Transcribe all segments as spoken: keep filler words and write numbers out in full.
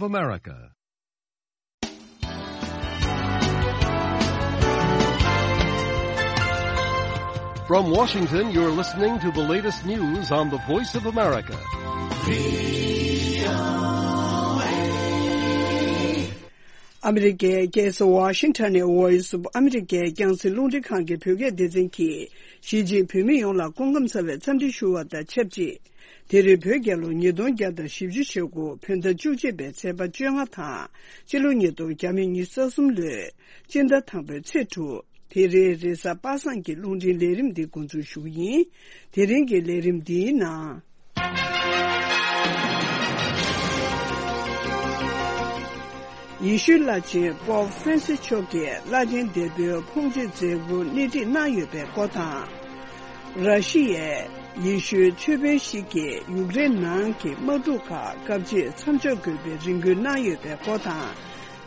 of America. From Washington, you're listening to the latest news on the Voice of America. ཨ་མི་རི་ཀའི་རྒྱལ་ས་ཝ་ཤིང་ཊོན་ནས་Voice of America རྒྱང་སྲིང་རླུང་འཕྲིན་ཁང་གི་བོད་སྐད་སྡེ་ཚན་གྱིས་གཞིས་བྱེས་བོད་མི་ཡོངས་ལ་སྐུ་ཁམས་བཟང་བའི་འཚམས་འདྲི་ཞུ་བ་དང་ཆབས་ཅིག་དེ་རིང་བོད་རྒྱལ་ལོ་ཉིས་སྟོང་བརྒྱ་དང་བཞི་བཅུ་ཞེ་དགུ་བོད་ཟླ་བཅུ་གཅིག་པའི་ཚེས་པ་བཅོ་ལྔ་དང་། སྤྱི་ལོ་ཉིས་སྟོང་ཉི་ཤུ་རྩ་གསུམ་ལོའི་སྤྱི་ཟླ་དང་པོའི་ཚེས་དྲུག་དེ་རིང་རེས་གཟའ་པ་སངས་ཀྱི་རླུང་འཕྲིན་ལས་རིམ་འདི་འགོ་འཛུགས་ཞུ་གི་ཡིན། དེ་རིང་གི་ལས་རིམ་འདིའི་ནང་། ཡེ་ཤུའི་བླ་ཆེན་པོབ་ཧྥ་རན་སི་མཆོག་གིས་བླ་ཆེན་འདས་པོའི་ཕོངས་སྤྱོད་མཛད་སྒོ་སྣེ་ཁྲིད་གནང་ཡོད་པའི་སྐོར་དང་། ར་ཤི་ཡའི་ཡེ་ཤུའི་ཆོས་དཔོན་ཞིག་གིས་ཡུཀ་རེན་ནང་གི་དམག་འཁྲུག་ཁག་སྐབས་གཅིག་མཚམས་འཇོག་དགོས་པའི་རེ་སྐུལ་གནང་ཡོད་པའི་སྐོར་དང་།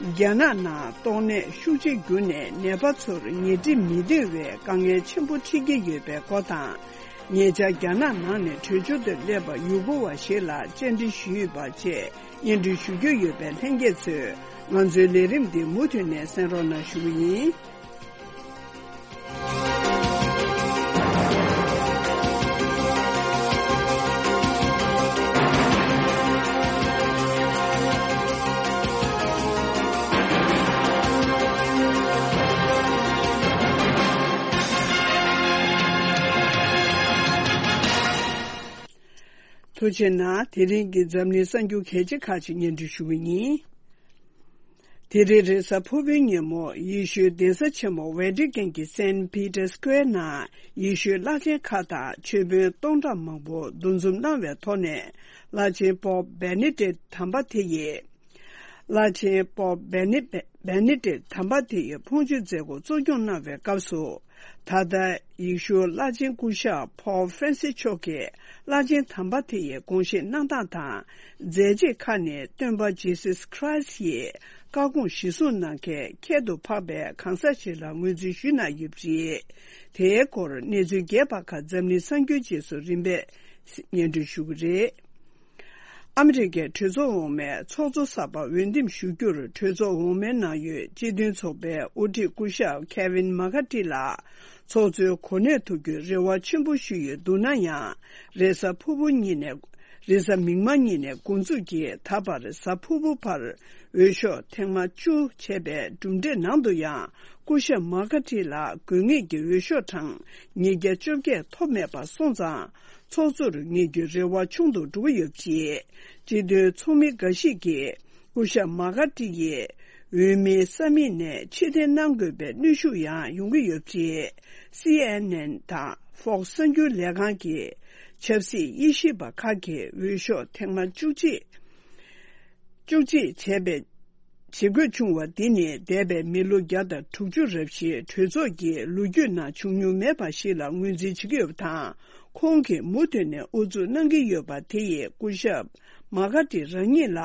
རྒྱ་ནག་ནང་ཏོག་ནད་ཤུགས་ཆེ་གྱུར་ནས་ནད་པ་ཚོར་ཉལ་ཁྲི་མི་བདེ་བའི་དཀའ་ངལ་ཆེན་པོ་འཕྲད་ཀྱི་ཡོད་པའི་སྐོར་དང་། ཉེ་ཆར་རྒྱ་ནག་ནང་ནས་བྲོས་བྱོལ་དུ་སླེབས་པ་ཡུ་གུར་བ་ཞིག་ལ་བཅར་འདྲི་ཞུས་པ་བཅས་སྙན་སྒྲོན་ཞུ་རྒྱུ་ཡོད་པས་ལྷན་རྒྱས་ཚོས་ང་ཚོའི་ལས་རིམ་འདི་མུ་མཐུད་ནས་གསན་རོགས་གནང་ཞུ་གི་ཡིན། ཐུགས་རྗེ་གནང་། དེ་རིང་གི་འཛམ་གླིང་གསར་འགྱུར་གལ་ཆེ་ཁག་ཅིག་སྙན་སྒྲོན་ཞུ་གི་ཡིན། དེ་རིང་རེས་གཟའ་ཕུར་བུའི་ཉིན་མོ་ཡེ་ཤུའི་གདན་ས་ཆེན་མོ་ཝེ་ཏི་ཀན་གྱི་སེན་པི་ཏར་སྐུ་ཝེར་ནང་ཡེ་ཤུའི་བླ་ཆེན་ཁག་དང་ཆོས་དཔོན་སྟོང་ཕྲག་མང་པོ་འདུ་འཛོམས་གནང་བའི་ཐོག་ནས། བླ་ཆེན་པོབ་བེ་ནེ་ཏིག་དམ་པ་དེ་ཡིས། བླ་ཆེན་པོབ་བེ་ནེ་བེ་ནེ་ཏིག་དམ་པ་དེ་ཡིས་ཕོངས་སྤྱོད་མཛད་སྒོ་གཙོ་སྐྱོང་གནང་བའི་སྐབས་སུ། ད་ལྟ་ཡེ་ཤུ་བླ་ཆེན་སྐུ་ཞབས་པོབ་ཧྥ་རན་སི་མཆོག་གིས་བླ་ཆེན་དམ་པ་དེ་ཡི་དགོངས་བཞེས་གནང་སྟངས་དང་། མཛད་རྗེས་ཁག་ནི་སྟོན་པ་ཇི་སུས་ཁྲ་ཡིས་བཀའ་དགོངས་གཞིར་བཟུང་གནང་མཁན་ཁྱད་དུ་འཕགས་པའི་གང་ཟག་ཞིག་ལ་ངོས་འཛིན་ཞུས་གནང་ཡོད་པ་རེད། དེའི་སྐོར་གནས་ཚུལ་རྒྱས་པ་ཁག་འཛམ་གླིང་གསར་འགྱུར་རྗེས་སུ་རིམ་པས་སྙན་སྒྲོན་ཞུ་གི་རེད། ཨ་མི་རི་ཀའི་གྲོས་ཚོགས་འོག་མའི་ཚོགས་གཙོ་གསར་པ་འོས་འདེམས་ཞུ་རྒྱུར་གྲོས་ཚོགས་འོག་མའི་ནང་ཡོད་སྤྱི་མཐུན་ཚོགས་པའི་དབུ་ཁྲིད་སྐུ་ཞབས་ཁེ་ཝིན་མ་ཀ་ཏི་ལགས་ཚོགས་གཙོའི་གོ་གནས་ཐོབ་རྒྱུའི་རེ་བ་ཆེན་པོ་ཞུས་ཡོད་འདུག་ན་ཡང་། རེས་གཟའ་ཕུར་བུ་ཉིན་ནས། རེས་གཟའ་མིག་དམར་ཉིན་ནས་འགོ་འཛུགས་ཀྱིས་ད་བར་གཟའ་ཕུར་བུ་བར་འོས་ཤོག་ཐེངས་མ་བཅུ་བྱས་པའི་གྲུབ་འབྲས་ནང་དུ་ཡང་། སྐུ་ཞབས་མ་ཀ་ཏི་ལགས་དགོས་ངེས་ཀྱི་འོས་ཤོག་གྲངས་ཉིས་བརྒྱ་བཅོ་བརྒྱད་ཐོབ་མེད་པ་སོང་ཙང་། ཚོགས་གཙོར་ངེས་རྒྱུའི་རེ་བ་ཆུང་དུ་འགྲོ་གི་ཡོད་པ་རེད། སྤྱི་མཐུན་ཚོགས་མི་འགའ་ཞིག་གིས་སྐུ་ཞབས་མ་ཀ་ཏི་ཡིས་འོས་མིའི་ས་མིག་ནས་ཕྱིར་འཐེན་གནང་དགོས་པའི་གནོན་ཤུགས་ཡང་ཡོང་གི་ཡོད་པ་རེད། སི་ཨེན་ཨེན་དང་ཧྥོག་སི་གསར་འགྱུར་ལས་ཁང་གིས་ཆབ་སྲིད་དབྱེ་ཞིབ་པ་ཁག་གིས་འོས་ཤོག་ཐེངས་མ་བཅུ་གཅིག་བཅུ་གཅིག་བྱས་པའི་བྱེད་དགོས་བྱུང་བ་འདི་ནི་འདས་པའི་མི་ལོ་བརྒྱ་དང་དྲུག་ཅུ་རབས་ཤིག་གྲོས་ཚོགས་ཀྱི་ལོ་རྒྱུས་ནང་བྱུང་མྱོང་མེད་པ་ཞིག་ལ་ངོས་འཛིན་བྱེད་ཀྱི་ཡོད་པ་དང་། ཁོང་གིས་མུ་མཐུད་ནས་ཨུ་ཚུགས་གནང་གི་ཡོད་པ་དེ་ཡིས་སྐུ་ཞབས་མ་ཀ་ཏི་རང་ཉིད་ལ་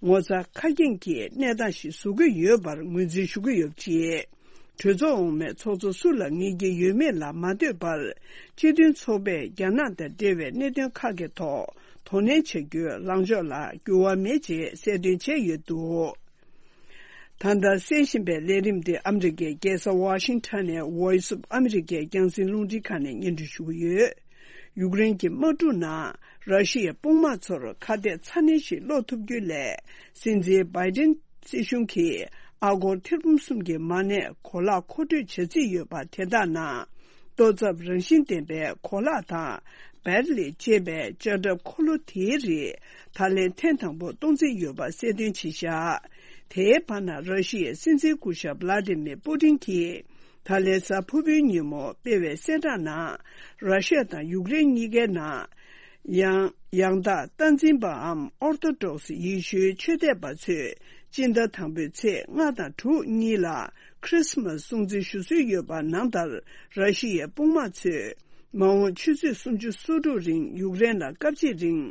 ངོ་ཚ་ཁ་སྐྱེངས་ཀྱི་གནས་སྟངས་ཤིག་བཟོ་གི་ཡོད་པར་ངོས་འཛིན་ཞུ་གི་ཡོད་པ་རེད། གྲོས་ཚོགས་འོག་མའི་ཚོགས་གཙོ་སུ་ལ་ངེས་ཀྱི་ཡོད་མེད་ལ་མ་ལྟོས་པར། སྤྱི་མཐུན་ཚོགས་པས་རྒྱ་ནག་དང་འབྲེལ་བའི་གནད་དོན་ཁག་གི་ཐོག་དོ་ནན་བྱ་རྒྱུའི་ལངས་ཕྱོགས་ལ་འགྱུར་བ་མེད་ཅེས་གསལ་སྟོན་བྱས་ཡོད་འདུག་ད་ལྟ་གསན་བཞིན་པའི་ལས་རིམ་འདི་ཨ་མི་རི་ཀའི་རྒྱལ་ས་ཝ་ཤིང་ཊོན་ནས་Voice of America རྒྱང་སྲིང་རླུང་འཕྲིན་ཁང་ནས་སྙན་སྒྲོན་ཞུ་གི་ཡོད། ཡུཀ་རེན་གྱི་དམག་འཁྲུག་ནང་ར་ཤི་ཡའི་དཔུང་དམག་ཚོར་ཁ་གཏད་ཚ་ནན་ཞིག་སློག་ཐུབ་རྒྱུ་ལས། སྲིད་འཛིན་བྷའི་ཏིན་སྲིད་གཞུང་གིས་ཨ་སྒོར་ཐེར་འབུམ་གསུམ་གྱི་མ་གནས་གོ་ལག་མཁོ་སྤྲོད་བྱ་རྩིས་ཡོད་པ་དེ་དག་ནང་། ལྟོ་ཚབ་རང་བཞིན་ལྡན་པའི་གོ་ལག་དང་བེར་ལས་བཅད་པའི་ལྕགས་ཁྲབ་འཁོར་ལོ་དེའི་རིགས་ད་ལན་ཐེངས་དང་པོ་གཏོང་རྩིས་ཡོད་པ་གསལ་སྟོན་བྱས་བཞག་དེའི་བར་ན་ར་ཤི་ཡའི་སྲིད་འཛིན་སྐུ་ཞབས་བླ་ཏི་མིར་པུ་ཏིན་གྱིས་ད་ལན་གཟའ་ཕུར་བུའི་ཉིན་མོ་སྤེལ་བའི་གསལ་བསྒྲགས་ནང་། ར་ཤི་ཡ་དང་ཡུཀ་རེན་གཉིས་ཀའི་ནང་། ཡང་ཡང་དག་སྟངས་འཛིན་པའམ་ཨོར་ཐོ་ཌོག་སི་ཡེ་ཤུའི་ཆོས་དད་པ་ཚོས་སྤྱི་ཟླ་དང་པོའི་ཚེས་ལྔ་དང་དྲུག་གཉིས་ལ་ཁྲི་སི་མ་སི་སྲུང་བརྩི་ཞུ་སྲོལ་ཡོད་པ་ནང་ལྟར། ར་ཤི་ཡའི་དཔུང་དམག་ཚོས་མ་འོངས་ཆུ་ཚོད་སུམ་ཅུ་སོ་དྲུག་རིང་ཡུཀ་རེན་ལ་སྐབས་གཅིག་རིང་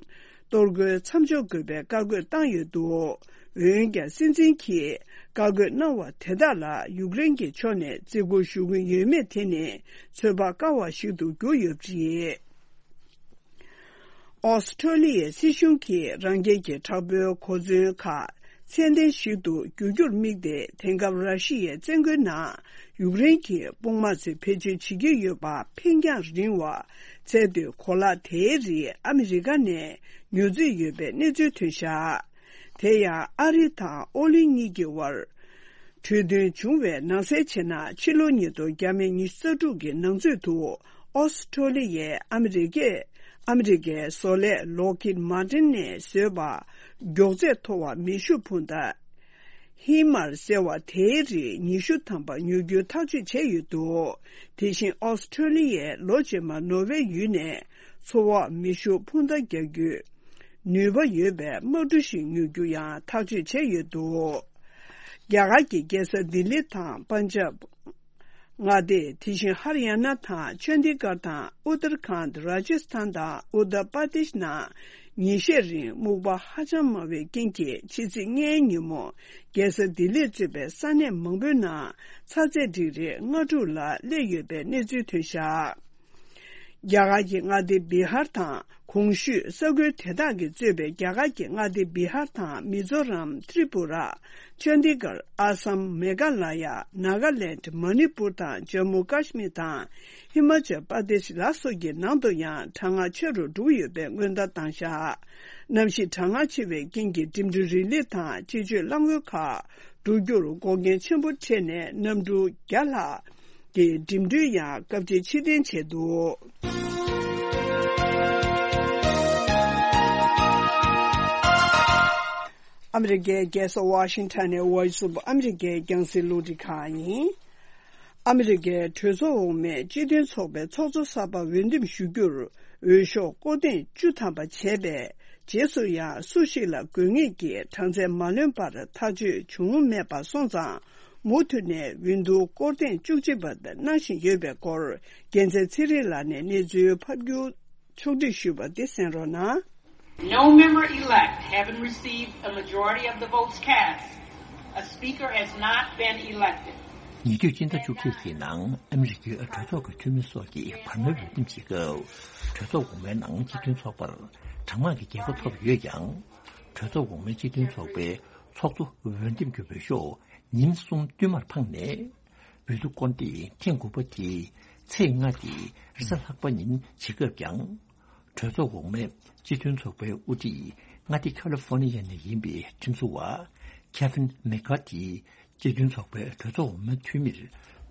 གཏོར་རྒོལ་མཚམས་འཇོག་དགོས་པའི་བཀའ་བཀོད་བཏང་ཡོད་འདུག་འོན་ཀྱང་སྲིད་འཛིན་གྱིས་བཀའ་བཀོད་གནང་བ་དེ་དག་ལ་ཡུཀ་རེན་གྱི་ཕྱོགས་ནས་བརྩི་བཀུར་ཞུ་གི་ཡོད་མེད་དེ་ནི་ཚོད་དཔག་དཀའ་བ་ཞིག་ཏུ་གྱུར་ཡོད་པ་རེད། ཨོ་སི་ཁྲོ་ལི་ཡའི་སྲིད་གཞུང་གིས་རང་རྒྱལ་གྱི་དྲག་པོའི་གོ་མཚོན་ཁག་ཚད་ལྡན་ཞིག་ཏུ་འགྱུར་རྒྱུར་དམིགས་ཏེ། དེང་སྐབས་ར་ཤི་ཡའི་བཙན་རྒོལ་ནང་ཡུཀ་རེན་གྱི་དཔུང་དམག་ཚོས་བེད་སྤྱོད་བྱེད་ཀྱི་ཡོད་པ་འཕེན་རྒྱང་རིང་བ་ཚད་མཐོའི་གོ་ལག་དེའི་རིགས་ཨ་མི་རི་ཀ་ནས་ཉོ་སྤྱོད་ཡོད་པའི་གནས་ཚུལ་ཐོན་བཞག་དེ་ཡང་ཨ་རི་དང་ཨོ་གླིང་གཉིས་ཀྱི་དབར་གྲོས་མཐུན་བྱུང་བའི་ནང་གསལ་བྱས་ན། ཕྱི་ལོ་ཉིས་སྟོང་བརྒྱ་མེད་ཉི་ཤུ་རྩ་དྲུག་གི་ནང་ཚུད་དུ་ཨོ་སི་ཁྲོ་ལི་ཡས་ཨ་མི་རི་ཀས་ཨ་མི་རི་ཀའི་བཟོ་ལས་ལོག་ཁིད་མར་ཏིན་ནས་བཟོས་པ་མགྱོགས་ཚད་མཐོ་བ་མེ་ཤུགས་འཕུར་མདའ་ཧི་མར་ཟེར་བ་དེའི་རིགས་ཉི་ཤུ་ཐམ་པ་ཉོ་རྒྱུ་ཐག་གཅོད་བྱས་ཡོད་འདུག་དེ་བཞིན་ཨོ་སི་ཁྲོ་ལི་ཡས་ལོ་རྗེས་མར་ནོར་ཝེ་ཡུལ་ནས་མཚོ་འོག་མེ་ཤུགས་འཕུར་མདའ་རྒྱག་རྒྱུའི་ནུས་པ་ཡོད་པའི་དམག་གྲུ་ཞིག་ཉོ་རྒྱུ་ཡང་ཐག་གཅོད་བྱས་ཡོད་འདུག་རྒྱ་གར་གྱི་རྒྱལ་ས་ལྡི་ལི་དང་པན་ཇབ་མངའ་སྡེ། དེ་བཞིན་ཧར་ཡ་ན་དང་ཆོན་དི་གར་དང་ཨུ་ཏར་ཁཱན་ར་ཇི་སི་ཐན་དང་ཨུ་ཏར་པར་དེཤ་ནང་ཉིན་ཤས་རིང་སྨུག་པ་ཧ་ཅང་མང་བའི་རྐྱེན་གྱིས། ཕྱི་ཚེས་ལྔའི་ཉིན་མོ་རྒྱལ་ས་ལྡི་ལིར་གཙོས་པའི་ས་གནས་མང་པོའི་ནང་ཚ་ཚད་ཌིག་རི་ལྔ་དྲུག་ལ་སླེབས་ཡོད་པའི་གནས་ཚུལ་ཐོན་བཞག་རྒྱ་གར་གྱི་མངའ་སྡེ་བི་ཧར་དང་གོང་ཞུས་ས་ཁུལ་དེ་དག་གིས་གཙོས་པའི་རྒྱ་གར་གྱི་མངའ་སྡེ་བི་ཧར་དང་མི་ཛོ་རམ། ཏྲི་པུ་ར། ཅན་དི་གར། ཨ་སམ། མེ་ག་ལ་ཡ། ནཱ་ག་ལེནྜ། མ་ནི་པུར་དང་ཇམ་མུ་ཀ་ཤི་མིར་དང་ཧི་མ་ཅལ་པར་དེཤ་ལ་སོགས་ཀྱི་ནང་དུ་ཡང་གྲང་ངར་ཆེ་རུ་འགྲོ་གི་ཡོད་པའི་སྔོན་བརྡ་བཏང་བཞག་གནམ་གཤིས་གྲང་ངར་ཆེ་བའི་རྐྱེན་གྱིས་འགྲིམ་འགྲུལ་རིང་ལི་དང་སྤྱི་སྤྱོད་རླངས་འཁོར་ཁག་འགྲོ་རྒྱུར་འགོག་རྐྱེན་ཆེན་པོ་འཕྲད་ནས་གནམ་གྲུ་བརྒྱ་ལྷག་གི་འགྲིམ་འགྲུལ་ཡང་སྐབས་ཕྱིར་ཕྱིར་འཐེན་བྱས་འདུག་ཨ་མི་རི་ཀའི་རྒྱལ་ས་ཝ་ཤིང་ཊོན་ནས་Voice of America རྒྱང་སྲིང་རླུང་འཕྲིན་ཁང་ཡིན། ཨ་མི་རི་ཀའི་གྲོས་ཚོགས་འོག་མའི་སྤྱི་མཐུན་ཚོགས་པའི་ཚོགས་གཙོ་གསར་པ་འོས་འདེམས་ཞུ་རྒྱུར་འོས་ཤོག་སྐོར་ཐེངས་བཅུ་ཐམ་པ་བྱས་པའི་རྗེས་སུ་ཡང་སུ་ཞིག་ལ་དགོས་ངེས་ཀྱི་གྲངས་ཚད་མ་ལོན་པར་ཐག་གཅོད་བྱུང་མེད་པ་སོང་ཙང་། མུ་མཐུད་ནས་འོས་བསྡུ་སྐོར་ཐེངས་བཅུ་གཅིག་པ་གནང་བཞིན་ཡོད་པའི་སྐོར། རྒྱལ་མཚན་ཚེ་རིང་ལགས་ནས་གནས་ཚུལ་ཕབ་སྒྱུར་ཕྱོགས་སྒྲིག་ཞུས་པ་འདི་གསན་རོགས་གནང་། No member elect having received a majority of the votes cast, a speaker has not been elected. ཉེ་དུས་སྤྱི་ཟླ་བཅུ་གཅིག་གི་ནང་ཨ་མི་རི་ཀའི་གྲོས་ཚོགས་ཀྱི་འཐུས་མི་སོགས་ཀྱིས་བར་མའི་འོས་འདེམས་བྱེད་སྐབས། གྲོས་ཚོགས་འོག་མའི་ནང་སྤྱི་མཐུན་ཚོགས་པར་གྲངས་མང་གི་རྒྱལ་ཁ་ཐོབ་ཡོད་ཀྱང་། གྲོས་ཚོགས་འོག་མའི་སྤྱི་མཐུན་ཚོགས་པའི་ཚོགས་གཙོ་འོས་འདེམས་ཀྱི་འོས་ཤོག་ཉིན་གསུམ་བསྟུད་མར་འཕངས་ནས། འོས་བསྡུ་སྐོར་འདེབས་ཐེངས་དགུ་པ་དེ་ཚེས་ལྔ་སྟེ་རེས་གཟའ་ལྷག་པ་ཉིན་བྱེད་སྐབས་ཀྱང་། གྲོས་ཚོགས་འོག་མའི་སྤྱི་མཐུན་ཚོགས་པའི་དབུ་ཁྲིད་མངའ་སྡེ་ཁ་ལི་ཧྥོ་ནི་ཡ་ནས་ཡིན་པའི་ཁྲིམས་བཟོ་བ་ཁེ་ཝིན་མེ་ཀར་ཐི་སྤྱི་མཐུན་ཚོགས་པའི་གྲོས་ཚོགས་འོག་མའི་འཐུས་མིར་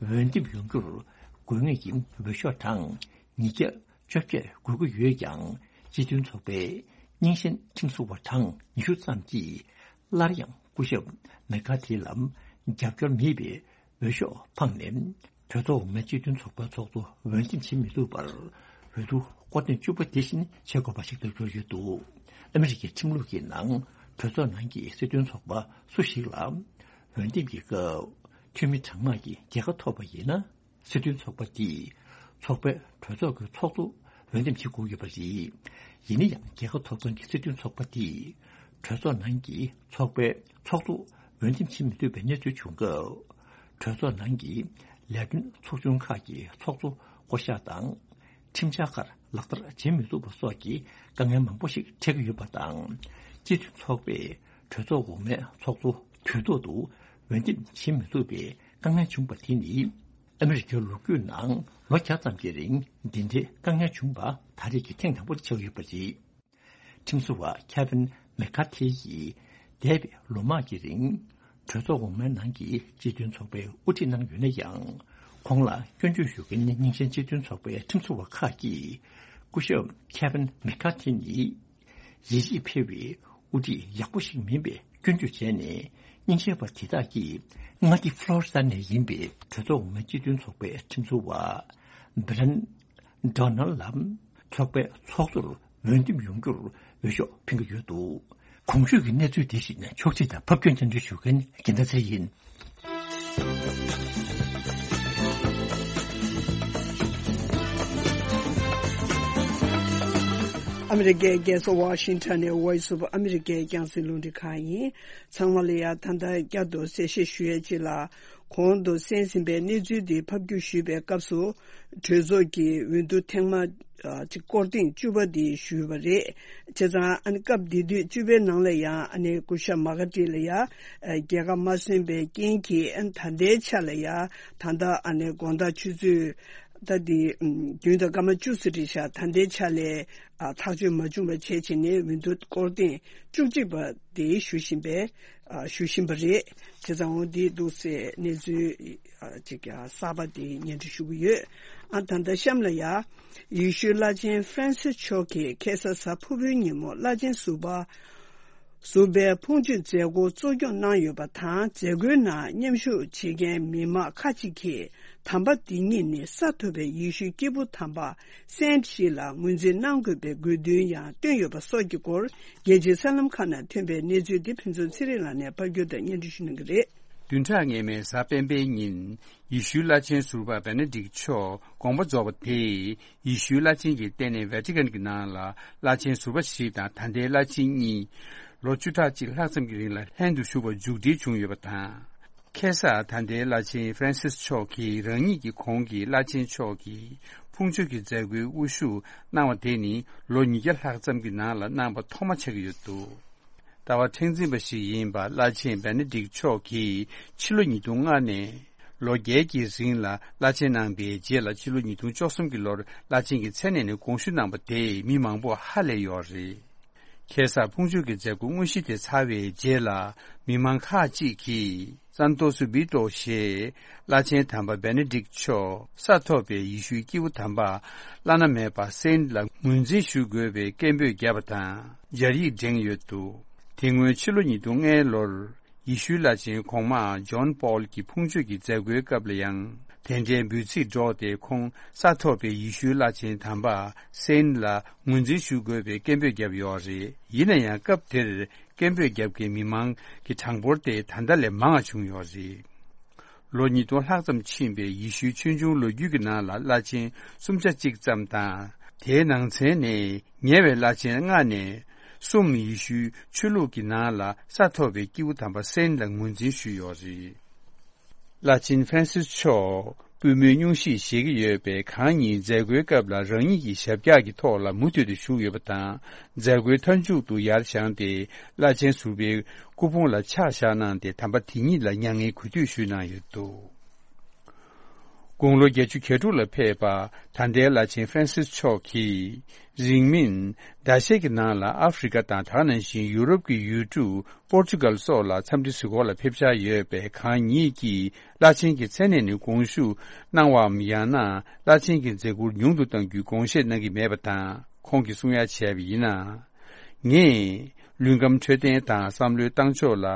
འོས་འདེམས་ཡོང་རྒྱུར་དགོས་ངེས་ཀྱི་འོས་ཤོག་གྲངས་ཉིས་བརྒྱ་བཅོ་བརྒྱད་དགོས་ཀྱི་ཡོད་ཀྱང་། སྤྱི་མཐུན་ཚོགས་པའི་རྙིང་ཞེན་ཁྲིམས་བཟོ་བ་གྲངས་ཉི་ཤུ་ཙམ་གྱིས་སླར་ཡང་སྐུ་ཞབས་མེ་ཀར་ཐི་ལ་རྒྱབ་སྐྱོར་མེད་པའི་འོས་ཤོག་འཕངས་ནས། གྲོས་ཚོགས་འོག་མའི་སྤྱི་མཐུན་ཚོགས་པའི་ཚོགས་གཙོ་འོས་འདེམས་བྱེད་མི་ཐུབ་པར། འོས་བསྡུ་སྐོར་ཐེངས་བཅུ་པ་དེ་བཞིན་བྱེད་དགོས་པ་ཞིག་ཏུ་གྱུར་ཡོད་འདུག་ཨ་མི་རི་ཀའི་ཁྲིམས་ལུགས་ཀྱི་ནང་གྲོས་ཚོགས་ནང་གི་སྲིད་དོན་ཚོགས་པ་སུ་ཞིག་ལ་འོས་འདེམས་ཀྱི་སྐབས་འཐུས་མི་གྲངས་མང་གི་རྒྱལ་ཁ་ཐོབ་པ་ཡིན་ན། སྲིད་དོན་ཚོགས་པ་འདིས་ཚོགས་པའི་གྲོས་ཚོགས་ཀྱི་ཚོགས་གཙོ་འོས་འདེམས་བྱེད་དགོས་ཡོད་པ་རེད། ཡིན་ན་ཡང་རྒྱལ་ཁ་ཐོབ་མཁན་གྱི་སྲིད་དོན་ཚོགས་པ་འདིས་གྲོས་ཚོགས་ནང་གི་ཚོགས་པའི་ཚོགས་གཙོ་འོས་འདེམས་བྱེད་མི་ཐུབ་པའི་གནས་ཚུལ་བྱུང་སྐབས། གྲོས་ཚོགས་ནང་གི་ལས་དོན་ཚོགས་ཆུང་ཁག་གི་ཚོགས་གཙོ་བསྐོ་གཞག་དང་། ཁྲིམས་འཆར་ཁག་ལག་བསྟར་བྱེད་མི་ཐུབ་པ་སོགས་ཀྱི་དཀའ་ངལ་མང་པོ་ཞིག་འཕྲད་ཀྱི་ཡོད་པ་དང་། སྤྱི་མཐུན་ཚོགས་པས་གྲོས་ཚོགས་འོག་མའི་ཚོགས་གཙོ་དུས་ཐོག་ཏུ་འོས་འདེམས་བྱེད་མི་ཐུབ་པའི་དཀའ་ངལ་བྱུང་བ་དེ་ནི། ཨ་མི་རི་ཀའི་ལོ་རྒྱུས་ནང་ལོ་བརྒྱ་ཙམ་གྱི་རིང་འདི་འདྲའི་དཀའ་ངལ་བྱུང་བ་ད་རེས་ཀྱི་ཐེངས་དང་པོ་དེ་ཆགས་ཡོད་པ་རེད། ཁྲིམས་བཟོ་བ་ཁེ་ཝིན་མེ་ཀར་ཐི་ཡིས་འདས་པའི་ལོ་མང་གི་རིང་གྲོས་ཚོགས་འོག་མའི་ནང་གི་སྤྱི་མཐུན་ཚོགས་པའི་དབུ་ཁྲིད་གནང་ཡོད་ན་ཡང་། ཁོང་ལ་སྐྱོན་བརྗོད་ཞུ་མཁན་རྙིང་ཞེན་སྤྱི་མཐུན་ཚོགས་པའི་ཁྲིམས་བཟོ་བ་ཁག་གིས་སྐུ་ཞབས་ཁེ་ཝིན་མེ་ཀར་ཐི་ནི། ཡིད་ཆེས་འཕེར་བའི་དབུ་ཁྲིད་ཡག་པོ་ཞིག་མིན་པའི་སྐྱོན་བརྗོད་བྱས་ནས། རྙིང་ཞེན་པ་དེ་དག་གིས་མངའ་སྡེ་ཕློ་རི་ཌ་ནས་ཡིན་པའི་གྲོས་ཚོགས་འོག་མའི་སྤྱི་མཐུན་ཚོགས་པའི་ཁྲིམས་བཟོ་བ་བྷི་ལན་ཌོ་ནལ་ལ་ཚོགས་པའི་ཚོགས་གཙོར་འོས་འདེམས་ཡོང་རྒྱུར་འོས་ཤོག་འཕེན་གྱི་ཡོད་འདུག་གོང་ཞུས་ཀྱི་གནས་ཚུལ་དེ་བཞིན་ཕྱོགས་སྒྲིག་དང་ཕབ་སྒྱུར་སྙན་སྒྲོན་ཞུ་མཁན་རྒྱལ་མཚན་ཚེ་ཡིན། ཨ་མི་རི་ཀའི་རྒྱལ་ས་ཝ་ཤིང་ཊོན་ནས་Voice of America་རྒྱང་སྲིང་རླུང་འཕྲིན་ཁང་ཡིན། ཚང་མ་ལ་ཡང་ད་ལྟ་བསྐྱར་དུ་གསལ་བཤད་ཞུ་ཡས་ཅིག་ལ། གོང་དུ་གསན་ཟིན་པའི་གནས་ཚུལ་འདི་ཕབ་སྒྱུར་ཞུས་པའི་སྐབས་སུ། གྲོས་ཚོགས་ཀྱི་འོས་བསྡུ་ཐེངས་མ་ཨ་གཅིག་སྐོར་ཐེངས་བཅུ་པ་འདི་ཞུས་པ་རེད། བྱས་ཙང་ཨ་ནི་སྐབས་དེ་དུས་བཅུ་པའི་ནང་ལ་ཡང་ཨ་ནི་སྐུ་ཞབས་མ་ཀ་ཏི་ལ་ཡང་ཨ་རྒྱལ་ཁ་མ་སོན་པའི་རྐྱེན་གྱིས་ཨ་ནི་ད་ལྟའི་ཆ་ལ་ཡང་ད་ལྟ་ཨ་ནི་དགོང་དག་ཆུ་ཚོད་ད་འདི་ཨམ་བདུན་དང་སྐར་མ་བཅུ་ཙམ་རེད་ཤག་ད་ལྟའི་ཆ་ལ་ཨ་ཐག་གཅོད་མ་བྱུང་བ་བྱས་བྱས་ནས་འོས་བསྡུ་སྐོར་ཐེངས་བཅུ་གཅིག་པ་དེ་ཞུ་བཞིན་པའི་ཨ་ཞུ་བཞིན་པ་རེད། བྱས་ཙང་འོ་འདི་འདུག་སེ་གནས་ཚུལ་ཨ་ཅིག་ཨ་གསར་པ་དེ་སྙན་སྒྲོན་ཞུ་གི་ཡོད། ཨ་ད་ལྟ་གཤམ་ལ་ཡ། ཡེ་ཤུའི་བླ་ཆེན་ཧྥ་རན་སིས་མཆོག་གིས་ཁ་སང་གཟའ་ཕུར་བུའི་ཉིན་མོ་བླ་ཆེན་ཟུར་པ། ཟུར་པའི་ཕུང་མཆོད་མཛད་སྒོ་གཙོ་སྐྱོང་གནང་ཡོད་པ་དང་། མཛད་སྒོའི་ནང་མཉམ་ཞུགས་བྱེད་མཁན་མི་མང་ཁག་ཅིག་གིས་དམ་པ་འདི་ཉིད་ནི་ས་ཐོབ་པའི་ཡེ་ཤུའི་སྐྱེས་བུ་དམ་པ་སེན་ཞིག་ལ་ངོས་འཛིན་གནང་དགོས་པའི་དགོས་འདུན་ཡང་བཏོན་ཡོད་པ་སོགས་ཀྱི་སྐོར། རྒྱལ་སྤྱིའི་གསར་ལམ་ཁག་ནང་ཐོན་པའི་གནས་ཚུལ་འདི་ཕུན་ཚོགས་ཚེ་རིང་ལགས་ནས་ཕབ་སྒྱུར་དང་སྙན་སྒྲོན་ཞུ་གནང་གི་རེད། བདུན་ཕྲག་སྔོན་མའི་གཟའ་སྤེན་པའི་ཉིན། ཡེ་ཤུའི་བླ་ཆེན་ཟུར་པ་བེ་ནེ་ཌིག་མཆོག་དགོངས་པ་རྫོགས་པ་དེས། ཡེ་ཤུའི་བླ་ཆེན་གྱི་ལྟེ་གནས་ཝེ་ཊི་ཀན་གྱི་ནང་ལ་བླ་ཆེན་ཟུར་པ་ཞིག་དང་ད་ལྟའི་བླ་ཆེན་གཉིས། ལོ་བཅུ་ཕྲག་གཅིག་ལྷག་ཙམ་གྱི་རིང་ལ་ལྷན་དུ་བཞུགས་པར་མཇུག་སྒྲིལ་བྱུང་ཡོད་པ་དང་། ཁ་སང་ད་ལྟའི་བླ་ཆེན་ཧྥ་རན་སིས་མཆོག་གིས་རང་ཉིད་ཀྱི་གོང་གི་བླ་ཆེན་མཆོག་གི་ཕུང་མཆོད་ཀྱི་མཛད་སྒོའི་དབུ་བཞུགས་གནང་བ་དེ་ནི་ལོ་ཉིས་བརྒྱ་ལྷག་ཙམ་གྱི་ནང་ལ་གནང་པ་ཐོག་མ་ཆགས་ཀྱི་ཡོད་འདུག་ལྟ་བ་མཁྲེགས་འཛིན་པ་ཞིག་ཡིན་པ་བླ་ཆེན་བེ་ནེ་ཌིག་མཆོག་གིས་ཕྱི་ལོ་ཉིས་སྟོང་ལྔ་ནས་ལོ་བརྒྱད་ཀྱི་རིང་ལ་བླ་ཆེན་གནང་པའི་རྗེས་ལ། ཕྱི་ལོ་ཉིས་སྟོང་བཅུ་གསུམ་གྱི་ལོར་བླ་ཆེན་གྱི་མཚན་གནས་ནས་དགོངས་ཞུ་གནང་པ་དེས་མི་མང་པོ་ཧ་ལས་ཡོད་རེད། ཁ་སང་ཕུང་མཆོད་ཀྱི་མཛད་སྒོ་དངོས་གཞི་དེ་ཚར་བའི་རྗེས་ལ། མི་མང་ཁག་ཅིག་གིས་སན་ཏོ་སུ་བི་ཏོ་ཞེས་བླ་ཆེན་དམ་པ་བེ་ནེ་ཌིག་མཆོག་ས་ཐོབ་པའི་ཡེ་ཤུའི་སྐྱེས་བུ་དམ་པ་བླ་ན་མེད་པ་སེན་ལ་ངོས་འཛིན་ཞུ་དགོས་པའི་སྐད་འབོད་བརྒྱབ་པ་དང་། སྦྱར་ཡིག་བསྒྲེངས་ཡོད་འདུག་དེ་སྔོན་ཕྱི་ལོ་ཉིས་སྟོང་ལྔའི་ལོར། ཡེ་ཤུའི་བླ་ཆེན་གོང་མ་ཇོན་པོལ་གྱི་ཕུང་མཆོད་ཀྱི་མཛད་སྒོའི་སྐབས་ལ་ཡང་། དེ་འདྲའི་འབོད་ཚིག་སྒྲོག་སྟེ། ཁོང་ས་ཐོབ་པའི་ཡེ་ཤུའི་བླ་ཆེན་དམ་པ་སེན་ལ་ངོས་འཛིན་ཞུ་དགོས་པའི་སྐད་འབོད་བརྒྱབ་ཡོད་རེད། ཡིན་ན་ཡང་། སྐབས་དེར་སྐད་འབོད་བརྒྱབ་མཁན་མི་མང་གི་གྲངས་འབོར་དེ་ད་ལྟ་ལས་མང་བ་བྱུང་ཡོད་རེད། ལོ་ཉིས་སྟོང་ལྷག་ཙམ་ཕྱིན་པའི་ཡེ་ཤུའི་ཆོས་འབྱུང་ལོ་རྒྱུས་ཀྱི་ནང་ལ་བླ་ཆེན་སུམ་ཆ་གཅིག་ཙམ་དང་། དེའི་ནང་ཚན་ནས་ཉེ་བའི་བླ་ཆེན་ལྔ་ནས་གསུམ་ཡེ་ཤུའི་ཆོས་ལུགས་ཀྱི་ནང་ལ་ས་ཐོབ་པའི་སྐྱེས་བུ་དམ་པ་སེན་ལ་ངོས་འཛིན་ཞུས་ཡོད་རེད། བླ་ཆེན་ཧྥ་རན་སིས་མཆོག་པུས་མོའི་སྙུང་གཞི་བཞེས་ཀྱི་ཡོད་པས། གང་ཉིད་མཛད་སྒོའི་སྐབས་ལ་རང་ཉིད་ཀྱི་ཞབས་བཀྱག་གི་ཐོག་ལ་མུ་མཐུད་དུ་བཞུགས་ཡོད་པ་དང་། མཛད་སྒོའི་མཐའ་མཇུག་ཏུ་ཡར་བཞེངས་ཏེ། བླ་ཆེན་ཟུར་པའི་སྐུ་ཕུང་ལ་ཕྱག་བཞག་གནང་སྟེ། དམ་པ་དེ་ཉིད་ལ་མྱ་ངན་གུས་འདུད་ཞུས་གནང་ཡོད་འདུག་དགུང་ལོ་བརྒྱད་ཅུ་གྱ་དྲུག་ལ་ཕེབས་པ་ད་ལྟའི་བླ་ཆེན་ཧྥ་རན་སིས་མཆོག་གིས། རིང་མིན་ཟླ་ཤས་ཀྱི་ནང་ལ་ཨ་ཧྥེ་རི་ཀ་དང་། དེ་ནང་བཞིན་ཡུ་རོབ་ཀྱི་ཡུལ་གྲུ་པོར་ཅུ་གལ་སོགས་ལ་འཚམས་འདྲི་གཟིགས་སྐོར་ལ་ཕེབས་འཆར་ཡོད་པས། གང་ཉིད་ཀྱིས་བླ་ཆེན་གྱི་མཚན་གནས་ནས་དགོངས་ཞུ་གནང་བའམ། ཡང་ན་བླ་ཆེན་གྱི་མཛད་ཁུར་ཉུང་དུ་གཏང་རྒྱུའི་དགོངས་བཞེས་གནང་གི་མེད་པ་དང་། ཁོང་གིས་གསུང་ཡ་བྱས་པ་ཡིན་ན། ངས་ལུས་ཁམས་འཕྲོད་བསྟེན་དང་བསམ་བློའི་བཏང་ཕྱོགས་ལ་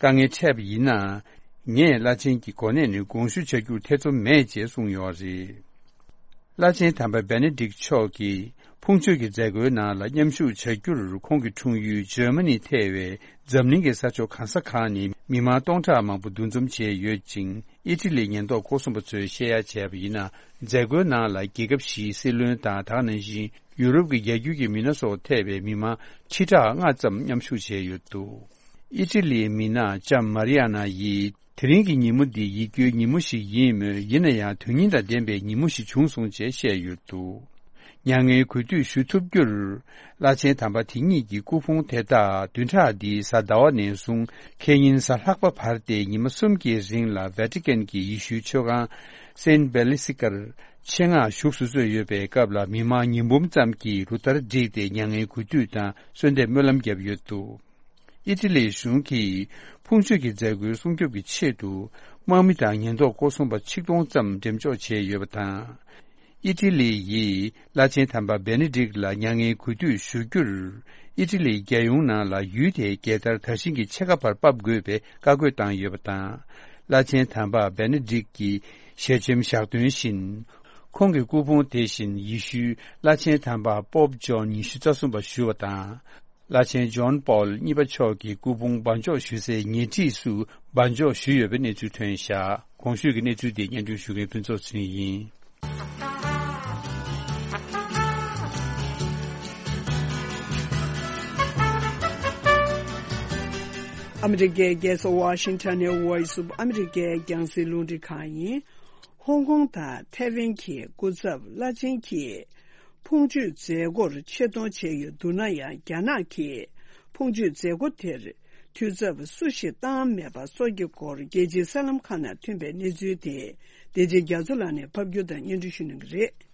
དཀའ་ངལ་འཕྲད་པ་ཡིན་ན། ངས་བླ་ཆེན་གྱི་གོ་གནས་ནས་དགོངས་ཞུ་བྱ་རྒྱུར་ཐེ་ཚོམ་མེད་ཅེས་གསུངས་ཡོད་རེད། བླ་ཆེན་དམ་པ་བེ་ནེ་ཌིག་མཆོག་གིས་ཕུང་མཆོད་ཀྱི་མཛད་སྒོའི་ནང་ལ་མཉམ་ཞུགས་བྱ་རྒྱུར། ཁོང་གི་འཁྲུངས་ཡུལ་འཇར་མ་ནི་ཐེ་བའི་འཛམ་གླིང་གི་ས་ཕྱོགས་གང་ས་གང་ནས་མི་མང་སྟོང་ཕྲག་མང་པོ་འདུ་འཛོམས་བྱས་ཡོད་ཅིང་། ཨི་ཊ་ལིའི་ཉེན་རྟོག་སྐོར་སྲུང་པ་ཚོས་བཤད་ཡ་བྱས་པ་ཡིན་ན། མཛད་སྒོའི་ནང་ལ་རྒྱལ་ཁབ་བཞིའི་སྲིད་བློན་དང་། དེ་ནང་བཞིན་ཡུ་རོབ་ཀྱི་རྒྱལ་རྒྱུད་ཀྱི་མི་སྣ་སོགས་ཐེ་བའི་མི་མང་ཁྲི་ཕྲག་ལྔ་ཙམ་མཉམ་ཞུགས་བྱས་ཡོད་འདུག་ཨི་ཊ་ལིའི་མི་སྣ་ལྕམ་མ་རི་ཨ་ན་ཡིས། དེ་རིང་གི་ཉིན་མོ་འདི་ཡིད་སྐྱོའི་ཉིན་མོ་ཞིག་ཡིན་མོད། ཡིན་ན་ཡང་དོན་སྙིང་དང་ལྡན་པའི་ཉིན་མོ་ཞིག་བྱུང་སོང་ཅེས་བཤད་ཡོད་འདུག་མྱ་ངན་གུས་འདུད་ཞུ་ཐུབ་རྒྱུར། བླ་ཆེན་དམ་པ་དེ་ཉིད་ཀྱི་སྐུ་ཕུང་དེ་དག་བདུན་ཕྲག་འདིའི་གཟའ་ཟླ་བ་ནས་བཟུང་ཁེ་ཉིན་གཟའ་ལྷག་པ་བར་ཏེ་ཉི་མ་གསུམ་གྱི་རིང་ལ་ཝེ་ཊི་ཀན་གྱི་ཡེ་ཤུའི་མཆོད་ཁང་སེན་བེ་ལི་སི་ཀར་ཆེད་མངགས་བཞུགས་སུ་གསོལ་ཡོད་པའི་སྐབས་ལ། མི་མང་ཉིས་འབུམ་ཙམ་གྱིས་རུ་སྟར་བསྒྲིགས་ཏེ་མྱ་ངན་གུས་འདུད་དང་གསོལ་འདེབས་སྨོན་ལམ་བརྒྱབ་ཡོད་འདུག་ཨི་ཊ་ལིའི་གཞུང་གིས་ཕུང་མཆོད་ཀྱི་མཛད་སྒོའི་སྲུང་སྐྱོབ་ཀྱི་ཆེད་དུ། དམག་མི་དང་ཉེན་རྟོག་སྐོར་སྲུང་པ་ཆིག་སྟོང་ཙམ་འགྲེམས་འཇོག་བྱས་ཡོད་པ་དང་། ཨི་ཊ་ལི་ཡིས་བླ་ཆེན་དམ་པ་བེ་ནེ་ཌིག་ལ་མྱ་ངན་གུས་འདུད་ཞུ་རྒྱུར། ཨི་ཊ་ལིའི་རྒྱལ་ཡོངས་ནང་ལ་ཡུལ་དེའི་རྒྱལ་དར་དར་ཤིང་གི་ཕྱེད་ཀ་བར་ཕབ་དགོས་པའི་བཀའ་བཀོད་བཏང་ཡོད་པ་དང་། བླ་ཆེན་དམ་པ་བེ་ནེ་ཌིག་གི་ཞལ་ཆེམས་བཞག་དོན་བཞིན། ཁོང་གི་སྐུ་ཕུང་དེ་བཞིན་ཡེ་ཤུའི་བླ་ཆེན་དམ་པ་པོབ་ཇོན་ཉི་ཤུ་རྩ་གསུམ་པ་ཞུ་བ་དང་། བླ་ཆེན་ཇོན་པོལ་གཉིས་པ་མཆོག་གི་སྐུ་ཕུང་སྦ་འཇོག་ཞུ་སའི་ཉེ་འཁྲིས་སུ་སྦ་འཇོག་ཞུས་ཡོད་པའི་གནས་ཚུལ་ཐོན་བཞག་གོང་ཞུས་ཀྱི་གནས་ཚུལ་དེ་སྙན་སྒྲོན་ཞུ་མཁན་ཕུན་ཚོགས་ཚེ་རིང་ཡིན། ཨ་མི་རི་ཀའི་རྒྱལ་ས་ཝ་ཤིང་ཊོན་ནས་Voice of America་རྒྱང་སྲིང་རླུང་འཕྲིན་ཁང་ཡིན། ཧོང་ཀོང་དང་ཐའེ་ཝན་གྱི་སྐུ་ཚབ་བླ་ཆེན་གྱིས་ཕུང་མཆོད་མཛད་སྒོར་ཆེད་གཏོང་བྱས་ཡོད་འདུག་ན་ཡང་། རྒྱ་ནག་གིས་ཕུང་མཆོད་མཛད་སྒོ་དེར་འཐུས་ཚབ་སུ་ཞིག་བཏང་མེད་པ་སོགས་ཀྱི་སྐོར་རྒྱལ་སྤྱིའི་གསར་ལམ་ཁག་ནང་ཐོན་པའི་གནས་ཚུལ་དེ། བདེ་ཆེན་རྒྱ་མཚོ་ལགས་ནས་ཕབ་སྒྱུར་དང་སྙན་སྒྲོན་ཞུ་གནང་གི་རེད།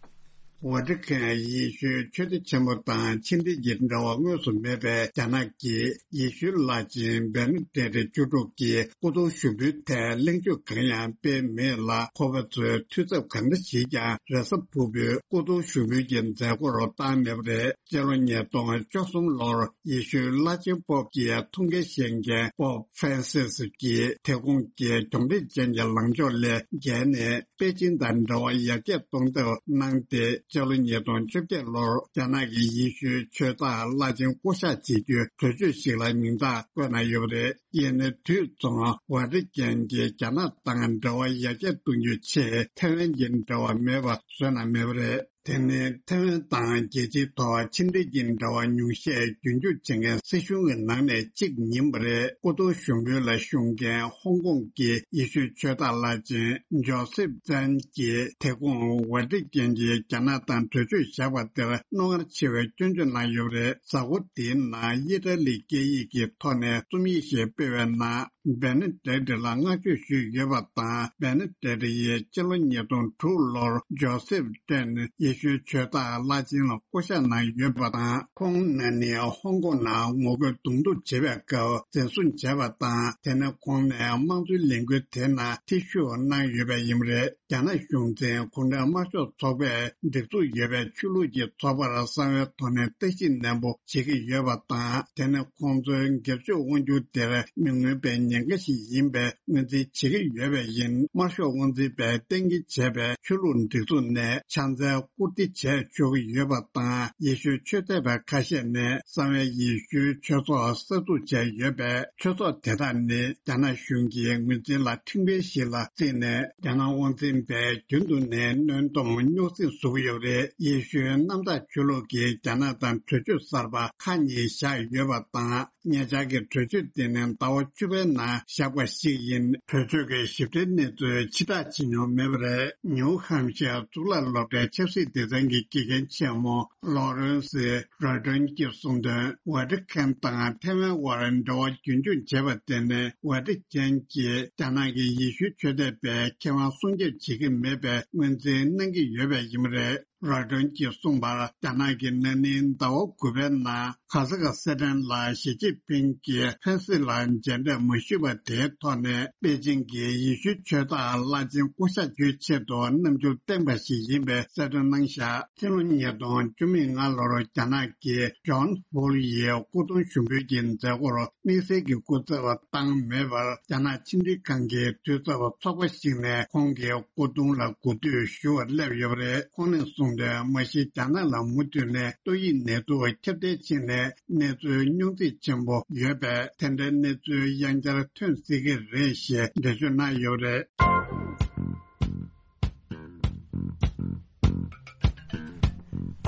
ཝེ་ཏི་ཁན་ཡེ་ཤུའི་ཆོས་སྡེ་ཆེན་མོ་དང་ཕྱི་འབྲེལ་གྱི་འབྲེལ་བ་དངོས་སུ་མེད་པའི་རྒྱ་ནག་གིས་ཡེ་ཤུའི་བླ་ཆེན་བེ་ནེ་ཌིག་བཅུ་དྲུག་གི་སྐུ་གདུང་ཞུགས་འབུལ་ཐད་གླེང་བརྗོད་གང་ཡང་སྤེལ་མེད་ལ། ཁོ་པ་ཚོས་འཐུས་ཚབ་གང་འདྲ་ཞིག་ཀྱང་རེས་གཟའ་ཕུར་བུའི་སྐུ་གདུང་ཞུགས་འབུལ་གྱི་མཛད་སྒོར་བཏང་མེད་པ་རེད། སྤྱི་ལོ་ཉིས་སྟོང་བཅུ་གསུམ་ལོར་ཡེ་ཤུའི་བླ་ཆེན་པོབ་ཀྱི་ཐུགས་འགན་བཞེས་མཁན་པོབ་ཧྥ་རན་སིས་ཀྱིས་དེ་ཁོང་གི་གྱོང་རིམ་ཅན་གྱི་ལངས་ཕྱོགས་ལས་བརྒལ་ནས། པེ་ཅིན་དང་འབྲེལ་བ་ཡར་རྒྱས་གཏོང་ཐབས་གནང་སྟེ། སྤྱི་ལོ་ཉིས་སྟོང་བཅོ་བརྒྱད་ལོར་རྒྱ་ནག་གི་ཡེ་ཤུའི་ཆོས་བདག་བླ་ཆེན་བསྐོ་གཞག་བྱེད་རྒྱུའི་གྲོས་ཆོད་ཞིག་ལ་མིང་རྟགས་བཀོད་གནང་ཡོད་པ་རེད། ཡིན་ནའི་དུས་མཚུངས་ཝ་ཏི་ཀན་གྱིས་རྒྱ་ནག་དང་འབྲེལ་བ་ཡར་རྒྱས་གཏོང་རྒྱུའི་ཆེད་ཐའེ་ཝན་གྱི་འབྲེལ་བ་མེད་པ་བཟོས་གནང་མེད་པ་རེད། དེ་ནི་ཐའེ་ཝན་དང་རྒྱལ་སྤྱིའི་ཐོག་ཕྱི་འབྲེལ་གྱི་འབྲེལ་བ་ཉུང་ཤས་རྒྱུན་འཁྱོངས་བྱེད་མཁན་སྲིད་གཞུང་གི་ནང་ནས་གཅིག་ཡིན་པ་རེད། སྐུ་གདུང་ཞུགས་འབུལ་ལ་ཞུགས་མཁན་ཧོང་ཀོང་གི་ཡེ་ཤུའི་ཆོས་བདག་བླ་ཆེན་ཇོ་སེབ་ཙན་གྱིས་དེ་ཁོང་ཝ་ཏི་ཀན་གྱིས་རྒྱ་ནག་དང་གྲོས་ཆོད་བཞག་པ་དེར་རྣོ་ངར་ཆེ་བའི་སྐྱོན་བརྗོད་གནང་ཡོད་པ་རེད། གཟའ་འཁོར་འདིའི་ནང་ཨི་ཊ་ལི་སྐད་ཡིག་གི་ཐོག་ནས་རྩོམ་ཡིག་ཞིག་སྤེལ་བའི་ནང་། བེ་ནེ་ཌིག་ལ་བསྔགས་བརྗོད་ཞུས་ཡོད་པ་དང་། བེ་ནེ་ཌིག་ཡིས་སྤྱི་ལོ་ཉིས་སྟོང་དྲུག་ལོར་ཇོ་སེབ་ཏན་ཡེ་ཤུའི་ཆོས་བདག་བླ་ཆེན་ལ་བསྐོ་གཞག་གནང་ཡོད་པ་དང་། ཁོང་ན་ནིང་ཧོང་ཀོང་ནང་ངོ་རྒོལ་གདོང་ཐུག་བྱེད་པའི་སྐབས་འཛིན་བཟུང་བྱས་པ་དང་། དེ་ནས་ཁོང་ནས་དམངས་གཙོའི་ལས་འགུལ་དེ་ནང་ཐེ་ཞུགས་གནང་ཡོད་པ་ཡིན་པ་རེད། རྒྱ་ནག་གཞུང་འཛིན་གུང་ཁྲན་དམར་ཤོག་ཚོགས་པས་སྒྲིག་འཛུགས་ཡོད་པའི་ཆོས་ལུགས་ཀྱི་ཚོགས་པར་གསང་བའི་ཐོག་ནས་བརྟག་ཞིབ་ནན་པོ་བྱེད་ཀྱི་ཡོད་པ་དང་། དེ་ནི་ཁོང་ཚོའི་སྒེར་གཅོད་དབང་སྒྱུར་དེར་མི་མངོན་པའི་ཉེན་ཁ་ཞིག་ཡིན་པའི་ངོས་འཛིན་བྱེད་ཀྱི་ཡོད་པ་ཡིན། དམར་ཤོག་དབང་འཛིན་པས་གཏན་འཁེལ་བྱས་པའི་ཆོས་ལུགས་སྒྲིག་འཛུགས་ནས་ཕྱག་འཚལ་བཀུར་སྟི་བྱས་ཆོག་གི་ཡོད་པ་དང་། ཡེ་ཤུའི་ཆོས་དད་པ་ཁ་ཤས་ནས་གསང་བའི་ཡེ་ཤུའི་ཆོས་ཚོགས་གསར་འཛུགས་བྱས་ཡོད་པས། ཆོས་ཚོགས་དེ་དག་ནི་རྒྱ་ནག་གཞུང་གི་ངོས་འཛིན་ལ་ཁྲིམས་འགལ་ཞིག་ལ་བརྩིས་ནས། རྒྱ་ནག་དབང་འཛིན་པས་རྒྱུན་དུ་ནས་གནོན་སྡོམ་རྙོག་ཟིང་བཟོ་གི་ཡོད་པ་རེད། ཡེ་ཤུའི་གནམ་བདག་ཆོས་ལུགས་ཀྱིས་རྒྱ་ནག་དང་གྲོས་ཆོད་གསར་པ་ཁག་གཉིས་བཞག་ཡོད་པ་དང་། ཉེ་ཆར་གྱི་གྲོས་ཆོད་དེ་ནི་ཟླ་བ་བཅུ་པའི་ནང་བཞག་པ་ཞིག་ཡིན། གྲོས་ཆོད་ཀྱི་ཞིབ་ཕྲའི་གནས་ཚུལ་ཕྱིར་བསྒྲགས་བྱེད་མྱོང་མེད་པ་རེད། ནིའུ་ཧམ་ཤར་གཙུག་ལག་སློབ་གྲྭའི་ཆབ་སྲིད་སྡེ་ཚན་གྱི་དགེ་རྒན་ཆེན་མོ་ལོ་རེན་སི་རོ་ཏོན་གྱིས་གསུངས་དོན། ཝ་ཏི་ཁན་དང་ཐའེ་ཝན་དབར་འབྲེལ་བ་རྒྱུན་འཁྱོངས་བྱས་པ་དེ་ནི་ཝ་ཏི་ཁན་གྱིས་རྒྱ་ནག་གི་ཡེ་ཤུའི་ཆོས་དད་པའི་ཁེ་དབང་སྲུང་སྐྱོབ་བྱེད་ཀྱི་མེད་པའི་ངོས་འཛིན་གནང་གི་ཡོད་པ་ཡིན་པ་རེད། རོ་ཏོན་གྱིས་གསུངས་པར། རྒྱ་ནག་གིས་ན་ནིང་ཟླ་བ་དགུ་པའི་ནང་གྷ་ས་ཁ་སི་ཐན་ལ་ཞི་ཅིན་ཕིང་གིས་ཕན་སི་ལ་མཇལ་འཕྲད་མ་ཞུས་པ་དེའི་ཐོག་ནས། པེ་ཅིང་གིས་ཡེ་ཤུའི་ཆོས་བདག་བླ་ཆེན་བསྐོ་གཞག་རྒྱུའི་ཆེད་དུ་རྣམ་འགྱུར་བསྟན་པ་ཞིག་ཡིན་པའི་གསལ་སྟོན་གནང་བཞག་སྤྱི་ལོ་ཉིས་སྟོང་བཅུ་མེད་ལྔ་ལོར་རྒྱ་ནག་གིས་ཇོན་ཧྥུལ་ཡི་སྐུ་གདུང་ཞུགས་འབུལ་གྱི་མཛད་སྒོར་དམིགས་བསལ་གྱི་སྐུ་ཚབ་བཏང་མེད་པར། རྒྱ་ནག་ཕྱི་འབྲེལ་ཁང་གི་དུས་ཚབ་ཚོགས་པ་ཞིག་ནས་ཁོང་གི་སྐུ་གདུང་ལ་གུས་འདུད་ཞུ་བར་སླེབས་ཡོད་པ་རེད། ཁོང་ནས་གསུངས་དོན། མ་གཞི་རྒྱ་ནག་ལ་མུ་མཐུད་ནས་ཏོག་དབྱིབས་ནད་དུག་ཁྱབ་གདལ་ཕྱིན་ནས་གནས་ཚུལ་རྙོག་འཛིང་ཆེན་པོ་ཡོད་པས། དེ་འདྲའི་གནས་ཚུལ་ཡང་བསྐྱར་ཐོན་སྲིད་ཀྱི་རེད་ཞེས་འགྲེལ་བརྗོད་གནང་ཡོད་པ་རེད།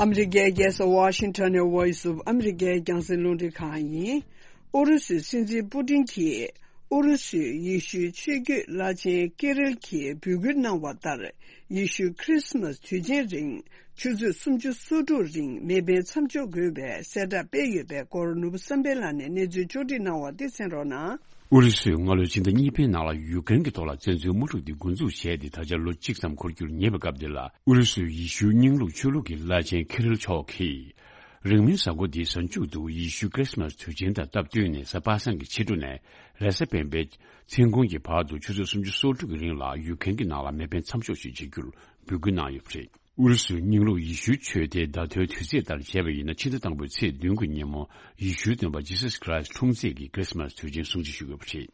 ཨ་མི་རི་ཀའི་རྒྱལ་ས་ཝ་ཤིང་ཊོན་ནས་Voice of America་རྒྱང་སྲིང་རླུང་འཕྲིན་ཁང་ཡིན། ཨུ་རུ་སུའི་སྲིད་འཛིན་པུ་ཏིན་གྱིས་ཨུ་རུ་སུའི་ཡེ་ཤུའི་ཆོས་བརྒྱུད་བླ་ཆེན་ཀི་རིལ་གྱིས་འབོད་སྐུལ་གནང་བ་ལྟར། ཡེ་ཤུའི་ཁྲིས་མཱས་དུས་ཆེན་རིང་ཆུ་ཚོད་སུམ་ཅུ་སོ་དྲུག་རིང་མེ་འཕེན་མཚམས་འཇོག་དགོས་པའི་གསལ་བསྒྲགས་སྤེལ་ཡོད་པའི་སྐོར། ནོར་བུ་བསམ་འཕེལ་ལགས་ནས་གནས་ཚུལ་ཕྱོགས་སྒྲིག་གནང་བ་དེ་གསན་རོགས་གནང་། ཨུ་རུ་སུས་སྔ་ལོའི་ཕྱི་ཟླ་གཉིས་པའི་ནང་ལ་ཡུཀ་རེན་གྱི་ཐོག་ལ་བཙན་འཛུལ་དམག་འཁྲུག་འདི་འགོ་འཛུགས་བྱས་ཏེ་ད་ཆ་ལོ་གཅིག་ཙམ་འཁོར་རྒྱུར་ཉེ་བའི་སྐབས་འདི་ལ། ཨུ་རུ་སུའི་ཡེ་ཤུའི་རྙིང་ལུགས་ཆོས་ལུགས་ཀྱི་བླ་ཆེན་ཁི་རིལ་མཆོག་གིས། རིང་མིན་གཟའ་འཁོར་འདིའི་གཟའ་མཇུག་ཏུ་ཡེ་ཤུའི་ཁྲིས་མཱས་དུས་ཆེན་དང་སྟབས་བསྟུན་ནས་གཟའ་པ་སངས་ཀྱི་ཕྱི་དྲོ་ནས་རེས་གཟའ་སྤེན་པའི་མཚན་གུང་གི་བར་དུ་ཆུ་ཚོད་སུམ་ཅུ་སོ་དྲུག་གི་རིང་ལ་ཡུཀ་རེན་གྱི་ནང་ལ་མེ་འཕེན་མཚམས་འཇོག་ཞིག་བྱེད་རྒྱུར་འབོད་སྐུལ་གནང་ཡོད་པ་རེད། ཨུ་རུ་སུའི་རྙིང་ལུགས་ཡེ་ཤུའི་ཆོས་སྡེའི་ཟླ་ཐོའི་དུས་ཚེས་ལྟར་བྱས་པ་ཡིན་ན། ཕྱི་ཟླ་དང་པོའི་ཚེས་བདུན་གྱི་ཉིན་མོ་ཡེ་ཤུའི་སྟོན་པ་ཇི་སཱས་ཁྲི་སི་འཁྲུངས་ཚེས་ཀྱི་ཁྲིས་མཱས་དུས་ཆེན་སྲུང་བརྩི་ཞུ་དགོས་པ་རེད།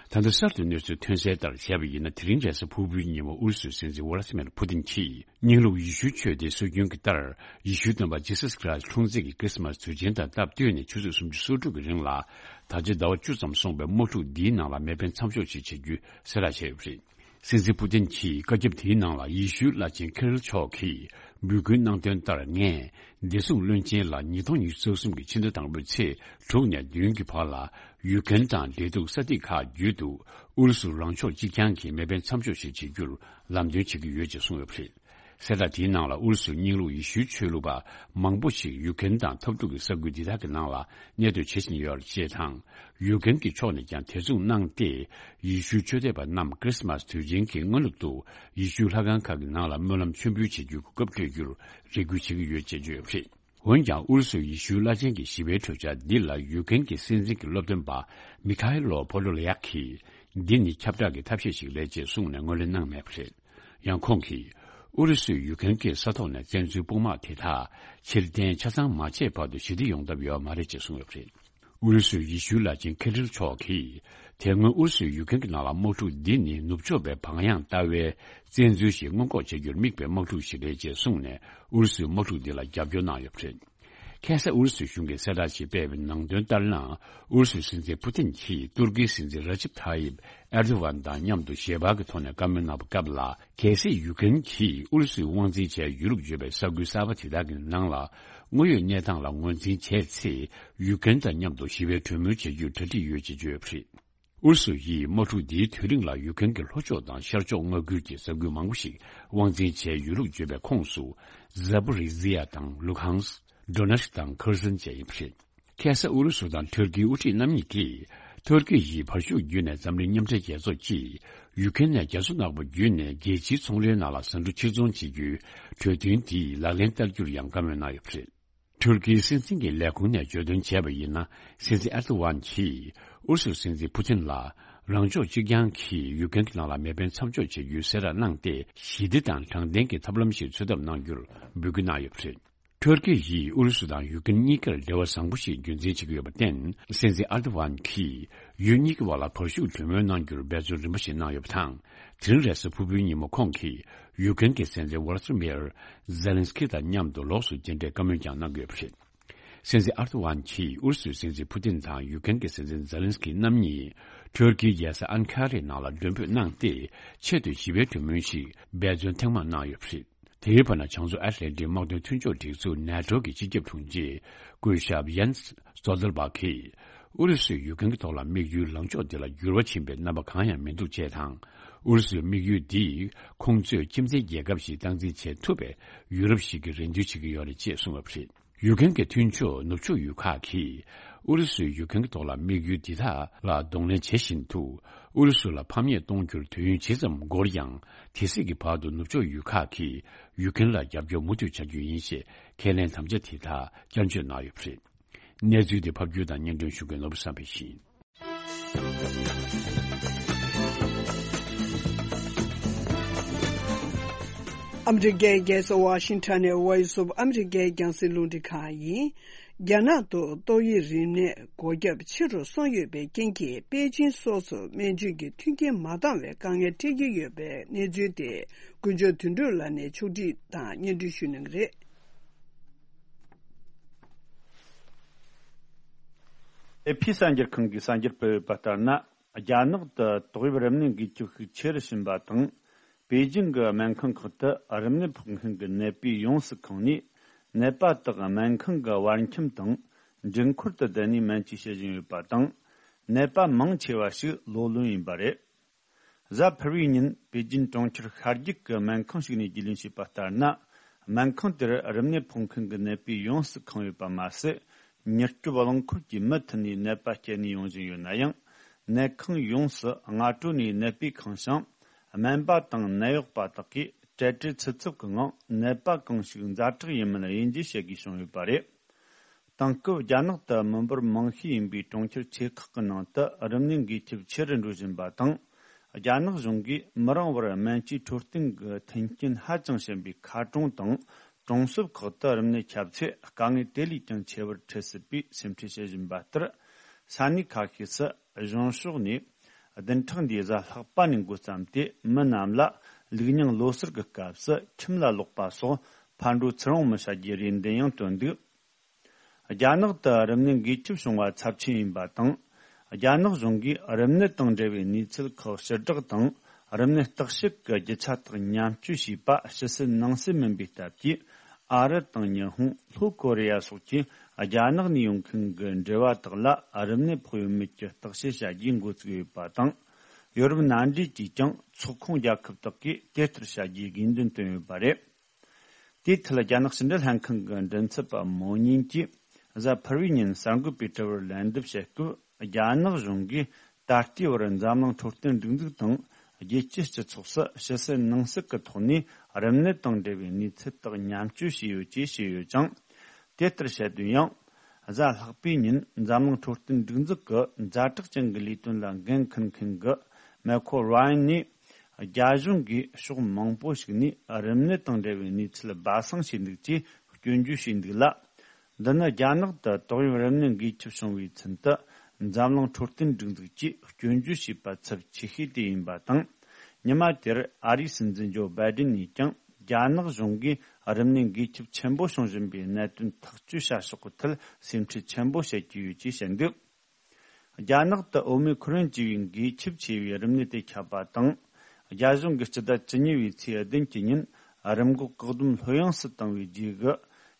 ད་ལྟ་གསར་དུ་གནས་ཚུལ་ཐོན་གསལ་ལྟར་བྱས་པ་ཡིན་ན། དེ་རིང་རེས་གཟའ་ཕུར་བུའི་ཉིན་མོ་ཨུ་རུ་སུའི་སྲིད་འཛིན་ཝ་ལ་སི་མིར་ཕུ་ཏིན་གྱིས། རྙིང་ལུགས་ཡེ་ཤུའི་ཆོས་སྡེའི་སྲོལ་རྒྱུན་གྱི་ལྟར། ཡེ་ཤུའི་སྟོན་པ་ཇི་སཱས་ཁྲི་སི་འཁྲུངས་ཚེས་ཀྱི་ཁྲིས་མཱས་དུས་ཆེན་དང་སྟབས་བསྟུན་ནས་ཆུ་ཚོད་སུམ་ཅུ་སོ་དྲུག་གི་རིང་ལ། ད་ཆ་ཟླ་བ་བཅུ་ཙམ་སོང་བའི་དམག་འཁྲུག་འདིའི་ནང་ལ་མེ་འཕེན་མཚམས་འཇོག་ཅིག་བྱེད་རྒྱུའི་གསལ་བསྒྲགས་བྱས་ཡོད་པ་རེད། སྲིད་འཛིན་ཕུ་ཏིན་གྱིས་བཀའ་ཁྱབ་དེའི་ནང་ལ། ཡེ་ཤུའི་བླ་ཆེན་ཁི་རིལ་མཆོག་གིས་ འབོད་སྐུལ་གནང་དོན་ལྟར། ངས་བདེ་སྲུང་བློན་ཆེན་ལ་ཉིས་སྟོང་ཉི་ཤུ་རྩ་གསུམ་གྱི་ཕྱི་ཟླ་དང་པོའི་ཚེས་དྲུག་ནས་བདུན་གྱི་བར་ལ་ཡུ་ཀེན་དང་འབྲེལ་གཏུག་ས་ཐིག་ཁག་བརྒྱུད་དུ་ཨུ་རུ་སུ་རང་ཕྱོགས་གཅིག་རྐྱང་གི་མེ་འཕེན་མཚམས་འཇོག་ཞིག་བྱེད་རྒྱུར་ལམ་སྟོན་བྱེད་ཀྱི་ཡོད་ཅེས་གསུངས་ཡོད་པ་རེད། གསལ་བསྒྲགས་དེའི་ནང་ལ་ཨུ་རུ་སུའི་རྙིང་ལུགས་ཡེ་ཤུའི་ཆོས་ལུགས་པ་མང་པོ་ཞིག་ཡུ་ཀེན་དང་འཐབ་འཁྲུག་གི་ས་ཁུལ་འདི་དག་གི་ནང་ལ་གནས་སྡོད་བྱེད་བཞིན་ཡོད་ཅེས་དང་། ཡུ་ཀེན་གྱི་ཕྱོགས་ནས་ཀྱང་དེ་མཚུངས་གནང་སྟེ། ཡེ་ཤུའི་ཆོས་དད་པ་རྣམས་ཁྲིས་མཱས་དུས་ཆེན་གྱི་སྔ་ནུབ་ཏུ་ཡེ་ཤུའི་ལྷ་ཁང་ཁག་གི་ནང་ལ་སྨོན་ལམ་མཆོད་འབུལ་བྱེད་རྒྱུའི་གོ་སྐབས་སྤྲོད་རྒྱུར་རེ་སྐུལ་བྱེད་ཀྱི་ཡོད་ཅེས་བརྗོད་ཡོད་པ་རེད། འོན་ཀྱང་ཨུ་རུ་སུའི་ཡེ་ཤུའི་བླ་ཆེན་གྱི་ཞི་བའི་གྲོས་འཆར་འདི་ལ་ཡུ་ཀེན་གྱི་སྲིད་འཛིན་གྱི་སློབ་སྟོན་པ་མི་ཁ་ཧེ་ལོ་ཕོ་ལོ་ལ་ཡག་གིས། འདི་ནི་ཁྱབ་བསྒྲགས་ཀྱི་ཐབས་ཤེས་ཤིག་རེད་ཅེས་གསུངས་ནས་ངོས་ལེན་གནང་མེད་པ་རེད། ཡང་ཁོང་གིས། ཨུ་རུ་སུས་ཡུ་ཀེན་གྱི་ས་ཐོག་ནས་བཙན་འཛུལ་དཔུང་དམག་དེ་དག་ཕྱིར་འཐེན་ཆ་ཚང་མ་བྱས་བར་དུ་ཞི་བདེ་ཡོང་ཐབས་ཡོད་མ་རེད་ཅེས་གསུངས་ཡོད་པ་རེད། ཨུ་རུ་སུའི་ཡེ་ཤུའི་བླ་ཆེན་ཁི་རིལ་མཆོག་གིས། དེ་སྔོན་ཨུ་རུ་སུས་ཡུ་ཀེན་གྱི་ནང་ལ་དམག་འཁྲུག་འདི་ནི་ནུབ་ཕྱོགས་པའི་བག་ཡངས་ལྟ་བའི་བཙན་འཛུལ་ཞིག་སྔོན་འགོག་བྱེད་རྒྱུར་དམིགས་པའི་དམག་འཁྲུག་ཞིག་རེད་ཅེས་གསུངས་ནས་ཨུ་རུ་སུའི་དམག་འཁྲུག་འདི་ལ་རྒྱབ་སྐྱོར་གནང་ཡོད་པ་རེད། ཁ་སང་ཨུ་རུ་སུ་གཞུང་གིས་གསལ་བསྒྲགས་ཤིག་སྤེལ་བའི་ནང་དོན་ལྟར་ན། ཨུ་རུ་སུའི་སྲིད་འཛིན་ཕུ་ཏིན་གྱིས་ཏུར་ཀིའི་སྲིད་འཛིན་ར་ཇིབ་ཐ་ཡིབ་ཨེར་དོ་ཝན་དང་མཉམ་དུ་ཞལ་པར་གྱི་ཐོག་ནས་བཀའ་མོལ་གནང་བའི་སྐབས་ལ། གལ་སྲིད་ཡུ་ཀེན་གྱིས་ཨུ་རུ་སུའི་དབང་འཛིན་བྱས་ཡོད་ལུགས་བརྗོད་པའི་ས་ཁུལ་གསར་པ་དེ་དག་གི་ནང་ལ་དངོས་ཡོད་གནས་སྟངས་ལ་ངོས་འཛིན་བྱས་ཚེ། ཡུ་ཀེན་དང་མཉམ་དུ་ཞི་བའི་གྲོས་མོལ་བྱེད་རྒྱུའི་གྲ་སྒྲིག་ཡོད་ཅེས་བརྗོད་ཡོད་པ་རེད། ཨུ་རུ་སུ་ཡིས་དམག་འཁྲུག་འདིའི་དུས་རིང་ལ་ཡུ་ཀེན་གྱི་ལྷོ་ཕྱོགས་དང་ཤར་ཕྱོགས་མངའ་ཁུལ་གྱི་ས་ཁུལ་མང་པོ་ཞིག་དབང་འཛིན་བྱས་ཡོད་ལུགས་བརྗོད་པའི་ཁོངས་སུ། ཛ་པོ་རི་ཛི་ཡ་དང་ལུ་ཧང་སི། ཌོ་ནེ་སི་ཀི་དང་ཁེར་སོན་བཅས་ཡིན་པ་རེད། ཁ་སང་ཨུ་རུ་སུ་དང་ཐུར་ཀིའི་དབུ་ཁྲིད་རྣམ་གཉིས་ཀྱིས། ཐུར་ཀི་ཡིས་བར་ཤུགས་བརྒྱུད་ནས་འཛམ་གླིང་མཉམ་འབྲེལ་རྒྱལ་ཚོགས་ཀྱིས། ཡུ་ཀེན་ནས་རྒྱ་མཚོ་ནག་པོ་བརྒྱུད་ནས་རྒྱལ་སྤྱིའི་ཚོང་རའི་ནང་ལ་ཟ་འབྲུ་ཕྱིར་ཚོང་བྱེད་རྒྱུའི་གྲོས་མཐུན་དེ་ལག་ལེན་བསྟར་རྒྱུར་ཡང་བཀའ་མོལ་གནང་ཡོད་པ་རེད། ཐུར་ཀིའི་སྲིད་འཛིན་གྱི་ལས་ཁུངས་ནས་བརྗོད་དོན་བྱས་པ་ཡིན་ན། སྲིད་འཛིན་ཨེར་དོ་ཝན་གྱིས་ཨུ་རུ་སུའི་སྲིད་འཛིན་ཕུ་ཏིན་ལ་རང་ཕྱོགས་གཅིག་རྐྱང་གིས་ཡུ་ཀེན་གྱི་ནང་ལ་མེ་འཕེན་མཚམས་འཇོག་བྱེད་རྒྱུའི་གསལ་བསྒྲགས་གནང་སྟེ། ཞི་བདེ་དང་དྲང་བདེན་གྱི་ཐབས་ལམ་ཞིག་འཚོལ་ཐབས་གནང་རྒྱུར་འབོད་སྐུལ་གནང་ཡོད་པ་རེད། ཐུར་ཀི་ཡིས་ཨུ་རུ་སུ་དང་ཡུ་ཀེན་གཉིས་ཀར་འབྲེལ་བ་བཟང་པོ་ཞིག་རྒྱུན་འཛིན་བྱེད་ཀྱི་ཡོད་པར་བརྟེན། སྲིད་འཛིན་ཨེར་དོ་ཝན་གྱིས་ཡུལ་གཉིས་ཀྱི་བར་ལ་བར་ཤུགས་གྲོས་མོལ་གནང་རྒྱུར་འབད་བརྩོན་རིམ་པ་ཞིག་གནང་ཡོད་པ་དང་། དེ་རིང་རེས་གཟའ་ཕུར་བུའི་ཉིན་མོ་ཁོང་གིས་ཡུ་ཀེན་གྱི་སྲིད་འཛིན་ཝོ་ལོ་དི་མིར་ཛེ་ལན་སི་ཀི་དང་མཉམ་དུ་ལོགས་སུ་མཇལ་འཕྲད་བཀའ་མོལ་ཀྱང་གནང་གི་ཡོད་པ་རེད། སྲིད་འཛིན་ཨར་དོ་ཝན་གྱིས་ཨུ་རུ་སུའི་སྲིད་འཛིན་ཕུ་ཏིན་དང་ཡུ་ཀེན་གྱི་སྲིད་འཛིན་ཛེ་ལན་སི་ཀི་རྣམ་གཉིས་ཐུར་ཀིའི་རྒྱལ་ས་ཨན་ཁ་རའི་ནང་ལ་མགྲོན་འབོད་གནང་སྟེ། ཆེད་དུ་ཞི་བའི་གྲོས་མོལ་ཞིག་འབད་བརྩོན་ཐེངས་མང་གནང་ཡོད་པ་རེད། དེའི་བར་ན། བྱང་མཚོ་ཨེཊ་ལན་ཊིག་དམག་དོན་མཐུན་ཕྱོགས་སྒྲིག་འཛུགས་ནེ་ཊོ་གི་སྤྱི་ཁྱབ་དྲུང་ཆེ་སྐུ་ཞབས་ཡན་སི་སྟོལ་ཏེན་བྷག་གིས། ཨུ་རུ་སུས་ཡུ་ཀེན་གྱི་ཐོག་ལ་དམིགས་ཡུལ་ལངས་ཕྱོགས་འདི་ལ་འགྱུར་བ་ཕྱིན་པའི་རྣམ་པ་གང་ཡང་མི་འདུག་ཅེས་དང་། ཨུ་རུ་སུའི་དམིགས་ཡུལ་འདིས་ཁོང་ཚོས་ཁྱིམ་མཚེས་རྒྱལ་ཁབ་ཞིག་སྟངས་འཛིན་བྱེད་ཐུབ་པའི་ཡུ་རོབ་ཞིག་གི་རེ་འདུན་བྱེད་ཀྱི་ཡོད་རེད་ཅེས་གསུངས་ཡོད་པ་རེད། ཡུ་ཀེན་གྱི་མཐུན་ཕྱོགས་ནུབ་ཕྱོགས་ཡུལ་ཁག་གིས་ཨུ་རུ་སུས་ཡུ་ཀེན་གྱི་ཐོག་ལ་དམིགས་ཡུལ་འདི་དག་ལ་གདོང་ལེན་བྱེད་བཞིན་དུ། ཨུ་རུ་སུ་ལ་ཕམ་ཉེས་གཏོང་རྒྱུར་དུས་ཡུན་ཇི་ཙམ་འགོར་ཡང་། དེ་སྲིད་ཀྱི་བར་དུ་ནུབ་ཕྱོགས་ཡུལ་ཁག་གིས་ཡུ་ཀེན་ལ་རྒྱབ་སྐྱོར་མུ་མཐུད་བྱ་རྒྱུ་ཡིན་ཞེས་ཁས་ལེན་དམ་བཅའ་དེ་དག་བསྐྱར་བརྗོད་གནང་ཡོད་པ་རེད། གནས་ཚུལ་དེ་ཕབ་སྒྱུར་དང་སྙན་སྒྲོན་ཞུ་མཁན་ནོར་བུ་བསམ་འཕེལ་ཡིན། ཨ་མི་རི་ཀའི་རྒྱལ་ས་ཝ་ཤིང་ཊོན་ནས་Voice of America རྒྱང་སྲིང་རླུང་འཕྲིན་ཁང་ཡིན། རྒྱ་ནག་ཏུ་ཏོག་དབྱིབས་རིམས་ནད་འགོས་ཁྱབ་ཆེ་རུ་སོང་ཡོད་པའི་རྐྱེན་གྱིས། པེ་ཅིན་སོགས་སུ་སྨན་བཅོས་ཀྱི་མཐུན་རྐྱེན་མ་འདང་བའི་དཀའ་ངལ་འཕྲད་ཀྱི་ཡོད་པའི་གནས་ཚུལ་དེ། ཀུན་མཆོག་དོན་གྲུབ་ལགས་ནས་ཕྱོགས་སྒྲིག་དང་སྙན་སྒྲོན་ཞུ་གནང་གི་རེད། ཨེ་ཕི་གསར་འགྱུར་ཁང་གིས་གསར་འགྱུར་སྤེལ་ཡོད་པ་ལྟར་ན། རྒྱ་ནག་ཏུ་ཏོག་དབྱིབས་རིམས་ནད་འགོས་ཁྱབ་ཤུགས་ཆེ་རུ་ཕྱིན་པ་དང་། པེ་ཅིང་གི་སྨན་ཁང་ཁག་ཏུ་རིམས་ནད་ཕོག་མཁན་གྱི་ནད་པའི་ཡོངས་སུ་ཁེངས་ནས། ནད་པ་དག་སྨན་ཁང་གི་བར་ཁྱིམ་དང་འགྲུལ་འཁོར་དུ་བསྡད་ནས་སྨན་བཅོས་བྱེད་བཞིན་ཡོད་པ་དང་། ནད་པ་མང་ཆེ་བ་ཞིག་ལོ་ལོན་ཡིན་པ་རེད། གཟའ་ཕུར་བུའི་ཉིན་པེ་ཅིན་གྲོང་ཁྱེར་ཤར་རྒྱུད་ཀྱི་སྨན་ཁང་ཞིག་ནས་རྒྱུས་ལོན་བྱས་པ་ལྟར་ན། སྨན་ཁང་དེར་རིམས་ནད་ཕོག་མཁན་གྱི་ནད་པས་ཡོངས་སུ་ཁེངས་ཡོད་པ་མ་ཟད། མྱུར་སྐྱོབ་རླངས་འཁོར་གྱིས་མུ་མཐུད་ནས་ནད་པ་སྐྱེལ་ནས་ཡོང་བཞིན་ཡོད་ན་ཡང་། ནད་ཁང་ཡོངས་སུ་སྔ་དྲོ་ནས་ནད་པས་ཁེངས་ཤིང་། སྨན་པ་དང་ནད་གཡོག་པ་དག་གིས་གྲལ་བྲལ་ཚུད་ཚུད་ཀྱི་ངང་ནད་པ་གང་ཞིག་ཛ་དྲག་ཡིན་མིན་དབྱེ་འབྱེད་བྱེད་དགོས་བྱུང་ཡོད་པ་རེད། དེང་སྐབས་རྒྱ་ནག་ཏུ་མི་འབོར་མང་ཤོས་ཡིན་པའི་གྲོང་ཁྱེར་ཆེ་ཁག་གི་ནང་དུ་རིམས་ནད་འགོས་ཁྱབ་ཆེ་རུ་འགྲོ་བཞིན་པ་དང་། རྒྱ་ནག་གཞུང་གིས་མི་རིང་བར་སྨན་བཅོས་འཕྲོད་བསྟེན་གྱི་མཐུན་རྐྱེན་ཧ་ཅང་ཞན་པའི་མཁར་གྲོང་དང་གྲོང་གསེབ་ཁག་ཏུ་རིམས་ནད་ཁྱབ་ཚེ་དཀའ་ངལ་དེ་ལས་ཀྱང་ཆེ་བར་འཕྲད་སྲིད་པའི་སེམས་ཁྲལ་བྱེད་བཞིན་པ་ལྟར། ས་གནས་ཁ་ཤས་སུ་གཞུང་ཕྱོགས་ནས་བདུན་ཕྲག་འདིའི་གཟའ་ལྷག་པ་ནས་འགོ་བརྩམས་ཏེ། མི་རྣམས་ལ་ལུག་རྙིང་ལོ་གསར་གྱི་སྐབས་སུ་ཁྱིམ་ལ་ལོག་པ་སོགས་ཕར་འགྲོ་ཚུར་འོང་མི་བྱ་རྒྱུའི་རེ་འདུན་ཡང་བཏོན་འདུག་རྒྱ་ནག་ཏུ་རིམས་ནད་འགོས་ཁྱབ་བྱུང་བ་ཚབས་ཆེན་ཡིན་པ་དང་། རྒྱ་ནག་གཞུང་གིས་རིམས་ནད་དང་འབྲེལ་བའི་གནས་ཚུལ་ཁག་ཕྱིར་བསྒྲགས་དང་ རིམས་ནད་བརྟག་ཞིབ་ཀྱི་རྒྱུ་ཆ་དག་མཉམ་སྤྱོད་བྱས་པ་ཕྱི་སྲིད་ནང་སྲིད་མིན་པའི་སྟབས་ཀྱིས། ཨ་རི་དང་ཉི་ཧོང་། ལྷོ་ཀོ་རི་ཡ་སོགས་ཀྱིས་རྒྱ་ནག་ནས་ཡོང་མཁན་གྱི་འབྲེལ་བ་དག་ལ་རིམས་ནད་ཕོག་ཡོད་མེད་ཀྱི་བརྟག་དཔྱད་བྱ་རྒྱུའི་འགོ་བཙུགས་ཡོད་པ་དང་། ཡོ་རོབ་མནའ་འབྲེལ་གྱིས་ཀྱང་ཚོགས་ཁོངས་རྒྱལ་ཁབ་དག་གིས་དེ་ལྟར་བྱ་རྒྱུའི་དགོས་འདུན་བཏོན་ཡོད་པ་རེད། དེའི་ཐད། རྒྱ་ནག་ཕྱི་འབྲེལ་ལྷན་ཁང་གི་མགྲིན་ཚབ་པ་མོ་ཉིན་གྱིས་གཟའ་ཕུར་བུའི་ཉིན་གསར་འགོད་པའི་དྲི་བར་ལན་འདེབས་བྱེད་སྐབས། རྒྱ་ནག་གཞུང་གིས་ད་ལྟའི་བར་འཛམ་གླིང་འཕྲོད་བསྟེན་སྒྲིག་འཛུགས་དང་རྒྱལ་སྤྱིའི་སྤྱི་ཚོགས་སུ་ཕྱི་སྲིད་ནང་སྲིད་ཀྱི་ཐོག་ནས་རིམས་ནད་དང་འབྲེལ་བའི་གནས་ཚུལ་དག་མཉམ་སྤྱོད་བྱས་ཡོད་ཅེས་བཤད་ཡོད་ཅིང་། དེ་ལྟར་བཤད་དོན་ཡང་། གཟའ་ལྷག་པའི་ཉིན་འཛམ་གླིང་འཕྲོད་བསྟེན་སྒྲིག་འཛུགས་ཀྱི་ཛ་དྲག་ཅན་གྱི་ལས་དོན་ལ་འགན་འཁུར་མཁན་གྱི་མེ་ཁོ་རོ་ཡན་ནས། རྒྱ་གཞུང་གིས་ཕྱོགས་མང་པོ་ཞིག་ནས་རིམས་ནད་དང་འབྲེལ་བའི་གནས་ཚུལ་སྦ་གསང་བྱས་འདུག་ཅེས་སྐྱོན་བརྗོད་བྱས་འདུག་ལ། འདི་ནི་རྒྱ་ནག་ཏུ་ཏོག་དབྱིབས་རིམས་ནད་འགོས་ཁྱབ་བྱུང་བའི་ཚུན་དུ། འཛམ་གླིང་འཕྲོད་བསྟེན་སྒྲིག་འཛུགས་ཀྱིས་སྐྱོན་བརྗོད་བྱས་པ་ཚབས་ཆེ་ཤོས་དེ་ཡིན་པ་དང་། ཉི་མ་དེར་ཨ་རིའི་སྲིད་འཛིན་ཇོ་བྷའི་ཌེན་ནས་ཀྱང་། རྒྱ་ནག་གཞུང་གིས་རིམས་ནད་འགོས་ཁྱབ་ཆེན་པོ་བྱུང་བཞིན་པའི་གནད་དོན་ཐག་གཅོད་བྱ་ཕྱོགས་ཀྱི་ཐད་སེམས་ཁྲལ་ཆེན་པོ་བྱེད་ཀྱི་ཡོད་ཅེས་བཤད་འདུག་རྒྱ་ནག་ཏུ་ཨོ་མི་ཁོ་རོན་ཅེས་པའི་འགོས་ཁྱབ་ཆེ་བའི་རིམས་ནད་དེ་ཁྱབ་པ་དང་། རྒྱ་གཞུང་གིས་སྤྱི་ཟླ་བཅུ་གཉིས་པའི་ཚེས་བདུན་གྱི་ཉིན་རིམས་འགོག་བཀག་སྡོམ་ལྷོད་ཡངས་སུ་བཏང་བའི་རྗེས་སུ།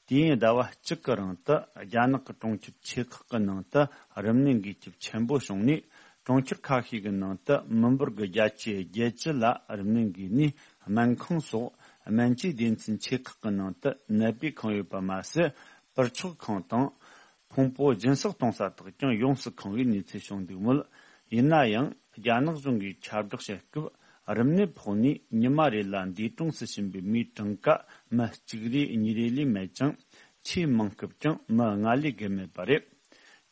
དུས་ཡུན་ཟླ་བ་གཅིག་གི་རིང་དུ་རྒྱ་ནག་གི་གྲོང་ཁྱེར་ཆེ་ཁག་གི་ནང་དུ་རིམས་ནད་འགོས་ཁྱབ་ཆེན་པོ་བྱུང་ནས། གྲོང་ཁྱེར་ཁ་ཤས་ཀྱི་ནང་དུ་མི་འབོར་གྱི་བརྒྱ་ཆའི་བརྒྱད་ཅུ་ལ་རིམས་ནད་འགོས་ནས། སྨན་ཁང་སོགས་སྨན་བཅོས་སྡེ་ཚན་ཆེ་ཁག་གི་ནང་དུ་ནད་པས་ཁེངས་ཡོད་པ་མ་ཟད། པུར་མཆོག་ཁང་དང་། ཕུང་པོ་སྦྱིན་སྲེག་གཏོང་ས་དག་ཀྱང་ཡོངས་སུ་ཁེངས་པའི་གནས་ཚུལ་བྱུང་འདུག་མོད། ཡིན་ན་ཡང་། རྒྱ་ནག་གཞུང་གིས་ཁྱབ་བསྒྲགས་བྱེད་སྐབས། རིམས་ནད་ཕོག་ནས་ཉི་མ་རེ་ལ་འདས་གྲོངས་སུ་ཕྱིན་པའི་མིའི་གྲངས་ཀ་མི་གཅིག་རེ་གཉིས་རེ་ལས་མེད་ཅིང་། ཆེས་མང་སྐབས་ཀྱང་མི་ལྔ་ལས་བརྒལ་མེད་པ་རེད།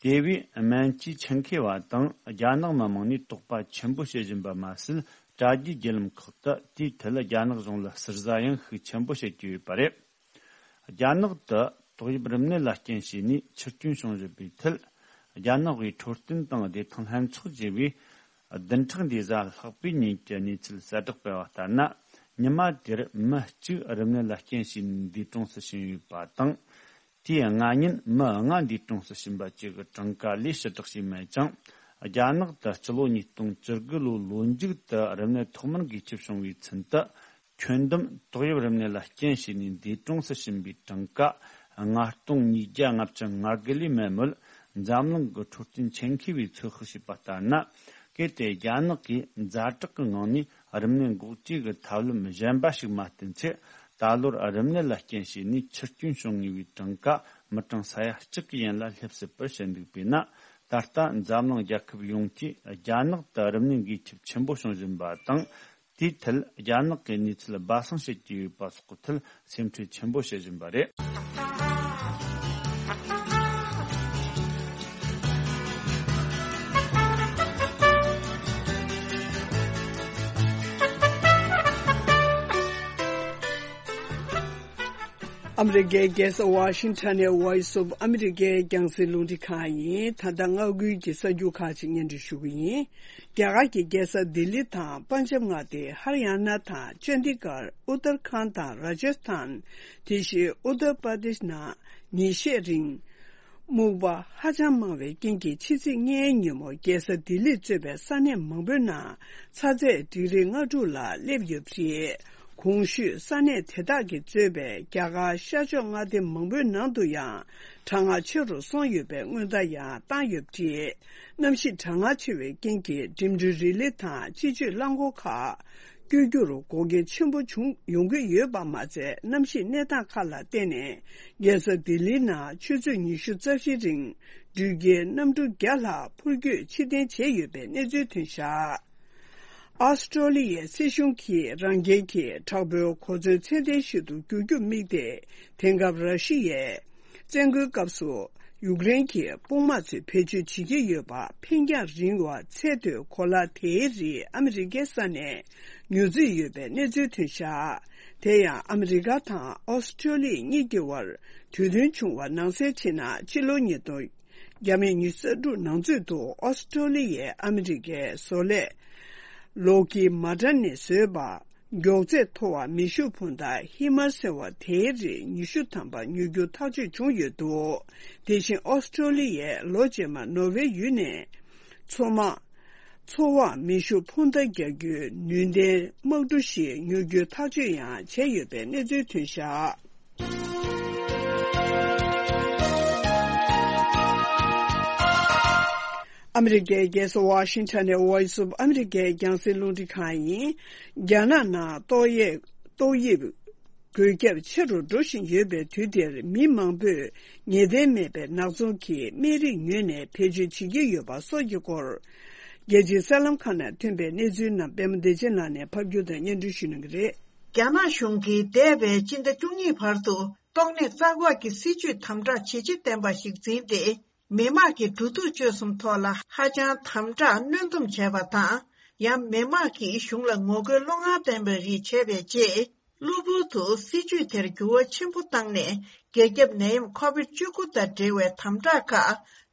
དེ་བས་སྨན་བཅོས་ཆེད་མཁས་པ་དང་རྒྱ་ནག་མི་མང་ནས་དོགས་པ་ཆེན་པོ་བྱེད་བཞིན་པ་མ་ཟད། དྲ་རྒྱའི་བརྒྱུད་ལམ་ཁག་ཏུ་དེའི་ཐད་རྒྱ་ནག་གཞུང་ལ་ཟུར་ཟ་ཡང་ཤུགས་ཆེན་པོ་བྱེད་ཀྱི་ཡོད་པ་རེད། རྒྱ་ནག་ཏུ་ཏོག་དབྱིབས་རིམས་ནད་ལ་རྐྱེན་བྱས་ནས་འཆི་སྐྱོན་བྱུང་བཞིན་པའི་ཐད། རྒྱ་ནག་གི་འཕྲོད་བསྟེན་དང་བདེ་ཐང་ལྷན་ཚོགས་ཞེས་པས་བདུན་ཕྲག་འདིའི་གཟའ་ལྷག་པའི་ཉིན་གྱི་གནས་ཚུལ་གསལ་བསྒྲགས་སྤེལ་བ་ལྟར་ན། ཉི་མ་དེར་མི་གཅིག་རིམས་ནད་ལ་རྐྱེན་བྱས་ནས་འདས་གྲོངས་སུ་ཕྱིན་ཡོད་པ་དང་། དེའི་སྔ་ཉིན་མི་ལྔ་འདས་གྲོངས་སུ་ཕྱིན་པ་བཅས་ཀྱི་གྲངས་ཀ་ལས་ཕྱིར་བསྒྲགས་བྱས་མེད་ཅིང་། རྒྱ་ནག་ཏུ་སྤྱི་ལོ་ཉིས་སྟོང་བཅུ་དགུ་ལོའི་ལོ་མཇུག་ཏུ་རིམས་ནད་ཐོག་མར་འགོས་ཁྱབ་བྱུང་བའི་ཚུན་དུ། ཁྱོན་བསྡོམས་ཏོག་དབྱིབས་རིམས་ནད་ལ་རྐྱེན་བྱས་ནས་འདས་གྲོངས་སུ་ཕྱིན་པའི་གྲངས་ཀ་ལྔ་སྟོང་ཉིས་བརྒྱ་ལྔ་བཅུ་ང་དགུ་ལས་མེད་མོད། འཛམ་གླིང་གི་འཕྲོད་བསྟེན་ཆེད་མཁས་པས་ཚོད་དཔག་བྱས་པ་ལྟར་ན། གལ་ཏེ་རྒྱ་ནག་གིས་ཛ་དྲག་གི་ངང་ནས་རིམས་ནད་འགོག་བཅོས་ཀྱི་ཐབས་ལམ་གཞན་པ་ཞིག་མ་བསྟེན་ཚེ། ད་ལོར་རིམས་ནད་ལ་རྐྱེན་བྱས་ནས་འཆི་སྐྱོན་བྱུང་ངེས་པའི་གྲངས་ཀ་མི་གྲངས་ས་ཡ་གཅིག་གི་ཡན་ལ་སླེབས་སྲིད་པར་བཤད་འདུག་པས་ན། ད་ལྟ་འཛམ་གླིང་རྒྱལ་ཁབ་ཡོངས་ཀྱིས་རྒྱ་ནག་ཏུ་རིམས་ནད་འགོས་ཁྱབ་ཆེན་པོ་བྱུང་བཞིན་པ་དང་། དེའི་ཐད་རྒྱ་ནག་གི་གནས་ཚུལ་སྦ་གསང་བྱེད་ཀྱི་ཡོད་པ་སོགས་ཀྱི་ཐད་སེམས་ཁྲལ་ཆེན་པོ་བྱེད་བཞིན་པ་རེད། ཨ་མི་རི་ཀའི་རྒྱལ་ས་ཝ་ཤིང་ཊོན་ནས་Voice of America རྒྱང་སྲིང་རླུང་འཕྲིན་ཁང་ཡིན། ད་ལྟ་མངའ་ཁུལ་གྱི་གསར་འགྱུར་ཁག་ཅིག་སྙན་སྒྲོན་ཞུ་གི་ཡིན། རྒྱ་གར་གྱི་རྒྱལ་ས་ལྡི་ལི་དང་པན་ཇབ་མངའ་སྡེ་ཧར་ཡ་ན་དང་ཅན་དི་གར། ཨུ་ཏར་ཁཱན་དང་ར་ཇ་སི་ཐན། དེ་བཞིན་ཨུ་ཏར་པར་དེཤ་ནང་ཉིན་ཤས་རིང་སྨུག་པ་ཧ་ཅང་མང་བའི་རྐྱེན་གྱིས་ཕྱི་ཚེས་ལྔའི་ཉིན་མོ་རྒྱལ་ས་ལྡི་ལིས་གཙོས་པའི་ས་གནས་མང་པོའི་ནང་ཚ་ཚད་ཌིག་རི་ལྔ་དྲུག་ལ་སླེབས་ཡོད་པ་རེད། གོང་ཞུས་ས་གནས་དེ་དག་གིས་གཙོས་པའི་རྒྱ་གར་ཤར་ཕྱོགས་མངའ་སྡེ་མང་པོའི་ནང་དུ་ཡང་གྲང་ངར་ཆེ་རུ་སོང་ཡོད་པའི་སྔོན་བརྡ་ཡང་བཏང་ཡོད་པ་རེད། གནམ་གཤིས་གྲང་ངར་ཆེ་བའི་རྐྱེན་གྱིས་འགྲིམ་འགྲུལ་རི་ལི་དང་སྤྱི་སྤྱོད་རླངས་འཁོར་ཁག་བསྐྱོད་རྒྱུར་འགོག་རྐྱེན་ཆེན་པོ་བྱུང་ཡོང་གི་ཡོད་པ་མ་ཚད། གནམ་གཤིས་གནས་སྟངས་ཁག་ལ་བརྟེན་ནས་རྒྱལ་ས་ལྡི་ལིའི་ནང་ཆུ་ཚོད་ཉི་ཤུ་རྩ་བཞིའི་རིང་འགྲུལ་སྐྱེལ་གནམ་གྲུ་བརྒྱ་ལྷག་འཕུར་སྐྱོད་ཕྱིར་འཐེན་བྱས་ཡོད་པའི་གནས་ཚུལ་ཐོན་བཞག་ཨོ་སི་ཀྲོ་ལི་ཡའི་སྲིད་གཞུང་གིས་རང་རྒྱལ་གྱི་དྲག་པོའི་གོ་མཚོན་ཚད་ལྡན་ཞིག་ཏུ་འགྱུར་རྒྱུར་དམིགས་ཏེ། དེང་སྐབས་ར་ཤི་ཡའི་བཙན་རྒོལ་སྐབས་སུ་ཡུཀ་རེན་གྱི་དཔུང་དམག་ཚོས་བེད་སྤྱོད་བྱེད་ཀྱི་ཡོད་པ། འཕེན་རྒྱང་རིང་བ་ཚད་མཐོའི་གོ་ལ་དེའི་རིགས་ཨ་མི་རི་ཀའི་ས་ནས་ཉོ་རྩིས་ཡོད་པའི་གནས་ཚུལ་ཐོན་བཞག་དེ་ཡང་ཨ་མི་རི་ཀ་དང་ཨོ་སི་ཀྲོ་ལི་ཡ་གཉིས་ཀྱི་དབར་གྲོས་མཐུན་བྱུང་བ་ནང་གསལ་བྱས་ན། ཕྱི་ལོ་ཉིས་སྟོང་བརྒྱ་མེད་ཉི་ཤུ་རྩ་དྲུག་ནང་ཚུད་དུ་ཨོ་སི་ཀྲོ་ལི་ཡས་ཨ་མི་རི་ཀའི་བཟོ་ལས་ལོག་ཀི་མ་ཏྲ་ནས་བཟོས་པ། མགྱོགས་ཚད་མཐོ་བ་མེ་ཤུགས་འཕུར་མདའ་ཧི་མར་ཟེར་བ་དེའི་རིགས་ཉི་ཤུ་ཐམ་པ་ཉོ་རྒྱུ་ཐག་གཅོད་བྱུང་ཡོད་འདུག་དེ་བཞིན་ཨོ་སི་ཀྲོ་ལི་ཡས་ལོ་རྗེས་མར་ནོར་ཝེ་ཡུལ་ནས་མཚོ་དམག་འཚོ་བར་མེ་ཤུགས་འཕུར་མདའ་རྒྱག་རྒྱུའི་ནུས་ལྡན་དམག་གྲུ་ཞིག་ཉོ་རྒྱུའི་ཐག་གཅོད་ཡང་བྱས་ཡོད་པའི་གནས་ཚུལ་ཐོན་བཞག་ཨ་མི་རི་ཀའི་རྒྱལ་ས་ཝ་ཤིང་ཊོན་ནས་Voice of America རྒྱང་སྲིང་རླུང་འཕྲིན་ཁང་ཡིན། རྒྱ་ནག་ནང་ཏོག་དབྱིབས་ཏོག་དབྱིབས་འགོས་ཁྱབ་ཆེ་རུ་འགྲོ་བཞིན་ཡོད་པའི་དུས་འདིར། མི་མང་པོས་ངེས་གཏན་མེད་པའི་ནག་ཚོང་གི་སྨན་རིགས་ཉོས་ནས་བེད་སྤྱོད་བྱེད་ཀྱི་ཡོད་པ་སོགས་ཀྱི་སྐོར། རྒྱལ་སྤྱིའི་གསར་ལམ་ཁག་ནང་ཐོན་པའི་གནས་ཚུལ་རྣམས་པད་མ་བདེ་ཆེན་ལགས་ནས་ཕབ་སྒྱུར་དང་སྙན་སྒྲོན་ཞུ་གནང་གི་རེད། རྒྱ་ནག་གཞུང་གིས་འདས་པའི་སྤྱི་ཟླ་བཅུ་གཉིས་བར་དུ་ཏོག་ནད་རྩ་འགོག་གི་སྲིད་ཇུས་དམ་དྲག་ཇེ་ཆེ་བསྟན་པ་ཞིག་འཛིན་ཏེ། མི་དམངས་ཀྱི་འགྲོ་འདུག་སྤྱོད་གསུམ་ཐོག་ལ་ཧ་ཅང་དམ་དྲག་གནོན་སྡོམ་བྱས་པ་དང་། ཡང་མི་དམངས་ཀྱིས་གཞུང་ལ་ངོ་རྒོལ་བློ་ངར་ལྡན་པའི་རིགས་བྱས་པའི་རྗེས། གློ་བུར་དུ་སྲིད་ཇུས་དེར་འགྱུར་བ་ཆེན་པོ་བཏང་ནས། འགོས་ཁྱབ་ནད་ཡམས་ཁོ་བིད་བཅུ་དགུ་དང་འབྲེལ་བའི་དམ་དྲག་ཁག་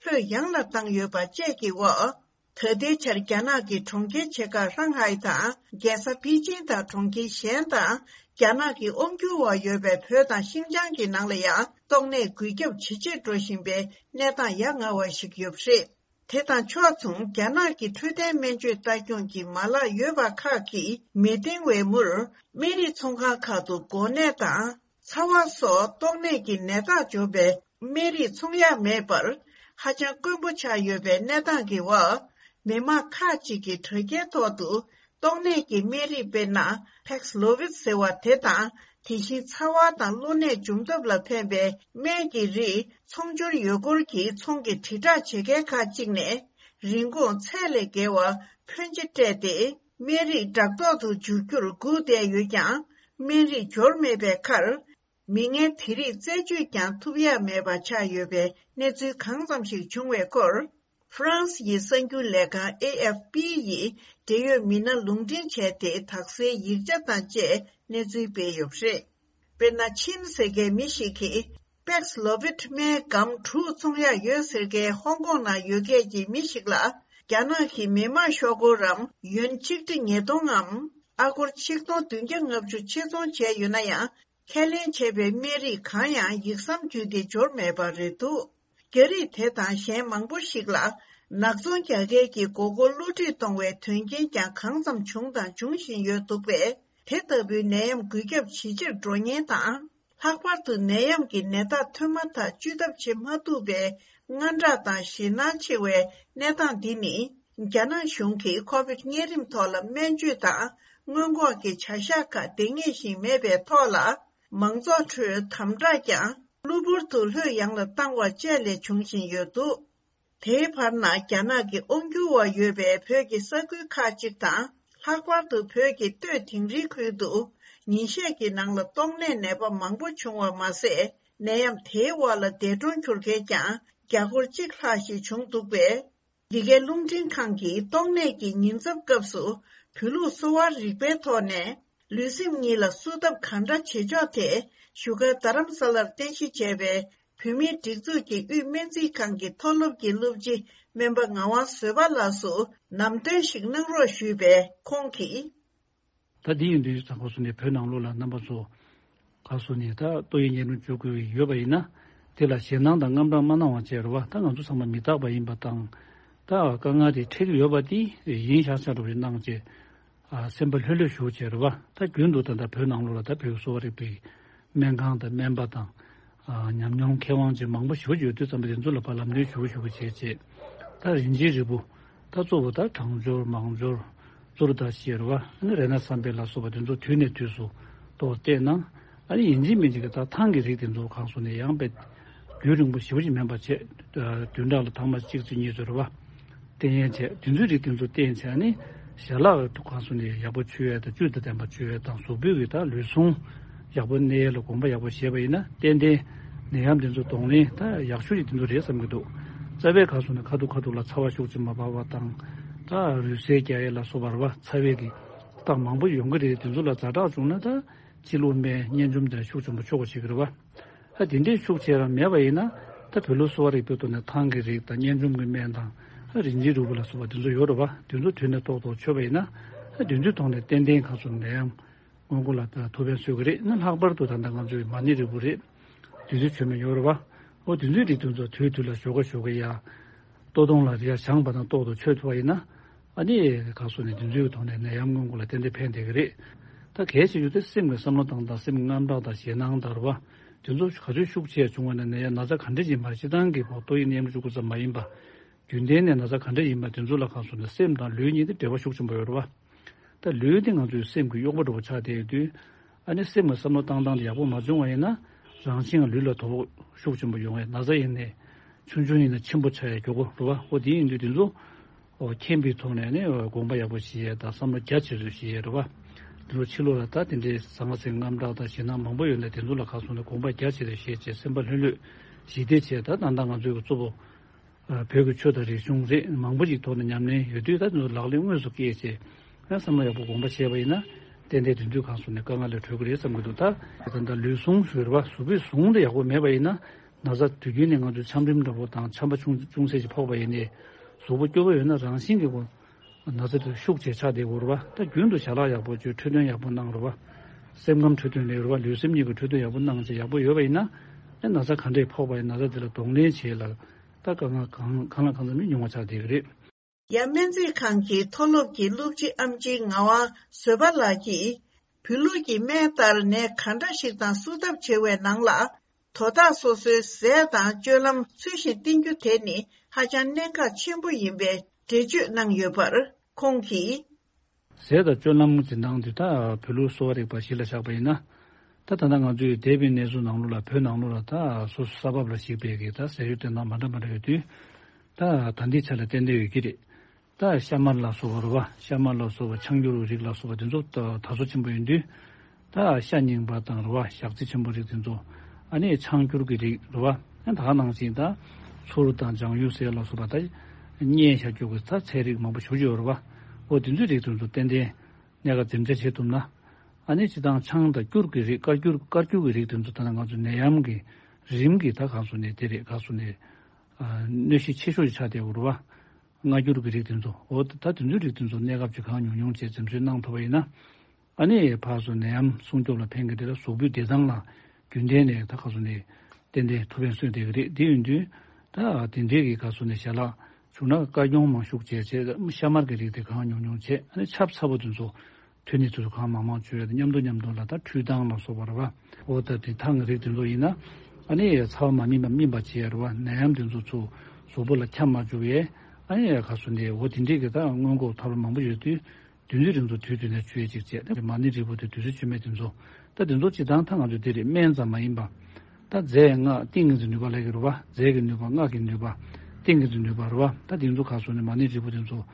ལྷོད་ཡངས་ལ་བཏང་ཡོད་པ་བཅས་ཀྱི་འོག་ད་ལྟའི་ཆར་རྒྱ་ནག་གི་གྲོང་ཁྱེར་ཆེ་ཁག་ཧྲང་ཧའེ་དང་། རྒྱལ་ས་པེ་ཅིང་དང་གྲོང་ཁྱེར་གཞན་དང་། རྒྱ་ནག་གི་དབང་སྒྱུར་འོག་ཡོད་པའི་བོད་དང་ཤིན་ཅང་གི་ནང་ལ་ཡང་ཏོག་ནད་འགོས་ཁྱབ་ཇེ་ཆེར་འགྲོ་བཞིན་པའི་གནས་སྟངས་ཡ་ང་བ་ཞིག་ཡོད་པ་རེད། དེ་དང་ཕྱོགས་མཚུངས། རྒྱ་ནག་གི་འཕྲོད་བསྟེན་སྨན་བཅོས་ལྟ་སྐྱོང་གི་མ་ལག་ཡོད་པ་ཁག་གིས་མི་འདང་བའི་མུར། སྨན་རིགས་ཚོང་ཁང་ཁག་ཏུ་འགོས་ནད་དང་། ཚ་བ་སོགས་ཏོག་ནད་ཀྱི་ནད་རྟགས་འཇོག་པའི་སྨན་རིགས་འཚོང་ཡ་མེད་པར་ཧ་ཅང་དཀོན་པོ་ཆགས་ཡོད་པའི་གནས་སྟངས་ཀྱི་འོག་མི་མང་ཁག་ཅིག་གིས་དྲ་རྒྱའི་ཐོག་ཏུ་ཏོག་ནད་ཀྱི་སྨན་རིགས། དཔེར་ན། Paxlovid ཟེར་བ་དེ་དང་། དེ་བཞིན་ཚ་བ་དང་གློ་ནད་འཇོམས་ཐབས་ལ་ཕན་པའི་སྨན་གྱི་རིགས་ཚོང་སྦྱོར་ཡོད་སྐོར་གྱི་ཚོང་གི་དྲིལ་བསྒྲགས་བྱེད་མཁན་ཁག་ཅིག་ནས། རིན་གོང་ཚད་ལས་བརྒལ་བ་ཕོན་ཆེ་སྤྲད་དེ། སྨན་རིགས་འགྲག་ཐོག་ཏུ་འཇུག་རྒྱུར་སྒུག་བསྡད་ཡོད་ཀྱང་། སྨན་རིགས་འབྱོར་མེད་པའི་ཁར། མི་ངན་དེ་རིགས་རྩད་གཅོད་ཀྱང་ཐུབ་ཡ་མེད་པ་ཆགས་ཡོད་པའི་གནས་ཚུལ་གང་ཙམ་ཞིག་བྱུང་བའི་སྐོར། ཧྥ་རན་སི་ཡི་གསར་འགྱུར་ལས་ཁང་ཨེ་ཨེཕ་པི་ཡིས་འབྲེལ་ཡོད་མི་སྣ་ལུང་འདྲེན་བྱས་ཏེ། དག་སེལ་ཡིག་ཆ་དང་བཅས་གནས་ཚུལ་སྤེལ་ཡོད་པ་རེད། དཔེར་ན། ཆིན་ཟེར་མཁན་མི་ཞིག་གིས། Paxlovid སྨན་སྒམ་དྲུག་འཚོང་ཡག་ཡོད་ཟེར་མཁན་ཧོང་ཀོང་ནང་ཡོད་མཁན་གྱི་མི་ཞིག་ལ། རྒྱ་ནག་གི་མི་དམངས་ཤོག་སྒོར་རམ་ཡོན་ཆིག་ཁྲི་ཉིས་སྟོང་ངམ། ཨ་སྒོར་ཆིག་སྟོང་བདུན་བརྒྱ་ལྔ་བཅུ་ཕྱིར་ཚོང་བྱས་ཡོད་ན་ཡང་། ཁས་ལེན་བྱས་པའི་སྨན་རིགས་གང་ཡང་ཡིག་ཟམ་བརྒྱུད་དེ་འབྱོར་མེད་པ་རེད་འདུག་རྒྱ་རིགས་དེ་དང་གཞན་མང་པོ་ཞིག་ལ། ནག་ཚོང་རྒྱག་མཁན་གྱི་མགོ་སྐོར་བསླུ་བྲིད་གཏོང་བའི་དོན་རྐྱེན་ཀྱང་གང་ཙམ་བྱུང་དང་འབྱུང་བཞིན་ཡོད་འདུག་པས། དེ་ལྟ་བུའི་ནད་ཡམས་འགོས་ཁྱབ་ཇེ་ཆེར་འགྲོ་ཉེན་དང་། ལྷག་པར་དུ་ནད་ཡམས་ཀྱི་ནད་རྟགས་ཐོན་མ་ཐག་བཅོས་ཐབས་བྱེད་མ་ཐུབ་པའི་དངངས་སྐྲག་དང་ཞེད་སྣང་ཆེ་བའི་གནས་སྟངས་འདི་ནི། རྒྱ་ནག་གཞུང་གིས་ཁོ་བིད་གཉན་རིམས་ཐོག་ལ་སྨན་བཅོས་དང་སྔོན་འགོག་གི་བྱ་གཞག་ཁག་འདང་ངེས་ཤིང་མེད་པའི་ཐོག་ལ། མང་ཚོགས་ཁྲོད་དམ་དྲག་ཀྱང་གློ་བུར་དུ་ལྷོད་ཡངས་ལ་བཏང་བ་བཅས་ལས་བྱུང་བཞིན་ཡོད་འདུག་དེའི་བར་ན། རྒྱ་ནག་གི་དབང་སྒྱུར་འོག་ཡོད་པའི་བོད་ཀྱི་ས་ཁུལ་ཁག་ཅིག་དང་། ལྷག་པར་དུ་བོད་ཀྱི་སྟོད་དིང་རིའི་ཁུལ་དུ། ཉིན་ཤས་ཀྱི་ནང་ལ་ཏོག་ནད་ནད་པ་མང་པོ་བྱུང་བ་མ་ཟད། ནད་ཡམས་དེའི་འོག་ལ་འདས་གྲོངས་གྱུར་མཁན་ཀྱང་བརྒྱ་སྐོར་གཅིག་ལྷག་ཞིག་བྱུང་འདུག་པས། འདི་གའི་རླུང་འཕྲིན་ཁང་གིས་ཏོག་ནད་ཀྱི་ཉེན་ཚབས་སྐབས་སུ། བོད་ལུགས་གསོ་བ་རིག་པའི་ཐོག་ནས། ལུས་སེམས་གཉིས་ལ་གསོ་ཐབས་གང་འདྲ་བྱེད་ཕྱོགས་ཐད། བཞུགས་སྒར་རྡ་རམ་ས་ལར་རྟེན་གཞི་བྱས་པའི་བོད་མིའི་སྒྲིག་འཛུགས་ཀྱི་དབུས་སྨན་རྩིས་ཁང་གི་མཐོ་སློབ་ཀྱི་སློབ་སྤྱི་སྨན་པ་ངག་དབང་བཟོད་པ་ལགས་སུ་ལམ་སྟོན་ཞིག་གནང་རོགས་ཞུས་པས། ཁོང་གིས། ད་འདི་ཡིན་དུས་ཙང་ཁོ་སོང་ནས་བོད་ནང་ལོགས་ལ་རྣམ་པ་ཚོ་ག་སོང་ནས་ད་ཏོག་དབྱིབས་གཉན་རིམས་བཅོ་དགོས་ཡོད་པ་ཡིན་ན། དེ་ལ་ཞེད་སྣང་དང་དངངས་སྐྲག་མ་གནང་བ་བྱས་རེད་བ། ད་ང་ཚོ་ཚང་མ་མི་རྟག་པ་ཡིན་པ་དང་། ད་དཀའ་ངལ་དེ་འཕྲད་ཀྱི་ཡོད་པ་དེ་ཡིན་ཤག་ཤག་འགྲོ་བའི་གནང་བྱས། ཨ། སེམས་པ་ལྷོད་ལྷོད་ཞུ་བྱས་རེད་བ། ད་རྒྱུན་དུ་ད་ལྟ་བོད་ནང་ལོགས་ལ་ད་བོད་ཀྱི་གསོ་བ་རིག་པའི་སྨན་ཁང་དང་སྨན་པ་དང་། ཨ། ཉམས་མྱོང་མཁས་དབང་ཅན་མང་པོ་ཞེ་པོ་ཅིག་ཡོད་དུས་ཙམ་པ་དེ་ཚོ་ལ་ཕར་ལམ་སྟོན་ཞུ་ཞུ་བྱས་བྱས། ད་རིན་ཆེན་རིལ་བུ། ད་གཙོ་བོ་ད་གྲང་སྦྱོར་མང་སྦྱོར། གཙོ་བོ་ད་ཞེས་རེད་བ། ཨ་ནི་རཏྣ་བསམ་འཕེལ་ལ་སོགས་པ་དེ་ཚོ་དུས་ནས་དུས་སུ་ཏོག་བལྟས་ན། ཨ་ནི་ཡིན་གཅིག་མིན་གཅིག་གི་ད་ཐང་གི་རིགས་དེ་ཚོ་གང་སོང་ནས་ཡང་དཔེ་རྒྱུན་རིང་པོ་ཞེ་པོ་ཅིག་མིན་པ་བྱས། བདུན་ཕྲག་ལ་ཐེངས་མ་གཅིག་ཙམ་གཉིས་ཙམ་རེད་བ། བསྟེན་ཡས་བྱས། དེ་ཚོའི་རིགས་དེ་ཚོ་བསྟེན་བྱས་ནས་ཞལ་ལག་གང་སོང་ནས་ཡག་པོ་མཆོད་ཡས་དང་བཅུད་དང་ལྡན་པ་མཆོད་ཡས་དང་གཟུགས་པོའི་གི་ད་ལུས་ཟུངས་ཡག་པོ་གནས་ཡས་ལ་དགོངས་པ་ཡག་པོ་བཞེས་པ་ཡིན་ན་ཏན་ཏན་ནད་ཡམས་དེ་ཚོ་གདོང་ལེན་ད་ཡག་ཤོས་ཀྱི་དེ་ཚོ་རེད་བསམ་གྱི་འདུག་རྩ་བའི་གང་སོང་ནས་ཁ་ཐུག་ཁ་ཐུག་ལ་ཚ་བ་ཤུགས་ཆེ་མ་འབར་བ་དང་། ད་རུས་སེལ་རྒྱག་ཡས་ལ་སོགས་པ་རེད་བ། ཚ་བའི་གི་རྟགས་མང་པོ་ཡོང་གི་རེད། དེ་ཚོ་ལ་ཛ་དྲག་བྱུང་ན་ད་ཕྱི་ལུགས་སྨན་གཉན་འཇོམས་དེ་ཤུགས་ཆེན་པོ་མཆོག་པ་ཞིག་རེད་བ། ད་དེ་འདྲའི་ཤུགས་ཆེ་རང་མེད་པ་ཡིན་ན། ད་བོད་ལུགས་གསོ་བ་རིག་པའི་ཐོག་ནས་ཐང་གི་རིགས་དང་གཉན་འཇོམས་ཀྱི་སྨན་དང་། ཨ། རིན་ཆེན་རིལ་བུ་ལ་སོགས་པ་དེ་ཚོ་ཡོད་རེད་བ། དེ་ཚོ་དུས་ནས་ཏོག་ཏོག་མཆོད་པ་ཡིན་ན། ཨ། དེ་ཚོའི་ཐོག་ནས་ཏན་ཏན་གང་སོང་ནད་ཡམས་སྔོན་འགོག་ལ་ད་ཐུགས་ཕན་གསོས་ཀྱི་རེད། ཨ་ནི་ལྷག་པར་དུ་ད་ལྟ་ང་ཚོའི་མ་ཎི་རིལ་བུ་རེད། དེ་ཚོའི་མཆོད་མེ་ཡོད་རེད་བ། ཨོ་དེ་ཚོའི་རིགས་དེ་ཚོ་དུས་དུས་ལ་ཞོགས་ཀ་ཞོགས་ཀ་ཡ། ལྟོ་སྟོང་ལ་རེ་ཡ་བཞེངས་པ་དང་ཏོག་ཏོག་མཆོད་ཐུབ་པ་ཡིན་ན། ཨ་ནི་ག་སོ་ནས་དེ་ཚོའི་ཐོག་ནས་ནད་ཡམས་སྔོན་འགོག་ལ་ཏན་ཏན་ཕན་བསྡད་ཀྱི་རེད། ད་གལ་ཆེ་ཤོས་དེ་སེམས་ཀྱི་བསམ་བློ་བཏང་སྟངས། སེམས་དངངས་སྐྲག་དང་ཞེད་སྣང་དང་རེད་བ། དེ་ཚོ་ག་ཚོད་ཤུགས་ཆེ་བྱུང་བ་ན་ནད་ཡམས་ན་ཚ་ག་འདྲ་ཡིན་པ། སྤྱིར་བཏང་གི་གོ་ཏོག་དབྱིབས་ནད་ཡམས་གཅིག་པུ་ཙམ་མ་ཡིན་པ། རྒྱུན་ལྡན་ནས་ན་ཚ་ག་འདྲ་ཡིན་པ་དེ་ཚོ་ལ་ག་སོ་ནས་སེམས་དང་ལུས་གཉིས་དེ་འབྲེལ་བ་ཤུགས་ཆེན་པོ་ཡོད་རེད་བ། ད་ལུས་དེ་ང་ཚོའི་སེམས་ཀྱི་གཡོག་པ་འདྲ་བོ་ཆགས་བསྡད་ཡོད་དུས། ཨ་ནི་སེམས་ཀྱི་བསམ་བློ་བཏང་སྟངས་དེ་ཡག་པོ་མ་བྱུང་བ་ཡིན་ན། རང་བཞིན་གྱི་ལུས་ལ་དོ་ཕོག་ཤུགས་ཆེན་པོ་ཡོང་བས། ན་ཚ་ཡིན་ནའི་ཆུང་ཆུང་ཡིན་ན་ཆེན་པོ་ཆགས་ཡ་མགྱོགས་པོ་རེད་བ། འོ་དེ་ཡིན་དུས་དེ་ཚོ་འོ་མཁྱེན་པའི་ཐོག་ནས་ནི་དགོངས་པ་ཡག་པོ་བཞེས་ཡ་དང་བསམ་བློ་རྒྱ་ཆེ་ཚུལ་བཞེས་ཡ་རེད་བ། དེ་ཚོ་ཕྱི་ལོགས་ལ་ད་དེ་འདྲའི་ཟང་ངེ་ཟིང་དངངས་སྐྲག་དང་ཞེད་སྣང་མང་པོ་ཡོད་ནས་དེ་ཚོ་ལ་ག་སོ་ནས་དགོངས་པ་རྒྱ་ཆེ་ཚུལ་བཞེས་བྱས། སེམས་པ་ལྷོད་ལྷོད་ཞི་བདེ་བྱས། ད་ད་ལྟ་ང་ཚོའི་གཙོ་བོ། བོད་ཀྱི་ཆོས་དང་རིག་གཞུང་རིགས་མང་པོ་ཞིག་ཐོག་ནས་ཉམས་ལེན་ཡོད་དུས། ད་དེ་ཚོ་ལག་ལེན་དངོས་སུ་བཀལ་བྱས། ཡང་བསམ་བློ་ཡག་པོ་དགོངས་པ་བཞེས་པ་ཡིན་ན། ཏན་ཏན་དེ་དུས་གང་སོང་ནས་དཀའ་ངལ་ལས་གྲོལ་གྱི་རེད་བསམ་གྱི་འདུག་ད་ད་ལྟ་ལུས་ཟུངས་ཟེར་བ། གཟུགས་པོའི་ཟུངས་དེ་ཡག་པོ་མེད་པ་ཡིན་ན། ན་ཚ་དུས་རྒྱུན་ནས་ང་ཚོས་ཆམ་རིམས་འདྲ་པོ་དང་ཆམ་པ་ཆུང་ཆུང་ཚད་ཅིག་ཕོག་པ་ཡིན་ནའི། གཟུགས་པོ་སྐྱོ་པོ་ཡོད་ན་རང་བཞིན་གྱིས་ཁོ་ན་ཚ་དེ་ཤུགས་ཆེ་ཆགས་བསྡད་ཡོད་རེད་བ། ད་རྒྱུན་དུ་ཞལ་ལག་ཡག་པོ་བཅོས། འཕྲོད་བསྟེན་ཡག་པོ་གནང་རེད་བ། སེམས་ཁམས་འཕྲོད་བསྟེན་ལས་རེད་བ། ལུས་སེམས་གཉིས་ཀྱི་འཕྲོད་བསྟེན་ཡག་པོ་གནང་བྱས་ཡག་པོ་ཡོད་པ་ཡིན་ན། ཨེ་ན་ཚ་ག་འདྲས་ཕོག་པ་ཡིན། ན་ཚ་དེ་ལ་གདོང་ལེན་བྱེད་ལ་ད་དཀའ་ངལ་གང་གང་ལ་གང་འཚམ་མི་ཉུང་བ་ཆགས་བསྡད་ཀྱི་རེད། ཡ། སྨན་རྩིས་ཁང་གི་མཐོ་སློབ་ཀྱི་སློབ་སྤྱི་ཨེམ་ཆི་ངག་དབང་བཟོད་པ་ལགས་ཀྱིས། བོད་ལུགས་ཀྱི་སྨན་ལྟར་ནད་ག་འདྲ་ཞིག་དང་བསུ་ཐབས་བྱེད་པའི་ནང་ལ། དོ་བདག་སོ་སོའི་ཟས་དང་སྤྱོད་ལམ་ཚུལ་བཞིན་བསྟེན་རྒྱུ་དེ་ནི་ཧ་ཅང་གནད་འགག་ཆེན་པོ་ཡིན་པའི་འགྲེལ་བརྗོད་གནང་ཡོད་པར་ཁོང་གིས། ཟས་དང་སྤྱོད་ལམ་འཛིན་སྟངས་འདི་ད་བོད་ལུགས་གསོ་བ་རིག་པ་གཞི་ལ་བཞག་པ་ཡིན་ན། ད་ད་ལྟ་ང་ཚོའི་འདས་པའི་གནས་ཚུལ་ནང་ལོགས་ལ། བོད་ནང་ལོགས་ལ་ད་སོ་སོ་ས་བབ་ལ་གཞིགས་པའི་གི་ད་ཟས་སྤྱོད་སྟེན་སྟངས་མ་འདྲ་མ་འདྲ་ཡོད་དུས། ད་ད་ལྟའི་ཆ་ལ་ཏན་ཏན་ཡོད་ཀྱི་རེད། ད་ཤ་མར་ལ་སོགས་པ་རེད་བ། ཤ་མར་ལ་སོགས་པ། ཆང་སྐྱུར་རིགས་ལ་སོགས་པ་དེ་ཚོ་ད་དར་སོ་ཆེན་པོ་ཡིན་དུས། ད་ཤ་རྙིང་པ་དང་རེད་བ། ཞག་ཚི་ཆེན་པོ་རིགས་དེ་ཚོ། ཨ་ནི་ཆང་སྐྱུར་གྱི་རིགས་རེད་བ། ད་ག་ནང་བཞིན་ད་ཚུར་དང་ལྗང་ཡུ་ཟས་ལ་སོགས་པ། ད་བསྙལ་བཞག་རྒྱུ་གི་ད་ཚལ་རིགས་མང་པོ་ཞེ་པོ་ཅིག་ཡོད་རེད་བ། འོ་དེ་ཚོའི་རིགས་དེ་ཚོ་ཏན་ཏན་གནས་སྐབས་འཛེམ་བྱ་བྱེད་ཐུབ་ན། ཨ་ནི་སྤྱིར་བཏང་ཆང་དང་སྐྱུར་གྱི་རིགས། བཀའ་སྐྱུར་བཀའ་སྐྱུར་གྱི་རིགས་དེ་ཚོ་ད་ནི་ང་ཚོ་ནད་ཡམས་ཀྱི་རིམས་ཀྱི་ད་ག་སོ་ནས་དེ་རེད། ག་སོ་ནས་གནོད་གཞི་ཆེ་ཤོས་ཆགས་བསྡད་ཡོད་རེད་བ། མངར་སྐྱུར་གྱི་རིགས་དེ་ཚོ། འོ་ད་དེ་ཚོའི་རིགས་དེ་ཚོ་གནས་སྐབས་ཀྱི་གང་ཉུང་ཉུང་བྱས་འཛེམ་བཟོ་གནང་ཐུབ་པ་ཡིན་ན། ཨ་ནི་ཕར་ཚུར་ནད་ཡམས་སྲུང་སྐྱོབ་ལ་ཕན་གྱི་རེད་ལ། གཟུགས་པོའི་བདེ་ཐང་ལ་རྒྱུན་ལྡན་ནས་ད་ག་སོ་ནས་ཏན་ཏན་ཐུགས་ཕན་གསོས་བསྡད་ཀྱི་རེད། དེ་ཡིན་དུས་ད་དེ་འདྲའི་གི་ག་སོ་ནས་ཞལ་ལག་བྱུང་ན་དཀའ་སྐྱོང་མང་ཤུགས་བྱས་བྱས། ཤ་མར་གྱི་རིགས་དེ་གང་ཉུང་ཉུང་བྱས། ཨ་ནི་ཆབ་ཚ་པོ་དེ་ཚོ་དུས་ནས་དུས་སུ་གང་མང་མང་བྱོས་ཡ་དང་། མཉམ་དུ་མཉམ་དུ་ལ་ད་ཁྲུས་ཐང་ལ་སོགས་པ་རེད་བ། འོ་ད་དེ་ཐང་གི་རིགས་དེ་ཚོ་ཡིན་ན། ཨ་ནི་ཚ་བ་མ་སྨིན་པ་སྨིན་པ་བྱེད་ཡ་རེད་བ། ནད་ཡམས་དེ་ཚོ་ཚུར་གཟུགས་པོ་ལ་ཁྱབ་མ་བཅུག་ཡས། ཨ་ནི་ག་སོ་ནས་འོ་དེ་འདྲས་ཀྱི་ད་སྔོན་འགོག་ཐབས་ལམ་མང་པོ་ཡོད་དུས། དུས་ཚོད་རིང་ཚོ་དུས་དུས་ནས་བཅོས་ཅིག་བྱས། མ་ཎི་རིལ་བུ་དེ་དུས་ཚོད་བཅོས་མེད་དེ་ཚོ། ད་དེ་ཚོ་སྤྱིར་བཏང་ད་ང་ཚོ་དེ་རེད། སྨན་ཙམ་མ་ཡིན་པ། ད་རྫས་སྔགས་ཏིང་ངེ་འཛིན་ནུས་པ་ལབ་ཀྱི་རེད་བ། རྫས་ཀྱི་ནུས་པ། སྔགས་ཀྱི་ནུས་པ། ཏིང་ངེ་འཛིན་ནུས་པ་རེད་བ། ད་དེ་ཚོ་ག་སོ་ནས་མ་ཎི་རིལ་བུ་དེ་ཚོ།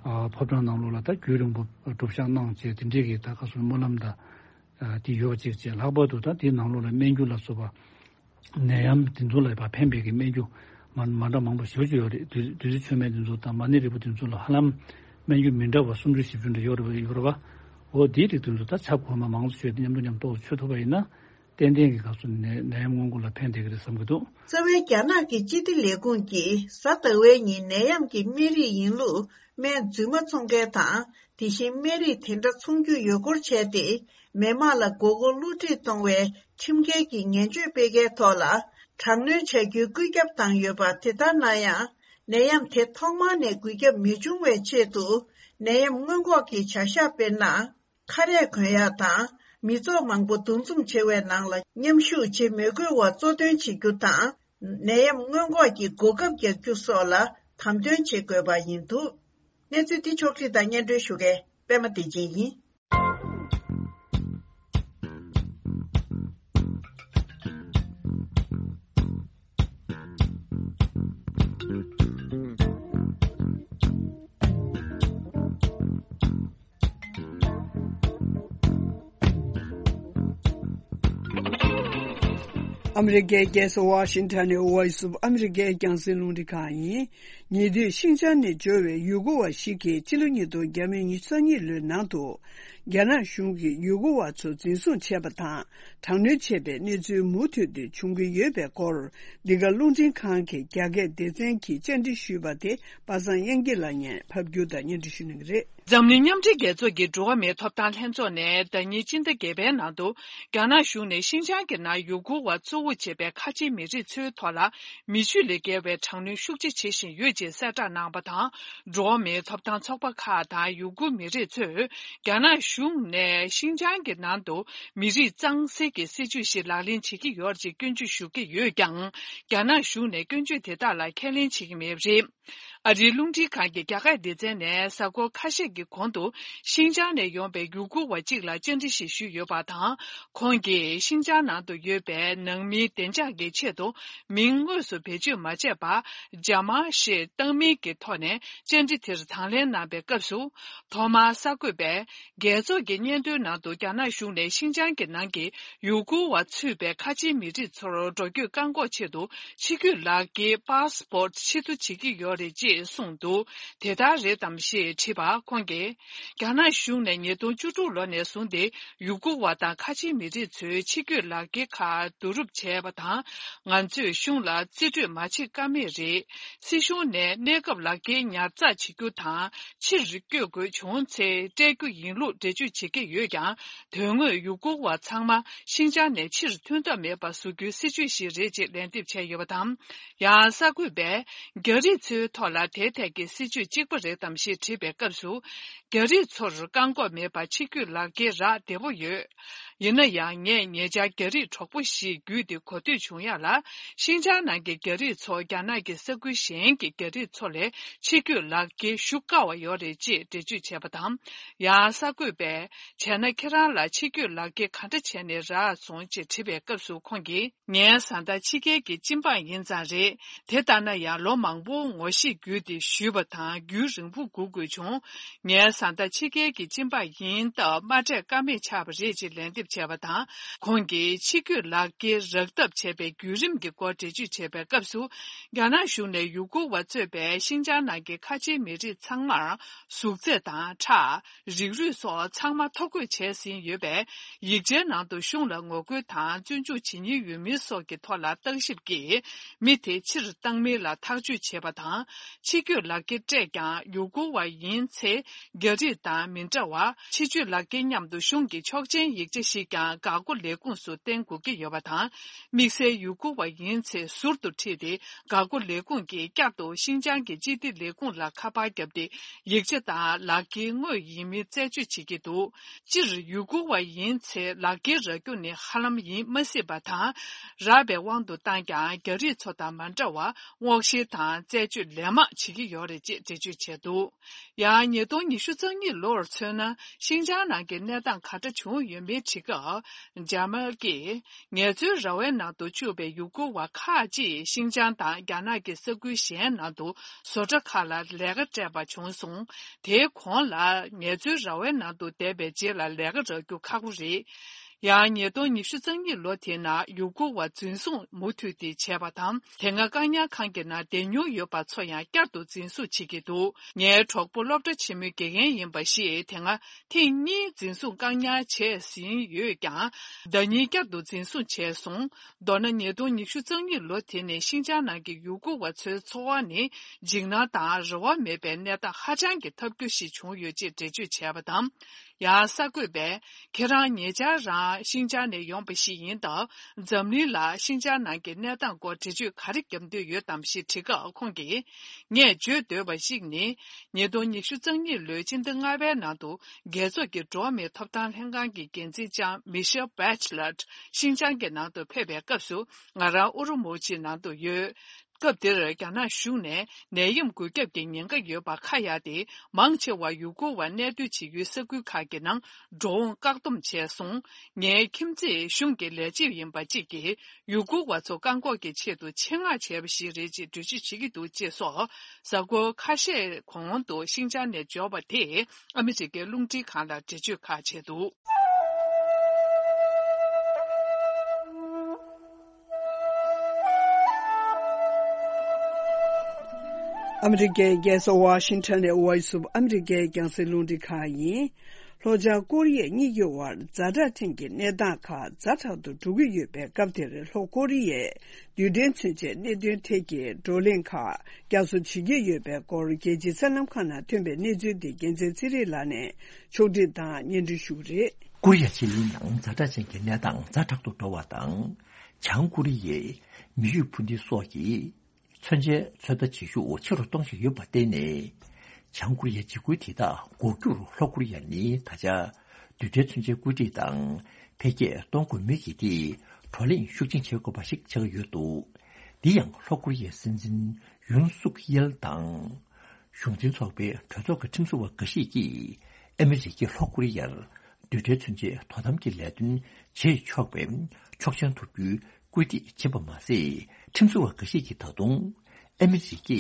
ཨ་ཕོ་བྲང་ནང་ལོགས་ལ་ད་རྒྱུན་རིང་པོ་སྒྲུབ་བཤགས་གནང་བྱས། དེ་འདྲས་ཀྱི་ད་ག་སོ་ནས་སྨོན་ལམ་ད་དེ་ཡོད་པ་ཅིག་བྱས། ལྷག་པར་དུ་ད་དེའི་ནང་ལོགས་ལ་སྨན་རྒྱུ་ལ་སོགས་པ། ནད་ཡམས་དེ་ཚོ་ལ་ཕར་ཕན་པའི་གི་སྨན་རྒྱུ་མ་མ་འདྲ་མང་པོ་ཞེ་པོ་ཅིག་ཡོད་རེད། དུས་དུས་ཚོད་མཆོད་མེ་དེ་ཚོ་དང་མ་ཎི་རིལ་བུ་དེ་ཚོ་ལ་ཧ་ལམ་སྨན་རྒྱུ་མི་འདྲ་བ་སུམ་ཅུ་བཞི་བཅུ་འདྲ་ཡོད་རེད། ཡོད་རེད་བ། འོ་དེའི་རིགས་དེ་ཚོ་ད་ཆབ་གོང་མ་མང་ཙམ་བྱས་ཏེ་མཉམ་དུ་མཉམ་ཏོག་ཙམ་མཆོད་ཐུབ་པ་ཡིན་ན། ཏན་ཏན་གྱི་སྐབས་སུ་ནད་ནད་ཡམས་སྔོན་འགོག་ལ་ཕན་བསྡད་ཀྱི་རེད་བསམ་གྱི་འདུག་རྩ་བའི་རྒྱ་ནག་གི་སྤྱི་བདེ་ལས་ཁུངས་ཀྱིས་གཟའ་ཟླ་བའི་ཉིན་ནད་ཡམས་ཀྱི་སྨན་རིགས་ཡིན་ལུགས་སྨན་རྫུན་མ་འཚོང་མཁན་དང་། དེ་བཞིན་སྨན་རིགས་དེ་འདྲ་འཚོང་རྒྱུ་ཡོད་སྐོར་བྱས་ཏེ། མི་མང་ལ་མགོ་སྐོར་བསླུ་བྲིད་གཏོང་བའི་ཁྲིམས་འགལ་གྱི་ངན་བྱུས་སྤེལ་མཁན་ཐོག་ལ་དྲག་གནོན་བྱ་རྒྱུའི་བཀོད་ཁྱབ་བཏང་ཡོད་པ། དེ་ལྟར་ན་ཡང་། ནད་ཡམས་དེ་ཐོག་མར་ནས་འགོས་ཁྱབ་མི་འབྱུང་བའི་ཆེད་དུ། ནད་ཡམས་སྔོན་འགོག་གི་བྱ་གཞག་དཔེར་ན། ཁ་རས་གོན་ཡག་དང་། མི་ཚོགས་མང་པོ་འདུ་འཛོམས་ཆེ་བའི་ནང་ལ་མཉམ་ཞུགས་བྱེད་མི་དགོས་པ་གཙོ་འདོན་བྱེད་རྒྱུ་དང་། ནད་ཡམས་སྔོན་འགོག་གི་གོ་སྐབས་རྒྱག་རྒྱུ་སོགས་ལ་དམ་དོན་བྱེད་དགོས་པ་ཡིན་འདུག་གནས་ཚུལ་འདི་ཕྱོགས་སྒྲིག་དང་སྙན་སྒྲོན་ཞུ་མཁན་པད་མ་བདེ་ཆེན་ཡིན། ཨ་མི་རི་ཀའི་རྒྱལ་ས་ཝ་ཤིང་ཊོན་ནས་Voice of America རྒྱང་སྲིང་རླུང་འཕྲིན་ཁང་ཡིན། ཉེ་དུས་ཤིན་ཅང་ནས་འབྱོར་བའི་ཡུལ་སྐོར་བ་ཞིག་གིས་ཕྱི་ལོ་ཉིས་སྟོང་ཉི་ཤུ་རྩ་གཉིས་ལོའི་ནང་དུ། རྒྱ་ནག་གཞུང་གིས་ཡུལ་སྐོར་བ་ཚོ་འཛིན་བཟུང་བྱས་པ་དང་། དྲག་གནོན་བྱས་པའི་གནས་ཚུལ་མུ་མཐུད་དུ་འབྱུང་གི་ཡོད་པའི་སྐོར། འདི་ག་རླུང་འཕྲིན་ཁང་གི་རྒྱ་སྐད་སྡེ་ཚན་གྱིས་བཅར་འདྲི་ཞུས་པ་དེ་པ་སངས་དབྱངས་སྐྱིད་ལགས་ཉིད་ཕབ་སྒྱུར་དང་སྙན་སྒྲོན་ཞུ་གནང་གི་རེད། འཛམ་གླིང་མཉམ་འབྲེལ་རྒྱལ་ཚོགས་ཀྱི་འགྲོ་བ་མིའི་ཐོབ་ཐང་ལྷན་ཚོགས་ནས་ཟླ་ཉིན་སྤྱི་ཟླ་བརྒྱད་པའི་ནང་དུ། རྒྱ་ནག་གཞུང་ནས་ཤིན་ཅང་གི་ནང་ཡུལ་སྐོར་བ་གཙོ་བོ། བྱེད་པའི་ཁ་ཆེའི་མི་རིགས་ཚོའི་ཐོག་ལ་མི་ཆོས་ལས་བརྒལ་བའི་དྲག་གནོན་ཤུགས་ཆེ་བྱེད་བཞིན་ཡོད་ཅེས་གསལ་བསྒྲགས་གནང་བ་དང་། འགྲོ་བ་མིའི་ཐོབ་ཐང་ཚོགས་པ་ཁག་དང་ཡུ་གུར་མི་རིགས་ཚོས་རྒྱ་ནག་གཞུང་ནས་ཤིན་ཅང་གི་ནང་དུ་མི་རིགས་གཙང་སེལ་གྱི་སྲིད་ཇུས་ཤིག་ལག་ལེན་བྱེད་ཀྱི་ཡོད་ཅེས་སྐྱོན་བརྗོད་ཞུ་གི་ཡོད་ཀྱང་། རྒྱ་ནག་གཞུང་ནས་སྐྱོན་བརྗོད་དེ་དག་ལ་ཁས་ལེན་བྱེད་ཀྱི་མེད་པ་རེད། ཨ་རིའི་རླུང་འཕྲིན་ཁང་གི་རྒྱ་སྐད་སྡེ་ཚན་ནས་གཟའ་འཁོར་ཁ་ཤས་ཀྱི་གོང་དུ་ཤིན་ཅང་ནས་ཡོང་པའི་ཡུ་གུར་བ་གཅིག་ལ་བཅར་འདྲི་ཞིག་ཞུས་ཡོད་པ་དང་། ཁོང་གིས་ཤིན་ཅང་ནང་དུ་ཡོད་པའི་ནང་མིའི་བདེ་འཇགས་ཀྱི་ཆེད་དུ་མིང་དངོས་སུ་བེད་སྤྱོད་མ་བྱས་པར་ཇ་མ་ཞེས་བཏགས་མིང་གི་ཐོག་ནས་བཅར་འདྲི་དེར་དང་ལེན་གནང་པའི་སྐབས་སུ། ཐོག་མར་གསར་འགོད་པས། རྒྱལ་ཚོགས་ཀྱི་སྙན་ཐོའི་ནང་དུ་རྒྱ་ནག་གཞུང་ནས་ཤིན་ཅང་གི་ནང་གི་ཡུ་གུར་བ་ཚུད་པའི་ཁ་ཆེའི་མི་རིགས་ཚོར་འགྲོ་སྐྱོད་བཀག་འགོག་ཆེད་དུ་ཕྱི་སྐྱོད་ལག་འཁྱེར་པཱ་སི་པོར་ཊི་ཕྱིར་བསྡུ་བྱེད་ཀྱི་ཡོད་རེད་ཅེས་གསུངས་འདུག་དེ་ལྟར་རེད་དམ་ཞེས་དྲིས་པར་ཁོང་གིས། རྒྱ་ནག་གཞུང་ནས་ཉིས་སྟོང་བཅུ་དྲུག་ལོ་ནས་བཟུང་སྟེ་ཡུ་གུར་བ་དང་ཁ་ཆེའི་མི་རིགས་ཚོའི་ཕྱི་སྐྱོད་ལག་འཁྱེར་ཁག་བསྡུ་རུབ་བྱས་པ་དང་། ང་ཚོས་གཞུང་ལ་རྩིས་སྤྲོད་མ་བྱེད་ཀ་མེད་རེད། སྲིད་གཞུང་ནས་གནས་སྐབས་ལག་འཁྱེར་ཉར་ཚགས་བྱེད་རྒྱུ་དང་། ཕྱིར་བསྐྱོད་དགོས་བྱུང་ཚེ་སྤྲད་རྒྱུ་ཡིན་ལུགས་འགྲེལ་བརྗོད་བྱེད་ཀྱི་ཡོད་ཀྱང་། དོན་དངོས་ཡུ་གུར་བ་ཚང་མ་ཤིན་ཅང་ནས་ཕྱིར་ཐོན་ཐབས་མེད་པ་བཟོ་རྒྱུའི་སྲིད་ཇུས་ཤིག་རེད་ཅེས་ལན་འདེབས་བྱས་ཡོད་པ་དང་། ཡང་གསར་འགོད་པས་རྒྱ་རིགས་ཚོའི་ཐོག་ལ་དེ་ཐད་ཀྱི་སྲིད་ཇུས་གཅིག་པ་རེད་དམ་ཞེས་དྲིས་པའི་སྐབས་སུ། རྒྱ་རིགས་ཚོར་བཀག་འགོག་མེད་པར་ཕྱི་སྐྱོད་ལག་འཁྱེར་རག་བདེ་པོ་ཡོད། ཡིན་ན་ཡང་ངས་ཉེ་ཆར་རྒྱ་རིགས་གྲོགས་པོ་ཞིག་བརྒྱུད་དེ་གོ་ཐོས་བྱུང་ཡག་ལ། ཤིན་ཅང་ནང་གི་རྒྱ་རིགས་ཚོ་རྒྱ་ནག་གི་ས་ཁུལ་གཞན་གྱི་རྒྱ་རིགས་ཚོ་ལས་ཕྱི་སྐྱོད་ལག་འཁྱེར་ཞུ་དཀའ་བ་ཡོད་རེད་ཅེས་འགྲེལ་བརྗོད་བྱས་པ་དང་། ཡང་གསར་འགོད་པས། བྱས་ན་ཁྱེད་རང་ལ་ཕྱི་སྐྱོད་ལག་འཁྱེར་ག་འདྲ་བྱས་ནས་རག་སོང་ཅེས་དྲིས་པའི་སྐབས་སུ་ཁོང་གིས། ངའི་བཟའ་ཟླ་ཕྱི་རྒྱལ་གྱི་སྤྱི་འབངས་ཡིན་ཙང་རེད། དེ་ལྟ་ན་ཡང་ལོ་མང་པོ་ངོ་ཤེས་བརྒྱུད་དེ་ཞུས་པ་དང་རྒྱུན་རིང་པོ་སྒུག་དགོས་བྱུང་། ངའི་བཟའ་ཟླ་ཕྱི་རྒྱལ་གྱི་སྤྱི་འབངས་ཡིན་སྟབས་མ་སྤྲད་ཀ་མེད་ཆགས་པ་རེད་ཅེས་ལན་འདེབས་བྱས་པ་དང་། ཁོང་གིས་ཕྱི་སྐྱོད་ལག་འཁྱེར་རག་ཐབས་བྱས་པའི་བརྒྱུད་རིམ་གྱི་སྐོར་འགྲེལ་བརྗོད་བྱས་པའི་སྐབས་སུ། རྒྱ་ནག་གཞུང་ནས་ཡུ་གུར་བ་གཙོས་པའི་ཤིན་ཅང་ནང་གི་ཁ་ཆེའི་མི་རིགས་ཚང་མར་གཟུགས་ཚད་དང་ཁྲག་རིགས་རུས་སོགས་ཚང་མ་ཐོ་འགོད་བྱས་ཟིན་ཡོད་པས། ཡིག་ཆའི་ནང་དུ་གཞུང་ལ་ངོ་རྒོལ་དང་བཙོན་འཇུག་བྱེད་ཉེན་ཡོད་མིན་སོགས་ཀྱི་ཐོག་ལ་བརྟག་ཞིབ་ཀྱིས་མི་དེ་ཕྱིར་བཏང་མིན་ལ་ཐག་གཅོད་བྱེད་པ་དང་། ཕྱི་སྐྱོད་ལག་འཁྱེར་སྤྲད་ཀྱང་ཡུ་གུར་བ་ཡིན་ཚེ་རྒྱ་རིགས་དང་མི་འདྲ་བར། ཕྱི་སྐྱོད་ལག་འཁྱེར་མཉམ་དུ་གཞུང་གི་ཆོག་མཆན་ཡིག་ཆ་ཞིག་ཀྱང་འགག་སྒོ་ལས་ཁུངས་སུ་བསྟན་དགོས་ཀྱི་ཡོད་པ་དང་། དམིགས་བསལ་ཡུ་གུར་བ་ཡིན་ཚེ་ཟུར་དུ་ཁྲིད་དེ། འགག་སྒོ་ལས་ཁུངས་ཀྱིས་བསྐྱར་དུ་ཤིན་ཅང་གི་སྤྱི་བདེ་ལས་ཁུངས་ལ་ཁ་པར་བརྒྱབ་སྟེ། ཡིག་ཆ་དང་ལག་འཁྱེར་དངོས་ཡིན་མིན་རྩད་གཅོད་བྱེད་ཀྱི་འདུག་སྤྱིར་ཡུ་གུར་བ་ཡིན་ཚེ་ལག་འཁྱེར་རག་རྒྱུ་ནི་ཧ་ལམ་ཡིན་མ་སྲིད་པ་དང་། རག་པའི་དབང་དུ་བཏང་ཀྱང་རྒྱ་རིགས་ཚོ་དང་མ་འདྲ་བར་སྔོག་བཤེར་དང་རྩད་གཅོད་ལན་མང་བྱེད་ཀྱི་ཡོད་རེད་ཅེས་འགྲེལ་བརྗོད་བྱས་འདུག་ཡང་ཉིས་སྟོང་ཉི་ཤུ་རྩ་གཉིས་ལོར་མཚོན་ན། ཤིན་ཅང་ནང་གི་གནས་སྟངས་ག་འདྲ་བྱུང་ཡོད་མེད་དྲི་སྐབས། ཇཱ་མལ་གྱིས། ངལ་རྩོལ་ར་བའི་ནང་དུ་བཅུག་པའི་ཡུ་གུར་བ་ཁག་ཅིག་ཤིན་ཅང་དང་རྒྱ་ནག་གི་ས་ཁུལ་གཞན་ནང་དུ་བཟོ་གྲྭ་ཁག་ལ་ལས་ཀ་སྤྲད་པ་བྱུང་སོང་། དེའི་གོང་ལ་ངལ་རྩོལ་ར་བའི་ནང་དུ་བསྡད་པའི་རྗེས་ལ་ལས་ཀ་རག་རྒྱུ་ཁག་པོ་རེད། ཡང་ཉིས་སྟོང་ཉི་ཤུ་རྩ་གཉིས་ལོ་དེའི་ནང་ཡུ་གུར་བ་འཛིན་བཟུང་མུ་མཐུད་དེ་བྱས་པ་དང་། དེ་སྔ་བཀག་ཉར་ཁང་གི་ནང་བསྡད་མྱོང་ཡོད་པ་ཚོ་ཡང་བསྐྱར་དུ་འཛིན་བཟུང་བྱེད་ཀྱི་འདུག་ངའི་གྲོགས་པོ་སློབ་གྲྭ་ཆེན་མོའི་དགེ་རྒན་ཡིན་པ་ཞིག་དེ་སྔ་ཐེངས་གཉིས་འཛིན་བཟུང་བཀག་ཉར་བྱས་ཟིན་ཡོད་ཀྱང་། ཟླ་ཉིན་བསྐྱར་དུ་འཛིན་བཟུང་བྱས་སོང་། མདོར་ན་ཉིས་སྟོང་ཉི་ཤུ་རྩ་གཉིས་ལོ་དེ་ནས་ཤིན་ཅང་ནང་གི་ཡུ་གུར་བ་ཚོའི་འཚོ་བ་ནི་འཇིགས་སྣང་དང་རེ་བ་མེད་པའི་གནས་སྟངས་ཧ་ཅང་གི་ཐབས་སྐྱོ་ཞིག་བྱུང་ཡོད་ཅེས་འགྲེལ་བརྗོད་བྱས་པ་དང་། ཡང་གསར་འགོད་པས། ཁྱེད་རང་ཉེ་ཆར་རང་ཤིན་ཅང་ནས་ཡོང་པ་ཞིག་ཡིན་སྟབས། འཛམ་གླིང་ལ་ཤིན་ཅང་ནང་གི་གནས་སྟངས་སྐོར་འགྲེལ་བརྗོད་ག་རེ་བརྒྱབ་འདོད་ཡོད་དམ་ཞེས་དྲིས་སྐབས་ཁོང་གིས། ངས་བརྗོད་འདོད་པ་ཞིག་ནི། ཉིས་སྟོང་ཉི་ཤུ་རྩ་གཉིས་ལོའི་སྤྱི་ཟླ་ལྔ་པའི་ནང་དུ། རྒྱལ་ཚོགས་ཀྱི་འགྲོ་བ་མིའི་ཐོབ་ཐང་ལྷན་ཁང་གི་འགན་འཛིན་ལྕམ་མི་ཤེལ་བྷེ་ཆི་ལོཊ་ཤིན་ཅང་གི་ནང་དུ་ཕེབས་པའི་སྐབས་སུ། ང་རང་ཨུ་རུ་མུ་ཆིའི་ནང་དུ་ཡོད། སྐབས་དེར་རྒྱ་ནག་གཞུང་ནས་ནད་ཡམས་འགོས་ཁྱབ་ཀྱི་ཉེན་ཁ་ཡོད་པ་ཁ་གཡར་ཏེ། མང་ཆེ་བ་ཡུ་གུར་བ་གནས་སྡོད་བྱེད་ཡུལ་ས་ཁུལ་ཁག་གི་ནང་འགྲོ་འོང་བཀག་སྡོམ་བྱས་སོང་། ངའི་ཁྱིམ་མཚེས་གཞུང་གི་ལས་བྱེད་ཡིན་པ་གཅིག་གིས་ཡུ་གུར་བ་ཚོ་བཀག་འགོག་གི་ཆེད་དུ་ཆེད་མངགས་བྱས་པ་ཞིག་རེད་ཅེས་འགྲེལ་བརྗོད་བྱེད་ཀྱི་འདུག་ཅེས་སོགས། གཟའ་འཁོར་ཁ་ཤས་གོང་དུ་ཤིན་ཅང་ནས་འབྱོར་བ་དེས་ཨ་མི་རི་ཀའི་རླུང་འཕྲིན་ཁང་ལ་འགྲེལ་བརྗོད་ཁག་བྱས་འདུག་ཨ་མི་རི་ཀའི་རྒྱལ་ས་ཝ་ཤིང་ཊོན་ནས་ཝོ་ཡིས་ཨོཕ་ཨ་མི་རི་ཀའི་རྒྱང་སྲིང་རླུང་འཕྲིན་ཁང་ཡིན། ལྷོ་བྱང་ཀོ་རི་ཡ་གཉིས་ཀྱི་དབར་ཛ་དྲག་ཅན་གྱི་གནས་སྟངས་ཁག་ཛ་དྲག་ཏུ་འགྲོ་གི་ཡོད་པའི་སྐབས་དེར། ལྷོ་ཀོ་རི་ཡས་རྡུལ་ཕྲན་མཚོན་ཆའི་གནད་དོན་ཐད་ཀྱི་བགྲོ་གླེང་ཁག་བསྐྱར་གསོ་བྱེད་ཀྱི་ཡོད་པའི་སྐོར། རྒྱལ་སྤྱིའི་གསར་ལམ་ཁག་ནང་ཐོན་པའི་གནས་ཚུལ་འདི་རྒྱལ་མཚན་ཚེ་རིང་ལགས་ནས་ཕྱོགས་སྒྲིག་དང་སྙན་སྒྲོན་ཞུ་གི་རེད། ཀོ་རི་ཡ་ཕྱེད་ལེའི་ནང་ཛ་དྲག་ཅན་གྱི་གནས་སྟངས་ཛ་དྲག་ཏུ་འགྲོ་བ་དང་། བྱང་ཀོ་རི་ཡའི་མི་ཡུལ་འཕུར་མདེལ་སོགས་ཀྱིས་མཚོན་ཆའི་ཚོད་ལྟ་བྱེད་ཤུགས་ཆེ་རུ་གཏོང་བཞིན་ཡོད་པར་བརྟེན་ནས། བྱང་ཀོ་རི་ཡའི་འཇིགས་སྐུལ་དེ་དག་འགོག་རྒྱུར་ལྷོ་ཀོ་རི་ཡ་ནི་ད་ཆ་རྡུལ་ཕྲན་མཚོན་ཆའི་བཀོད་སྒྲིག་དང་འཕེལ་རྒྱས་གཏོང་དགོས་མུས་ཀྱི་ཐད་བགྲོ་གླེང་ཤུགས་ཆེན་བྱེད་དགོས་པ་ཞིག་ཆགས་ཀྱི་ཡོད་འདུག། འདི་ཡང་ལྷོ་ཀོ་རི་ཡའི་སྲིད་འཛིན་ཡུན་སུག་ཡེལ་དང་། གཞུང་འཛིན་ཚོགས་པའི་གྲོས་ཚོགས་ཀྱི་ཁྲིམས་བཟོ་བ་འགའ་ཞིག་གིས་ཨ་མི་རི་ཀས་ལྷོ་ཀོ་རི་ཡར་རྡུལ་ཕྲན་མཚོན་ཆའི་དོ་དམ་གྱི་ལས་དོན་བྱེད་ཆོག་པའི་ཆོག་མཆན་ཐོབ་རྒྱུའི་སྐུལ་འདེད་བྱེད་པ་མ་ཟད། ཁྲིམས་བཟོ་བ་འགའ་ཞིག་གིས་ད་དུང་ཨ་མི་རི་ཀས་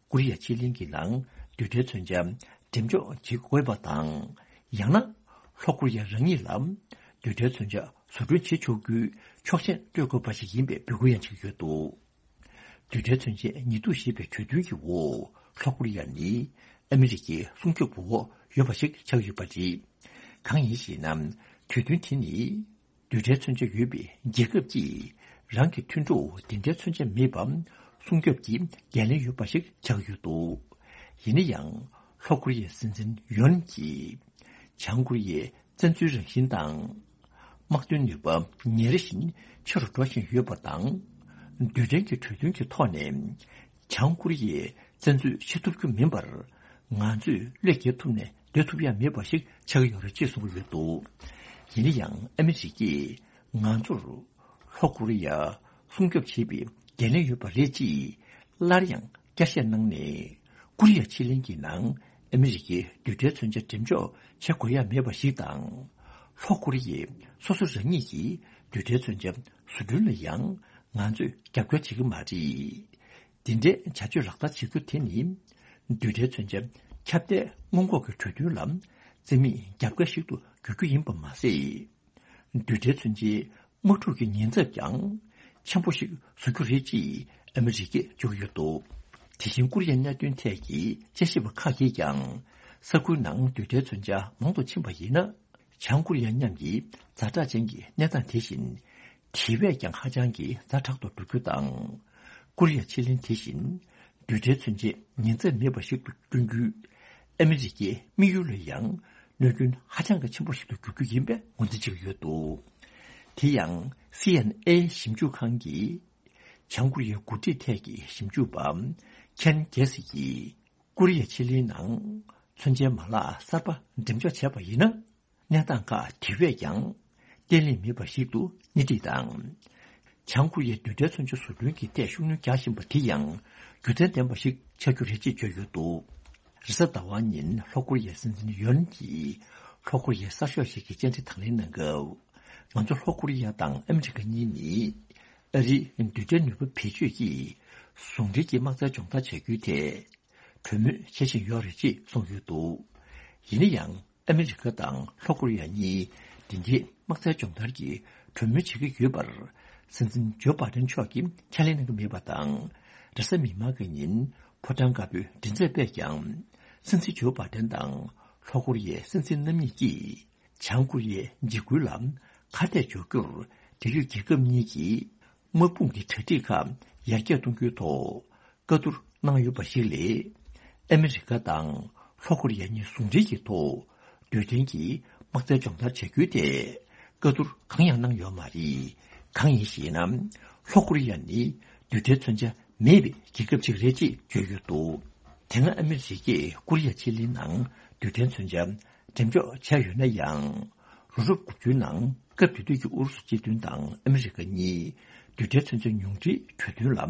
ཀོ་རི་ཡ་ཕྱེད་གླིང་གི་ནང་རྡུལ་ཕྲན་མཚོན་ཆ་འགྲེམས་འཇོག་བྱེད་དགོས་པ་དང་། ཡང་ན་ལྷོ་ཀོ་རི་ཡ་རང་ཉིད་ལ་རྡུལ་ཕྲན་མཚོན་ཆ་བཟོ་སྐྲུན་བྱེད་ཆོག་རྒྱུའི་ཆོག་མཆན་སྤྲོད་དགོས་པ་ཞིག་ཡིན་པའི་འབོད་སྐུལ་ཡང་བྱེད་ཀྱི་ཡོད་འདུག། རྡུལ་ཕྲན་མཚོན་ཆའི་ཉེས་གཏུག་ཞེས་པའི་གྲོས་མཐུན་གྱི་འོག་ལྷོ་ཀོ་རི་ཡ་ནི་ཨ་མི་རི་ཀའི་སྲུང་སྐྱོབ་འོག་ཡོད་པ་ཞིག་ཆགས་ཡོད་པ་རེད། གང་ཡིན་ཞེ་ན། གྲོས་མཐུན་དེ་ནི་རྡུལ་ཕྲན་མཚོན་ཆ་ཡོད་པའི་རྒྱལ་ཁབ་ཀྱིས་རང་གི་མཐུན་གྲོགས་འདི་འདྲའི་མཚོན་ཆ་མེད་པ་སྲུང་སྐྱོབ་ཀྱི་འགན་ལེན་ཡོད་པ་ཞིག་ཆགས་ཡོད་འདུག། ཡིན་ན་ཡང་ལྷོ་ཀོ་རི་ཡའི་སྲིད་འཛིན་ཡོན་གྱིས་བྱང་ཀོ་རི་ཡའི་བཙན་འཛུལ་རང་བཞིན་དང་། དམག་དོན་ནུས་པ་ཉིན་རེ་བཞིན་ཆེ་རུ་འགྲོ་བཞིན་ཡོད་པ་དང་། རྡུལ་ཕྲན་གྱི་གྲོས་མཐུན་གྱི་ཐོག་ནས་བྱང་ཀོ་རི་ཡའི་བཙན་འཛུལ་བྱེད་ཐུབ་རྒྱུ་མིན་པར། ང་ཚོས་བློས་འགེལ་ཐུབ་ནས་སྡོད་ཐུབ་ཡ་མེད་པ་ཞིག་ཆགས་ཀྱི་ཡོད་རེད་ཅེས་གསུངས་ཀྱི་ཡོད་འདུག། ཡིན་ན་ཡང་ཨ་མི་རི་ཀས་ང་ཚོར་ལྷོ་ཀོ་རི་ཡ་སྲུང་སྐྱོབ་བྱེད་པའི་འགན་ལེན་ཡོད་པ་རེད་ཅེས་སླར་ཡང་བསྐྱར་བཤད་གནང་ནས། ཀོ་རི་ཡ་ཕྱེད་གླིང་གི་ནང་ཨ་མི་རི་ཀའི་རྡུལ་ཕྲན་མཚོན་ཆ་འགྲེམས་འཇོག་བྱེད་དགོས་ཡ་མེད་པ་ཞིག་དང་། ལྷོ་ཀོ་རི་ཡས་སོ་སོ་རང་ཉིད་ཀྱི་རྡུལ་ཕྲན་མཚོན་ཆ་བཟོ་སྐྲུན་ལ་ཡང་ང་ཚོས་རྒྱབ་སྐྱོར་བྱེད་ཀྱི་མ་རེད། འདི་འདྲའི་བྱ་སྤྱོད་ལག་བསྟར་བྱེད་རྒྱུ་དེ་ནི། རྡུལ་ཕྲན་མཚོན་ཆ་ཁྱབ་གདལ་སྔོན་འགོག་གི་གྲོས་མཐུན་ལ་རྩིས་མེད་རྒྱབ་འགལ་ཞིག་ཏུ་འགྱུར་རྒྱུ་ཡིན་པ་མ་ཟད། རྡུལ་ཕྲན་མཚོན་ཆའི་དམག་འཁྲུག་གི་ཉེན་ཚབས་ཀྱང་ཆེན་པོ་ཞིག་བཟོ་རྒྱུ་རེད་ཅེས་ཨ་མི་རི་ཀས་བརྗོད་ཀྱི་ཡོད་འདུག། དེ་བཞིན་ཀོ་རི་ཡའི་གནད་དོན་ཐད་ཀྱི་དཔྱད་ཞིབ་པ་ཁག་གིས་ཀྱང་། ས་ཁུལ་ནང་རྡུལ་ཕྲན་མཚོན་ཆ་མང་དུ་ཕྱིན་པ་ཡིན་ན། བྱང་ཀོ་རི་ཡ་མཉམ་གྱི་ཛ་དྲག་ཅན་གྱི་གནས་སྟངས་དེ་བཞིན་དེ་བས་ཀྱང་ཧ་ཅང་གི་ཛ་དྲག་ཏུ་འགྲོ་རྒྱུ་དང་། ཀོ་རི་ཡ་ཕྱེད་གླིང་དེ་བཞིན་རྡུལ་ཕྲན་མཚོན་ཆའི་ཉེན་ཚབས་མེད་པ་ཞིག་ཏུ་བསྐྲུན་རྒྱུས། ཨ་མི་རི་ཀའི་དམིགས་ཡུལ་ལ་ཡང་གནོད་སྐྱོན་ཧ་ཅང་གི་ཆེན་པོ་ཞིག་ཏུ་འགྱུར་རྒྱུ་ཡིན་པའི་ངོས་འཛིན་བྱེད་ཀྱི་ཡོད་འདུག། དེ་ཡང་སི་ཨེན་ཨེ་ཞིབ་འཇུག་ཁང་གི་བྱང་ཀོ་རི་ཡའི་འགོ་ཁྲིད་ཐད་ཀྱི་ཞིབ་འཇུག་པ་ཁེན་གེ་སི་ཡིས། ཀོ་རི་ཡ་ཕྱེད་གླིང་ནང་མཚོན་ཆའི་མ་ལག་གསར་པ་འགྲེམས་འཇོག་བྱས་པ་ཡིན་ན། གནས་སྟངས་ཁག་དེ་བས་ཀྱང་བརྟན་ལྷིང་མེད་པ་ཞིག་ཏུ་སྣེ་ཁྲིད་དང་། བྱང་ཀོ་རི་ཡའི་རྡུལ་ཕྲན་མཚོན་ཆ་བཟོ་སྐྲུན་གྱི་ཐད་ཤུགས་སྣོན་རྒྱག་བཞིན་པ་དེ་ཡང་རྒྱུ་མཚན་ལྡན་པ་ཞིག་ཆགས་རྒྱུ་རེད་ཅེས་བརྗོད་ཡོད་འདུག། རེས་གཟའ་ཟླ་བ་ཉིན་ལྷོ་ཀོ་རི་ཡའི་སྲིད་འཛིན་ཡོན་གྱིས་ལྷོ་ཀོ་རི་ཡའི་གསར་ཤོག་ཞིག་གི་བཅར་འདྲི་དང་ལེན་གནང་སྐབས། ང་ཚོ་ལྷོ་ཀོ་རི་ཡ་དང་ཨ་མི་རི་ཀ་གཉིས་ནི་ཨ་རིའི་རྡུལ་ཕྲན་ནུས་པ་བེད་སྤྱོད་ཀྱིས་ཟུང་འབྲེལ་གྱིས་དམག་རྩལ་སྦྱོང་བརྡར་བྱ་རྒྱུའི་ཐད། གྲོས་མོལ་བྱེད་བཞིན་ཡོད་རེད་ཅེས་གསུངས་ཡོད་འདུག། ཡིན་ན་ཡང་ཨ་མི་རི་ཀ་དང་ལྷོ་ཀོ་རི་ཡ་གཉིས་འདི་འདྲའི་དམག་རྩལ་སྦྱོང་བརྡར་གྱི་གྲོས་མོལ་བྱེད་ཀྱི་ཡོད་པར། སྲིད་འཛིན་ཇོ་བྷ་ཏན་མཆོག་གིས་ཁས་ལེན་གནང་གི་མེད་པ་དང་། རེས་གཟའ་མིག་དམར་གྱི་ཉིན་ཕོ་བྲང་དཀར་པོའི་མགྲིན་ཚབ་པས་ཀྱང་། སྲིད་འཛིན་ཇོ་བྷ་ཏན་དང་ལྷོ་ཀོ་རི་ཡའི་སྲིད་འཛིན་རྣམ་གཉིས་ཀྱིས། བྱང་ཀོ་རི་ཡའི་འཇིགས་སྐུལ་ལ་ཁ་གཏད་གཅོག་རྒྱུར་འབྲེལ་ཡོད་རྒྱལ་ཁབ་གཉིས་ཀྱིས་དམག་དཔུང་གི་གྲ་སྒྲིག་ཁག་ཡར་རྒྱས་གཏོང་རྒྱུའི་ཐོག་བཀའ་བསྡུར་གནང་ཡོད་པ་ཞིག་ལས། ཨ་མི་རི་ཀ་དང་ལྷོ་ཀོ་རི་ཡ་གཉིས་ཟུང་འབྲེལ་གྱི་ཐོག་རྡུལ་ཕྲན་གྱི་དམག་རྩལ་སྦྱོང་བརྡར་བྱ་རྒྱུའི་ཐད་བཀའ་བསྡུར་གང་ཡང་གནང་ཡོད་མ་རེད། གང་ཡིན་ཞེ་ན། ལྷོ་ཀོ་རི་ཡ་ནི་རྡུལ་ཕྲན་མཚོན་ཆ་མེད་པའི་རྒྱལ་ཁབ་ཅིག་རེད་ཅེས་བརྗོད་ཡོད་འདུག། དེ་སྔ་ཨ་མི་རི་ཀས་ཀོ་རི་ཡ་ཕྱེད་གླིང་ནང་རྡུལ་ཕྲན་མཚོན་ཆ་འགྲེམས་འཇོག་བྱས་ཡོད་ན་ཡང་། ལོ་རབས་དགུ་བཅུའི་ནང་སྐབས་དེ་དུས་ཀྱི་ཨུ་རུ་སུ་སྤྱི་མཐུན་དང་ཨ་མི་རི་ཀ་གཉིས་རྡུལ་ཕྲན་མཚོན་ཆ་ཉུང་འཕྲིའི་གྲོས་མཐུན་ལ་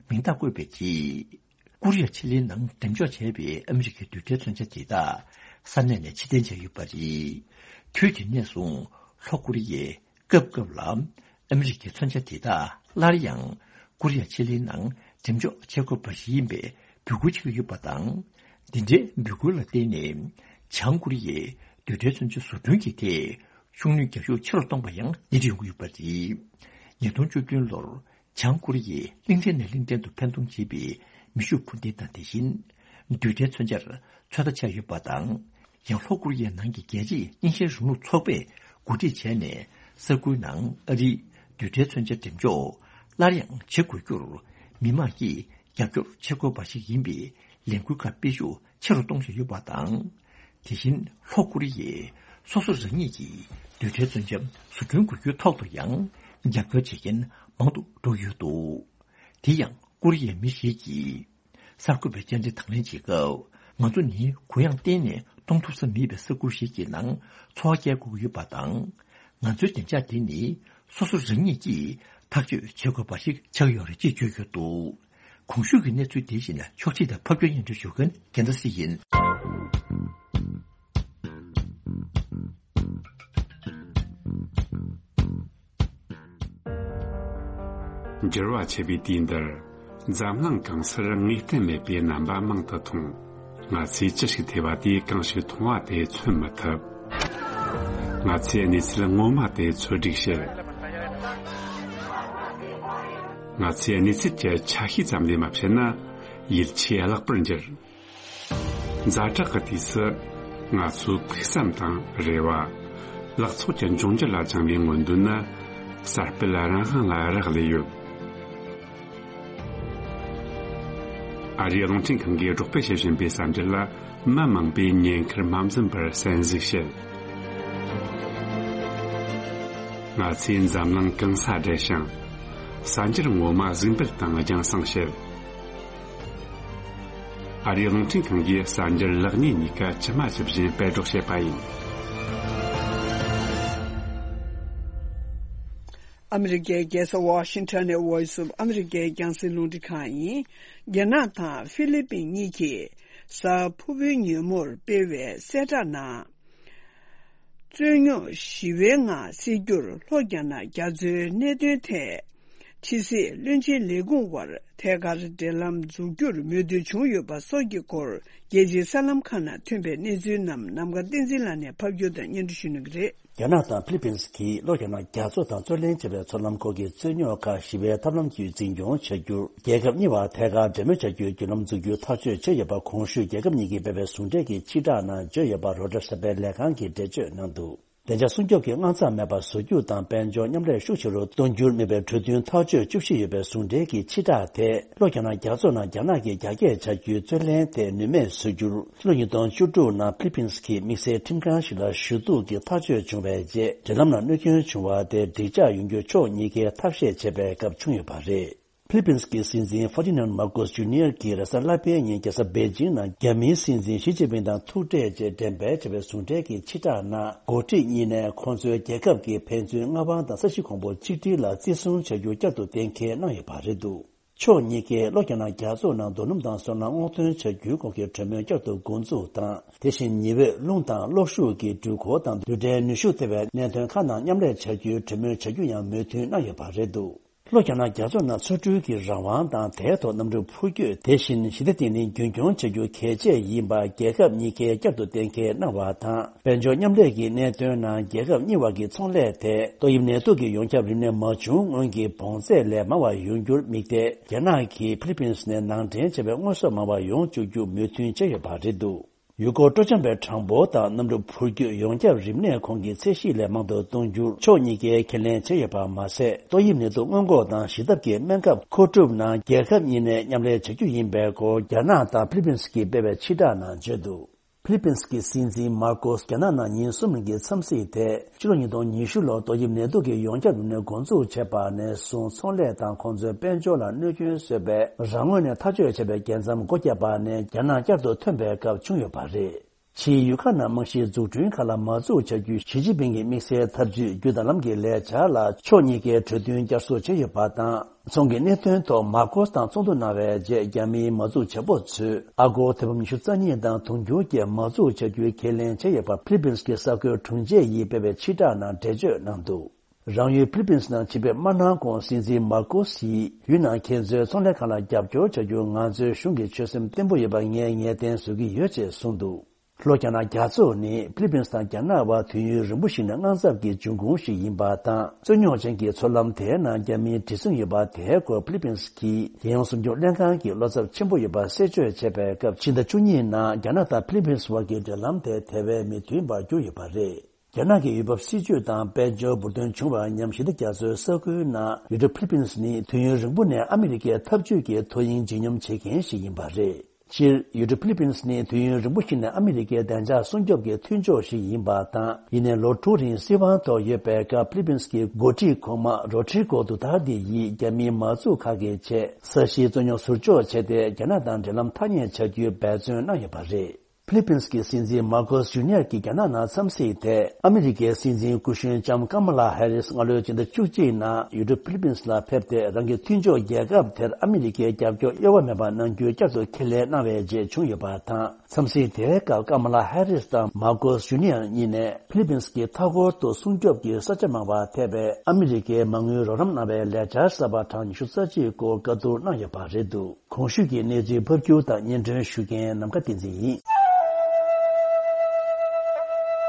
མིང་རྟགས་བཀོད་པའི་རྗེས། ཀོ་རི་ཡ་ཕྱེད་གླིང་ནང་འགྲེམས་འཇོག་བྱས་པའི་ཨ་མི་རི་ཀའི་རྡུལ་ཕྲན་མཚོན་ཆ་དེ་དག་ས་གནས་ནས་ཕྱིར་འཐེན་བྱས་ཡོད་པ་རེད། དུས་དེ་ནས་བཟུང་ལྷོ་ཀོ་རི་ཡས། སྐབས་སྐབས་ལ་ཨ་མི་རི་ཀའི་མཚོན་ཆ་དེ་དག་སླར་ཡང་ཀོ་རི་ཡ་ཕྱེད་གླིང་ནང་འགྲེམས་འཇོག་བྱེད་དགོས་པ་ཞིག་ཡིན་པའི་འབོད་སྐུལ་བྱེད་ཀྱི་ཡོད་པ་དང་། འདི་འདྲའི་འབོད་སྐུལ་ལ་བརྟེན་ནས་བྱང་ཀོ་རི་ཡས་རྡུལ་ཕྲན་མཚོན་ཆ་བཟོ་སྐྲུན་གྱི་ཐད་ཤུགས་སྣོན་རྒྱག་ཤུགས་ཆེ་རུ་གཏོང་པ་ཡང་སྣེ་ཁྲིད་ཡོང་གི་ཡོད་པ་རེད། ཉིས་སྟོང་བཅུ་བདུན་ལོར་བྱང་ཀོ་རི་ཡས་གླིང་ཕྲན་ནས་གླིང་ཕྲན་དུ་འཕེན་གཏོང་བྱེད་པའི་མེ་ཤུགས་འཕུར་མདེལ་དང་དེ་བཞིན་རྡུལ་ཕྲན་མཚོན་ཆར་ཚོད་ལྟ་བྱས་ཡོད་པ་དང་། ཡང་ལྷོ་ཀོ་རི་ཡའི་ནང་གི་རྒྱལ་སྤྱིའི་རྙིང་ཞེན་རིང་ལུགས་ཚོགས་པས་གོ་སྒྲིག་བྱས་ནས་ས་ཁུལ་ནང་ཨ་རིའི་རྡུལ་ཕྲན་མཚོན་ཆ་འགྲེམས་འཇོག་སླར་ཡང་བྱེད་དགོས་རྒྱུར་མི་མང་གིས་རྒྱབ་སྐྱོར་བྱེད་དགོས་པ་ཞིག་ཡིན་པའི་ལས་འགུལ་ཁག་སྤེལ་ཤུགས་ཆེ་རུ་གཏོང་བཞིན་ཡོད་པ་དང་། དེ་བཞིན་ལྷོ་ཀོ་རི་ཡས་སོ་སོ་རང་ཉིད་ཀྱིས་རྡུལ་ཕྲན་མཚོན་ཆ་བཟོ་སྐྲུན་དགོས་རྒྱུའི་ཐོག་ཏུ་ཡང་ རྒྱབ་སྐྱོར་བྱེད་མཁན་མང་དུ་འགྲོ་ཡོད་འདུག། དེ་ཡང་ཀོ་རི་ཡའི་མི་ཞིག་གིས། གསར་འགོད་པའི་བཅར་འདྲི་དང་ལེན་བྱེད་སྐབས། ང་ཚོ་ནི་གུ་ཡངས་གཏན་ནས་གཏོང་ཐུབ་ས་མེད་པའི་ས་ཁུལ་ཞིག་གི་ནང་འཚོ་བ་སྐྱེལ་དགོས་ཀྱི་ཡོད་པ་དང་། ང་ཚོའི་བདེ་འཇགས་དེ་ནི་སོ་སོ་རང་ཉིད་ཀྱིས་ཐག་གཅོད་བྱེད་དགོས་པ་ཞིག་ཆགས་ཡོད་རེད་ཅེས་བརྗོད་ཡོད་འདུག། གོང་ཞུས་ཀྱི་གནས་ཚུལ་དེ་བཞིན་ཕྱོགས་སྒྲིག་དང་ཕབ་སྒྱུར་སྙན་སྒྲོན་ཞུ་མཁན་རྒྱལ་མཚན་སྲིད་ཡིན། འགྱུར་བ་ཆེ་བའི་དུས་འདིར། འཛམ་གླིང་གང་སར་ངེས་གཏན་མེད་པའི་རྣམ་པ་མང་དུ་མཐོང་། ང་ཚོས་ཅི་ཞིག་ཐོས་པ་དེས་གང་ཞིག་མཐོང་བ་དེ་མཚོན་མི་ཐུབ། ང་ཚོས་གནས་ཚུལ་ངོ་མ་དེ་འཚོལ་སྒྲིག་བྱེད། ང་ཚོས་གནས་ཚུལ་གྱི་ཆ་ཤས་ཙམ་ལས་མ་བཤད་ན། ཡིད་ཆེས་བརླག་པར་འགྱུར། ཛ་དྲག་གི་དུས་སུ། ང་ཚོའི་ཕུགས་བསམ་དང་རེ་བ། ལག་ཚོགས་ཀྱི་འབྱུང་འགྱུར་ལ་བཅངས་པའི་མངོན་འདོད་ནི། གསར་སྤེལ་རང་དབང་ལ་རག་ལས་ཡོད། ཨ་རིའི་རླུང་འཕྲིན་ཁང་གིས་སྒྲོག་སྤེལ་བྱེད་བཞིན་པའི་གསར་འགྱུར་ལ། མི་མང་པོས་ཉེན་ཁར་མ་འཛེམས་པར་གསན་གཟིགས་བྱེད། ང་ཚོས་འཛམ་གླིང་གང་སར་བསྡད་ཤིང་། གསར་འགྱུར་ངོ་མ་གཟིགས་འབུལ་དང་རྒྱང་སྲིང་བྱེད། ཨ་རིའི་རླུང་འཕྲིན་ཁང་གིས་གསར་འགྱུར་ལེགས་ཉེས་གཉིས་ཀ་ཇི་མ་ཇི་བཞིན་སྤེལ་སྒྲོག་བྱེད་པ་ཡིན། ཨ་མི་རི་ཀའི་རྒྱལ་ས་ཝ་ཤིང་ཊོན་ནས་Voice of America་རྒྱང་སྲིང་རླུང་འཕྲིན་ཁང་ཡིན། རྒྱ་ནག་དང་ཧྥི་ལི་པིན་གཉིས་ཀྱིས་གཟའ་ཕུར་བུའི་ཉིན་མོར་སྤེལ་བའི་གསལ་བསྒྲགས་ནང་། རྩོད་རྙོག་ཞི་བའི་ངང་སེལ་རྒྱུར་ལྷོ་རྒྱ་ནག་རྒྱ་མཚོའི་གནད་དོན་ཐད། ཕྱི་སྲིད་བློན་ཆེན་ལས་ཁུངས་དབར་ཐད་ཀར་འབྲེལ་ལམ་འཛུགས་རྒྱུར་མོས་མཐུན་བྱུང་ཡོད་པ་སོགས་ཀྱི་སྐོར། རྒྱལ་སྤྱིའི་གསར་ལམ་ཁག་ནང་ཐོན་པའི་གནས་ཚུལ་རྣམས་ནམ་མཁའ་བསྟན་འཛིན་ལགས་ནས་ཕབ་སྒྱུར་དང་སྙན་སྒྲོན་ཞུ་གནང་གི་རེད། རྒྱ་ནག་དང་ཧྥི་ལི་པིན་གྱིས་ལྷོ་རྒྱ་ནག་རྒྱ་མཚོ་དང་རྩོད་ལེན་བྱེད་པའི་མཚོ་ལམ་ཁག་གི་རྩོད་རྙོག་ཁག་ཞི་བའི་ཐབས་ལམ་བརྒྱུད་འཛིན་སྐྱོང་བྱ་རྒྱུར། རྒྱལ་ཁབ་གཉིས་བར་ཐད་ཀར་འབྲེལ་མོལ་བྱ་རྒྱུའི་བརྒྱུད་ལམ་འཛུགས་རྒྱུའི་ཐག་གཅོད་བྱས་ཡོད་པ། གོང་ཞུས་རྒྱལ་ཁབ་གཉིས་ཀྱིས་སྤེལ་བའི་ཟུང་འབྲེལ་གྱི་ཕྱིར་བསྒྲགས་ནང་བརྗོད་ཡོད་པ། རོའི་ཊར་གསར་སྤེལ་ལས་ཁང་གིས་འགྲེལ་བརྗོད་གནང་འདུག། བདེ་འཇགས་སྲུང་སྐྱོབ་ཀྱི་དངངས་འཚབ་མེད་པར་བཟོ་རྒྱུ་དང་། དཔལ་འབྱོར་མཉམ་ལས་ཤུགས་ཆེ་རུ་གཏོང་རྒྱུར་དམིགས་པའི་གྲོས་མཐུན་ཐག་གཅོད་བཅུ་བཞི་ཡོད་པའི་ཟུང་འབྲེལ་གྱི་ཕྱིར་བསྒྲགས་དེ། ལྷོ་རྒྱ་ནག་རྒྱ་མཚོ་ནང་རྒྱ་ནག་གིས་རྒྱ་སྐྱེད་བྱ་རྒྱུའི་རྩོད་ལེན་དེ་ནུས་མེད་བཟོ་རྒྱུར། ཕྱི་ལོ་ཉིས་སྟོང་བཅུ་དྲུག་ནང་ཕི་ལི་པིན་གྱི་དམིགས་བསལ་ཁྲིམས་ཁང་ཞིག་ལ་ཞུ་གཏུག་གི་ཐག་གཅོད་བྱུང་བའི་རྗེས། འབྲེལ་ལམ་ལ་གནོད་སྐྱོན་བྱུང་བ་དེ་འགྲིག་འཇགས་ཡོང་རྒྱུ་ཕྱོགས་གཉིས་ཀས་ཐབས་ཤེས་བྱས་པའི་སྐབས་བྱུང་ཡོད་པ་རེད། ཕི་ལི་པིན་གྱི་སྲིད་འཛིན་ཧྥར་ཌི་ནན་མར་ཀོས་ཇུ་ནི་ཡར་གྱིས་རེས་གཟའ་ལྷག་པའི་ཉིན་རྒྱལ་ས་པེ་ཅིང་ནང་རྒྱ་མིའི་སྲིད་འཛིན་ཞི་ཅིན་ཕིང་དང་ཐུག་འཕྲད་རྗེས་འགྲེམས་སྤེལ་བྱས་པའི་ཟུང་འབྲེལ་གྱི་ཕྱིར་བསྒྲགས་ནང་། འགོ་ཁྲིད་གཉིས་ནས་ཁོང་ཚོའི་རྒྱལ་ཁབ་ཀྱི་ཕན་ཚུན་མངའ་དབང་དང་ས་གཞི་གོང་བུ་གཅིག་སྒྲིལ་ལ་བརྩི་སྲུང་བྱ་རྒྱུ་བསྐྱར་དུ་གཏན་འཁེལ་གནང་ཡོད་པ་རེད་འདུག། ཕྱོགས་གཉིས་ཀས་ལྷོ་རྒྱ་ནག་རྒྱ་མཚོ་ནང་རྡོ་སྣུམ་དང་སོལ་རླངས་སྔོག་འདོན་བྱ་རྒྱུའི་སྐོར་གྱི་གྲོས་མོལ་བསྐྱར་དུ་འགོ་འཛུགས་དང་། དེ་བཞིན་ཉི་འོད། རླུང་དང་གློག་ཤུགས་ཀྱི་འགྲུལ་འཁོར་དང་། རྡུལ་ཕྲན་ནུས་ཤུགས་ཐེ་བའི་གནད་དོན་ཁག་ནང་མཉམ་ལས་བྱ་རྒྱུའི་གྲོས་མོལ་བྱ་རྒྱུ་ཡང་མོས་མཐུན་གནང་ཡོད་པ་རེད་འདུག། ལྷོ་རྒྱ་ནག་རྒྱ་མཚོ་ནང་མཚོ་འགྲུལ་གྱི་རང་དབང་དང་། དེའི་ཐོག་གནམ་གྲུ་འཕུར་སྐྱོད། དེ་བཞིན་ཞི་བདེ་བརྟན་ལྷིང་རྒྱུན་འཁྱོངས་བྱ་རྒྱུ་གལ་ཆེ་ཡིན་པ་རྒྱལ་ཁབ་གཉིས་ཀས་བསྐྱར་དུ་གཏན་འཁེལ་གནང་བ་དང་། དཔལ་འབྱོར་མཉམ་ལས་ཀྱི་གནད་དོན་ནང་རྒྱལ་ཁབ་གཉིས་བར་གྱི་ཚོང་ལས་ཐད་ཏོག་དབྱིབས་ནད་དུག་གི་ཡོངས་ཁྱབ་རིམས་ནད་མ་བྱུང་སྔོན་གྱི་བོངས་ཚད་ལས་མང་བ་ཡོང་རྒྱུར་དམིགས་ཏེ། རྒྱ་ནག་གིས་ཕི་ལི་པིན་ནས་ནང་འདྲེན་བྱས་པའི་དངོས་ཟོག་མང་བ་ཡོང་བཅུག་རྒྱུ་མོས་མཐུན་བྱས་ཡོད་པ་རེད་འདུག། ཡུལ་སྐོར་སྤྲོ་འཆམ་པའི་གྲངས་འབོར་དང་། གནམ་གྲུ་འཕུར་སྐྱོད་ཡོངས་ཁྱབ་རིམས་ནད་ཁོངས་ཀྱི་ཚད་གཞི་ལས་མང་དུ་གཏོང་རྒྱུར་ཕྱོགས་གཉིས་ཀས་ཁས་ལེན་བྱས་ཡོད་པ་མ་ཟད། ཏོག་དབྱིབས་ནད་དུག་སྔོན་འགོག་དང་ཞི་ཐབས་ཀྱི་སྨན་ཁབ་མཁོ་སྒྲུབ་ནང་རྒྱལ་ཁབ་གཉིས་ནས་མཉམ་ལས་བྱ་རྒྱུ་ཡིན་པའི་སྐོར་རྒྱ་ནག་དང་ཕི་ལི་པིན་གྱིས་སྤེལ་བའི་ཕྱིར་བསྒྲགས་ནང་བརྗོད་འདུག། ཕི་ལི་པིན་གྱི་སྲིད་འཛིན་མར་ཀོས་རྒྱ་ནག་ནང་ཉིན་གསུམ་རིང་གི་འཚམས་གཟིགས་དེ། ཕྱི་ལོ་ཉིས་སྟོང་ཉི་ཤུ་ལོར་ཏོག་དབྱིབས་ནད་དུག་གི་ཡོངས་ཁྱབ་རིམས་ནད་འགོ་འཛུགས་བྱས་པ་ནས་བཟུང་ཚོང་ལས་དང་ཁོང་ཚོའི་དཔལ་འབྱོར་ལ་གནོད་སྐྱོན་བཟོས་པའི་རང་ངོས་ནས་ཐག་གཅོད་བྱས་པའི་རྒྱལ་མཚམས་སྒོ་བརྒྱབ་པ་ནས་རྒྱ་ནག་བསྐྱར་དུ་ཐོན་པའི་སྐབས་བྱུང་ཡོད་པ་རེད། ཕྱིའི་ཡུལ་ཁག་ནང་རྨང་གཞིའི་འཛུགས་སྐྲུན་ཁག་ལ་མ་འཛུགས་བྱ་རྒྱུའི་ཞི་ཅིན་ཕིང་གི་དམིགས་བསལ་འཐབ་ཇུས་བརྒྱུད་དང་ལམ་གྱི་ལས་འཆར་ལ་ཕྱོགས་གཉིས་ཀས་གྲོས་མཐུན་བསྐྱར་གསོ་བྱས་ཡོད་པ་དང་། ཚོང་གི་གནད་དོན་ཐོག་མར་ཀོས་དང་ཚོགས་འདུ་གནང་བའི་རྗེས་རྒྱ་མིའི་མ་འཛུགས་བྱེད་པོ་ཚོས་ཨ་སྒོར་ཐེར་འབུམ་ཉི་ཤུ་རྩ་གཉིས་དང་དུང་ཕྱུར་བརྒྱད་མ་འཛུགས་བྱ་རྒྱུའི་ཁས་ལེན་བྱས་ཡོད་པ་ཕི་ལི་པིན་གྱི་གསར་འགོད་དྲུང་ཆེ་ཡིས་སྤེལ་བའི་ཕྱིར་བསྒྲགས་ནང་འགྲེལ་བརྗོད་གནང་འདུག། རང་ཡུལ་ཕི་ལི་པིན་ནང་ཕྱི་འབྲེལ་མ་གནང་གོང་སྲིད་འཛིན་མར་ཀོ་སིས་ཡུལ་ནང་ཁྱེད་ཚོའི་ཚོང་ལས་ཁང་ལ་རྒྱབ་སྐྱོར་བྱ་རྒྱུར་ང་ཚོའི་གཞུང་གི་ཆོད་སེམས་བརྟན་པོ་ཡོད་པ་ངས་ངེས་གཏན་བཟོ་གི་ཡོད་ཅེས་གསུངས་འདུག། ལྷོ་རྒྱ་ནག་རྒྱ་མཚོ་ནི་ཕི་ལི་པིན་དང་རྒྱ་ནག་བར་དུས་ཡུན་རིང་པོ་ཞིག་ནས་དངངས་འཚབ་ཀྱི་འབྱུང་ཁུངས་ཤིག་ཡིན་པ་དང་། རྩོད་རྙོག་ཅན་གྱི་མཚོ་ལམ་དེའི་ནང་རྒྱ་མིའི་དྲི་ཟུང་ཡོད་པ་དེའི་སྐོར་ཕི་ལི་པིན་གྱི་རྒྱལ་ཡོངས་སྲུང་སྐྱོབ་ལྷན་ཁང་གིས་བློ་འཚབ་ཆེན་པོ་ཡོད་པ་གསལ་བརྗོད་བྱས་པའི་སྐབས། ཕྱི་ཟླ་བཅུ་གཉིས་ནང་རྒྱ་ནག་དང་ཕི་ལི་པིན་བར་གྱི་འབྲེལ་ལམ་དེ་དེ་བས་མི་མཐུན་པར་གྱུར་ཡོད་པ་རེད། རྒྱ་ནག་གི་ཡུལ་བབ་སྲིད་ཇུས་དང་དཔལ་འབྱོར་འབུར་ཐོན་བྱུང་བར་ཉམས་ཞི་བདེ་རྒྱ་མཚོའི་ས་ཁུལ་ནང་ཡུལ་གྲུ་ཕི་ལི་པིན་ནི་དུས་ཡུན་རིང་པོ་ནས་ཨ་མི་རི་ཀའི་འཐབ་ཇུས་ཀྱི་ཐོ་དབྱིངས་བརྗིད་སྙོམས་བྱེད་མཁན་ཞིག་ཡིན་པ་རེད། སྤྱིར་ཡུལ་གྲུ་ཕི་ལི་པིན་སི་ནི་དུས་ཡུན་རིང་པོ་ཞིག་ནས་ཨ་མི་རི་ཀའི་བདེ་འཇགས་སྲུང་སྐྱོབ་ཀྱི་མཐུན་ཕྱོགས་ཤིག་ཡིན་པ་དང་། ཡིན་ནའི་ལོ་དྲུག་རིང་སྲིད་དབང་ཐོག་ཡོད་པའི་སྐབས་ཕི་ལི་པིན་སི་གི་འགོ་ཁྲིད་གོང་མ་རོ་ཌི་རི་གོ་ཌུ་ཏར་ཏེ་ཡིས་རྒྱ་མིའི་མ་འཛུགས་ཁག་གི་ཆེད་ས་གཞིའི་རྩོད་རྙོག་ཟུར་འཇོག་བྱས་ཏེ། རྒྱ་ནག་དང་འབྲེལ་ལམ་ཐ་སྙད་བྱ་རྒྱུའི་འབད་བརྩོན་གནང་ཡོད་པ་རེད། ཕི་ལི་པིན་སི་གི་སྲིད་འཛིན་མར་ཀོ་སི་ཇུ་ནི་ཡར་གྱི་རྒྱ་ནག་ནང་འཚམས་གཟིགས་ཐད། ཨ་མི་རི་ཀའི་སྲིད་འཛིན་སྐུ་གཞོན་ལྕམ་ཀ་མ་ལ་ཧེ་རིས་སྔ་ལོའི་སྤྱི་ཟླ་བཅུ་གཅིག་ནང་ཡུལ་གྲུ་ཕི་ལི་པིན་སི་ལ་ཕེབས་ཏེ། རང་གི་མཐུན་ཕྱོགས་རྒྱལ་ཁབ་དེར་ཨ་མི་རི་ཀའི་རྒྱབ་སྐྱོར་གཡོ་བ་མེད་པ་གནང་རྒྱུའི་བསྐྱར་དུ་ཁས་ལེན་གནང་བའི་རྗེས་བྱུང་ཡོད་པ་དང་། འཚམས་གཟིགས་དེའི་སྐབས་ཀ་མ་ལ་ཧེ་རིས་དང་མར་ཀོ་སི་ཇུ་ནི་ཡར་གཉིས་ནས་ཕི་ལི་པིན་སི་གི་མཐའ་འཁོར་དུ་སྲུང་སྐྱོབ་ཀྱི་ས་ཆ་མང་བ་ཐེ་བའི་ཨ་མི་རི་ཀའི་མ་དངུལ་རོགས་རམ་གནང་བའི་ལས་འཆར་གསར་པ་གྲངས་ཉི་ཤུ་རྩ་གཅིག་སྐོར་བཀའ་བསྡུར་གནང་ཡོད་པ་རེད་འདུག་གོང་ཞུས་ཀྱི་གནས་ཚུལ་ཕབ་སྒྱུར་དང་སྙན་སྒྲོན་ཞུ་མཁན་ནམ་མཁའ་བསྟན་འཛིན་ཡིན།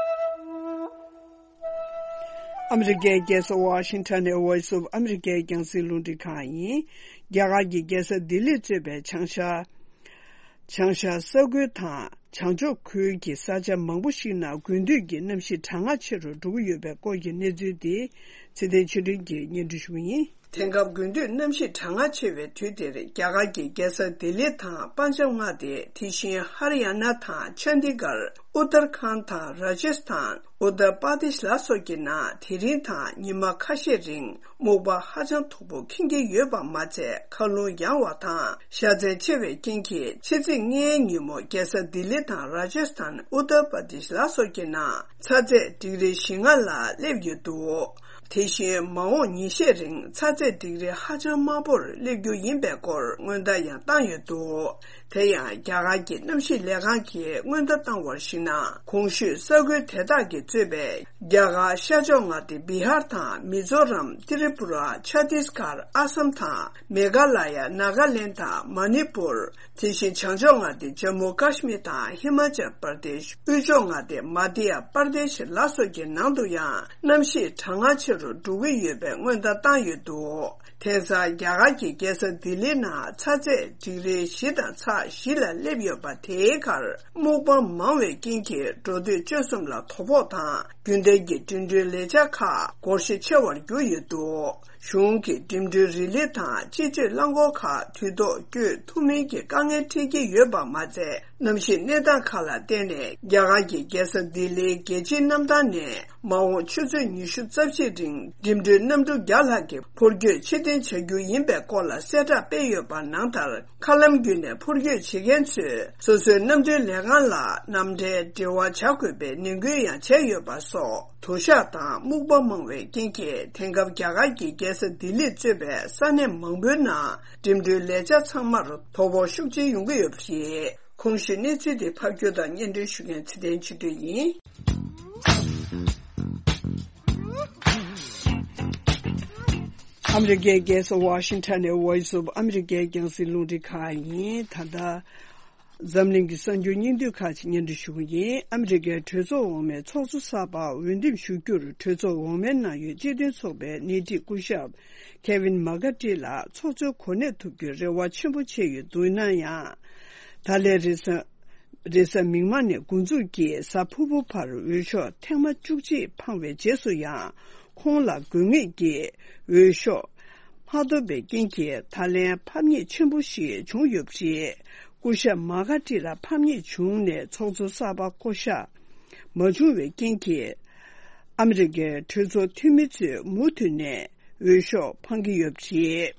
ཨ་མི་རི་ཀའི་རྒྱལ་ས་ཝ་ཤིང་ཊོན་ནས་Voice of America རྒྱང་སྲིང་རླུང་འཕྲིན་ཁང་ཡིན། རྒྱ་གར་གྱི་རྒྱལ་ས་ལྡི་ལི་གཙོས་པའི་བྱང་ཤར། བྱང་ཤར་ས་ཁུལ་དང་བྱང་ཕྱོགས་ཁུལ་གྱི་ས་ཆ་མང་པོ་ཞིག་ནང་དགུན་དུས་ཀྱི་གནམ་གཤིས་གྲང་ངར་ཆེ་རུ་འགྲོ་གི་ཡོད་པའི་སྐོར་གྱི་གནས་ཚུལ་དེ་ཚེ་བརྟན་ཆོས་སྒྲོན་གྱིས་སྙན་སྒྲོན་ཞུ་གི་ཡིན། དེང་སྐབས་དགུན་དུས་གནམ་གཤིས་གྲང་ངར་ཆེ་བའི་དུས་དེར། རྒྱ་གར་གྱི་རྒྱལ་ས་ལྡི་ལི་དང་པན་ཇབ་མངའ་སྡེ། དེ་བཞིན་ཧར་ཡ་ན་དང་ཆན་དི་གར། ཨུ་ཏར་ཁཱན་དང་ར་ཇེ་སི་ཐན། ཨུ་ཏར་པར་དེཤ་ལ་སོགས་ཀྱི་ནང་དེ་རིང་དང་ཉི་མ་ཁ་ཤས་རིང་སྨུག་པ་ཧ་ཅང་མཐུག་པོ་ཁེངས་ཀྱི་ཡོད་པ་མ་ཚད། མཁའ་རླུང་ཡང་བ་དང་ཞ་ཚལ་ཆེ་བའི་རྐྱེན་གྱིས། ཕྱི་ཚེས་ལྔའི་ཉིན་མོ་རྒྱལ་ས་ལྡི་ལི་དང་ར་ཇེ་སི་ཐན། ཨུ་ཏར་པར་དེཤ་ལ་སོགས་ཀྱི་ནང་ཚ་ཚད་ཌིག་རི་བཞི་ལྔ་ལ་སླེབས་ཡོད་འདུག་དེ་བཞིན་མ་འོངས་ཉིན་ཤས་རིང་ཚ་ཚད་ཌིག་རི་ཧ་ཅང་དམའ་པོར་སླེབས་རྒྱུ་ཡིན་པའི་སྐོར་སྔོན་བརྡ་ཡང་བཏང་ཡོད་འདུག་དེ་ཡང་རྒྱ་གར་གྱི་གནམ་གཤིས་ལས་ཁང་གིས་སྔོན་བརྡ་བཏང་བར་གཞིགས་ན། གོང་ཞུས་ས་ཁུལ་དེ་དག་གིས་གཙོས་པའི་རྒྱ་གར་ཤར་ཕྱོགས་མངའ་སྡེ་བི་ཧར་དང་མི་ཛོ་རམ། ཏི་རི་པུ་ར། ཆ་ཏིས་གར། ཨ་སམ་དང་མེ་གྷ་ལ་ཡ། ནཱ་ག་ལེན་དང་མ་ནི་པུར། དེ་བཞིན་བྱང་ཕྱོགས་མངའ་སྡེ་ཇམ་མུ་ཀ་ཤི་མིར་དང་ཧི་མ་ཅལ་པར་དེཤ། དབུས་ཕྱོགས་མངའ་སྡེ་མ་དྷྱ་པར་དེཤ་ལ་སོགས་ཀྱི་ནང་དུ་ཡང་གནམ་གཤིས་གྲང་ངར་ཆེ་རུ་འགྲོ་གི་ཡོད་པའི་སྔོན་བརྡ་བཏང་ཡོད་འདུག་དེང་སང་རྒྱ་གར་གྱི་རྒྱལ་ས་ལྡི་ལིའི་ནང་ཚ་ཚད་ཌིག་རི་བཞི་དང་ཚེག་བཞི་ལ་སླེབས་ཡོད་པ། དེའི་ཁར་སྨུག་པ་མང་བའི་རྐྱེན་གྱིས་འགྲོ་སྡོད་སྤྱོད་གསུམ་ལ་དོ་ཕོག་དང་། རྒྱུན་ལྡན་གྱི་འགྲིམ་འགྲུལ་ལས་འཆར་ཁག་སྒོར་གཞི་ཆེ་བར་གྱུར་ཡོད་འདུག་གཞུང་གིས་འགྲིམ་འགྲུལ་རི་ལི་དང་སྤྱི་སྤྱོད་རླངས་འཁོར་ཁག་དུས་ཐོག་བསྐྱོད་ཐུབ་མིན་གྱི་དཀའ་ངལ་འཕྲད་ཀྱི་ཡོད་པ་མ་ཚད། གནམ་གཤིས་གནས་སྟངས་ཁག་ལ་བརྟེན་ནས་རྒྱ་གར་གྱི་རྒྱལ་ས་ལྡི་ལིའི་རྒྱལ་སྤྱིའི་གནམ་ཐང་ནས་མ་འོངས་ཆུ་ཚོད་ཉི་ཤུ་རྩ་བཞིའི་རིང་འགྲིམ་འགྲུལ་གནམ་གྲུ་བརྒྱ་ལྷག་གི་འཕུར་སྐྱོད་ཕྱིར་འཐེན་བྱ་རྒྱུ་ཡིན་པའི་སྐོར་ལ་གསལ་བསྒྲགས་སྤེལ་ཡོད་པ་ནང་ལྟར། མཁའ་ལམ་བརྒྱུད་ནས་འཕུར་སྐྱོད་བྱེད་མཁན་ཚོས་སོ་སོའི་གནམ་གྲུའི་ལས་ཁང་ལ་ནམ་ཕྲལ་འབྲེལ་བ་བྱ་དགོས་པའི་ནན་སྐུལ་ཡང་བྱས་ཡོད་པ་སོགས། དུ་ཞག་དང་སྨུག་པ་མང་བའི་རྐྱེན་གྱིས། དེང་སྐབས་རྒྱ་གར་གྱི་རྒྱལ་ས་ལྡི་ལི་གཙོས་པའི་ས་གནས་མང་པོའི་ནང་འགྲིམ་འགྲུལ་ལས་འཆར་ཚང་མར་དོ་ཕོག་ཤུགས་ཆེན་ཡོང་གི་ཡོད་པ་རེད། གོང་ཞུས་གནས་ཚུལ་དེ་ཕབ་སྒྱུར་དང་སྙན་སྒྲོན་ཞུ་མཁན་ཚེ་བརྟན་ཆོས་སྒྲོན་ཡིན། ཨ་མི་རི་ཀའི་རྒྱལ་ས་ཝ་ཤིང་ཊོན་ནས་Voice of America རྒྱང་སྲིང་རླུང་འཕྲིན་ཁང་ཡིན། ད་ལྟ་འཛམ་གླིང་གི་གསར་འགྱུར་སྙིང་བསྡུས་ཁག་ཅིག་སྙན་སྒྲོན་ཞུ་གི་ཡིན། ཨ་མི་རི་ཀའི་གྲོས་ཚོགས་འོག་མའི་ཚོགས་གཙོ་གསར་པར་འོས་འདེམས་ཞུ་རྒྱུར། གྲོས་ཚོགས་འོག་མའི་ནང་ཡོད་སྤྱི་མཐུན་ཚོགས་པའི་སྣེ་ཁྲིད་སྐུ་ཞབས་ཁེ་ཝིན་མ་ཀར་ཏི་ལགས་ཚོགས་གཙོའི་གོ་གནས་ཐོབ་རྒྱུའི་རེ་བ་ཆེན་པོ་བྱས་ཡོད་འདུག་ན་ཡང་། ད་ལན་རེས་གཟའ། རེས་གཟའ་མིག་དམར་ནས་འགོ་འཛུགས་ཀྱིས་གཟའ་ཕུར་བུ་བར་འོས་ཤོག་ཐེངས་མ་བཅུ་གཅིག་འཕངས་པའི་རྗེས་སུ་ཡང་། ཁོང་ལ་དགོས་ངེས་ཀྱི་འོས་ཤོག་མ་ཐོབ་པའི་རྐྱེན་གྱིས། ད་ལན་ཕམ་ཉེས་ཆེན་པོ་ཞིག་བྱུང་ཡོད་པ་རེད། སྐུ་ཞབས་མ་ཀར་ཏི་ལ་ཕམ་ཉེས་བྱུང་ནས་ཚོགས་གཙོ་གསར་པ་བསྐོ་གཞག་མ་བྱུང་བའི་རྐྱེན་གྱིས། ཨ་མི་རི་ཀའི་གྲོས་ཚོགས་འཐུས་མི་ཚོས་མུ་མཐུད་ནས་འོས་ཤོག་འཕང་གི་ཡོད་པ་རེད།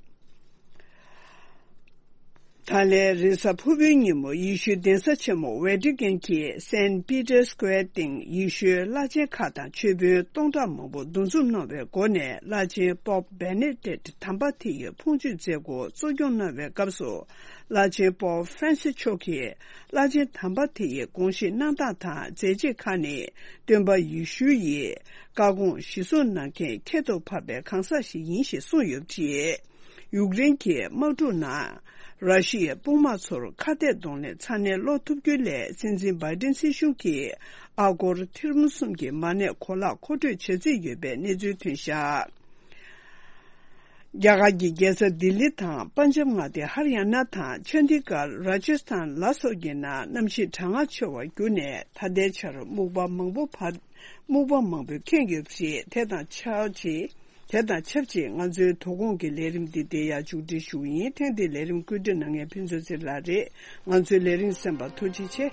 ད་ལན་རེས་གཟའ་ཕུར་བུའི་ཉིན་མོ། ཡེ་ཤུའི་གདན་ས་ཆེན་མོ་ཝེ་ཏི་ཀན་གྱི་སེན་པི་ཏར་སི་ཀུ་ཝེར་སྟེང་ཡེ་ཤུའི་བླ་ཆེན་ཁག་དང་ཆོས་དཔོན་སྟོང་ཕྲག་མང་པོ་འདུ་འཛོམས་གནང་བའི་སྒོ་ནས། བླ་ཆེན་པོབ་བེ་ནེ་ཏེད་དམ་པ་དེ་ཡི་ཕུང་མཆོད་མཛད་སྒོ་གཙོ་སྐྱོང་གནང་བའི་སྐབས་སུ། བླ་ཆེན་པོབ་ཧྥ་རན་སི་མཆོག་གིས་བླ་ཆེན་དམ་པ་དེ་ཡི་དགོངས་བཞེས་གནང་སྟངས་དང་མཛད་རྗེས་ཁག་ནི། སྟོན་པ་ཡེ་ཤུ་ཡི་བཀའ་དགོངས་གཞིར་བཟུང་གནང་མཁན་ཁྱད་དུ་འཕགས་པའི་གང་ཟག་ཞིག་ཡིན་ཞེས་གསུངས་ཡོད་པ་རེད། ཡུཀ་རེན་གྱི་དམག་འཁྲུག་ནང་ར་ཤི་ཡའི་དཔུང་དམག་ཚོར་ཁ་གཏད་གདོང་ལེན་ཚ་ནན་སློག་ཐུབ་རྒྱུ་སླད། སྲིད་འཛིན་བྷའི་ཏིན་སྲིད་གཞུང་གིས་ཨ་སྒོར་ཐེར་འབུམ་གསུམ་གྱི་མ་གནས་གོ་ལག་མཁོ་སྤྲོད་བྱ་རྩིས་ཡོད་པའི་གནས་ཚུལ་ཐོན་བཞག་རྒྱ་གར་གྱི་རྒྱལ་ས་ལྡི་ལི་དང་པན་ཇབ་མངའ་སྡེ་ཧར་ཡ་ན་དང་ཆན་དི་གར། ར་ཇ་སི་ཐན་ལ་སོགས་ཀྱི་ནང་གནམ་གཤིས་གྲང་ངར་ཆེ་བར་གྱུར་ནས། ད་ལྟའི་ཆར་སྨུག་པ་མང་པོ་བར། སྨུག་པ་མང་པོས་ཁེངས་ཡོད་པ་རེད། དེ་དང་ཆབས་ཅིག་དེ་དང་ཆབས་ཅིག་ང་ཚོའི་དོ་དགོང་གི་ལས་རིམ་འདི་འདིར་ཡང་མཇུག་སྒྲིལ་ཞུ་གི་ཡིན། ཐེངས་འདིའི་ལས་རིམ་བཀོད་སྒྲིག་གནང་མཁན་ཕུན་ཚོགས་ཚེ་རིང་ལགས་རེད། ང་ཚོའི་ལས་རིམ་གསན་པར་ཐུགས་རྗེ་ཆེ།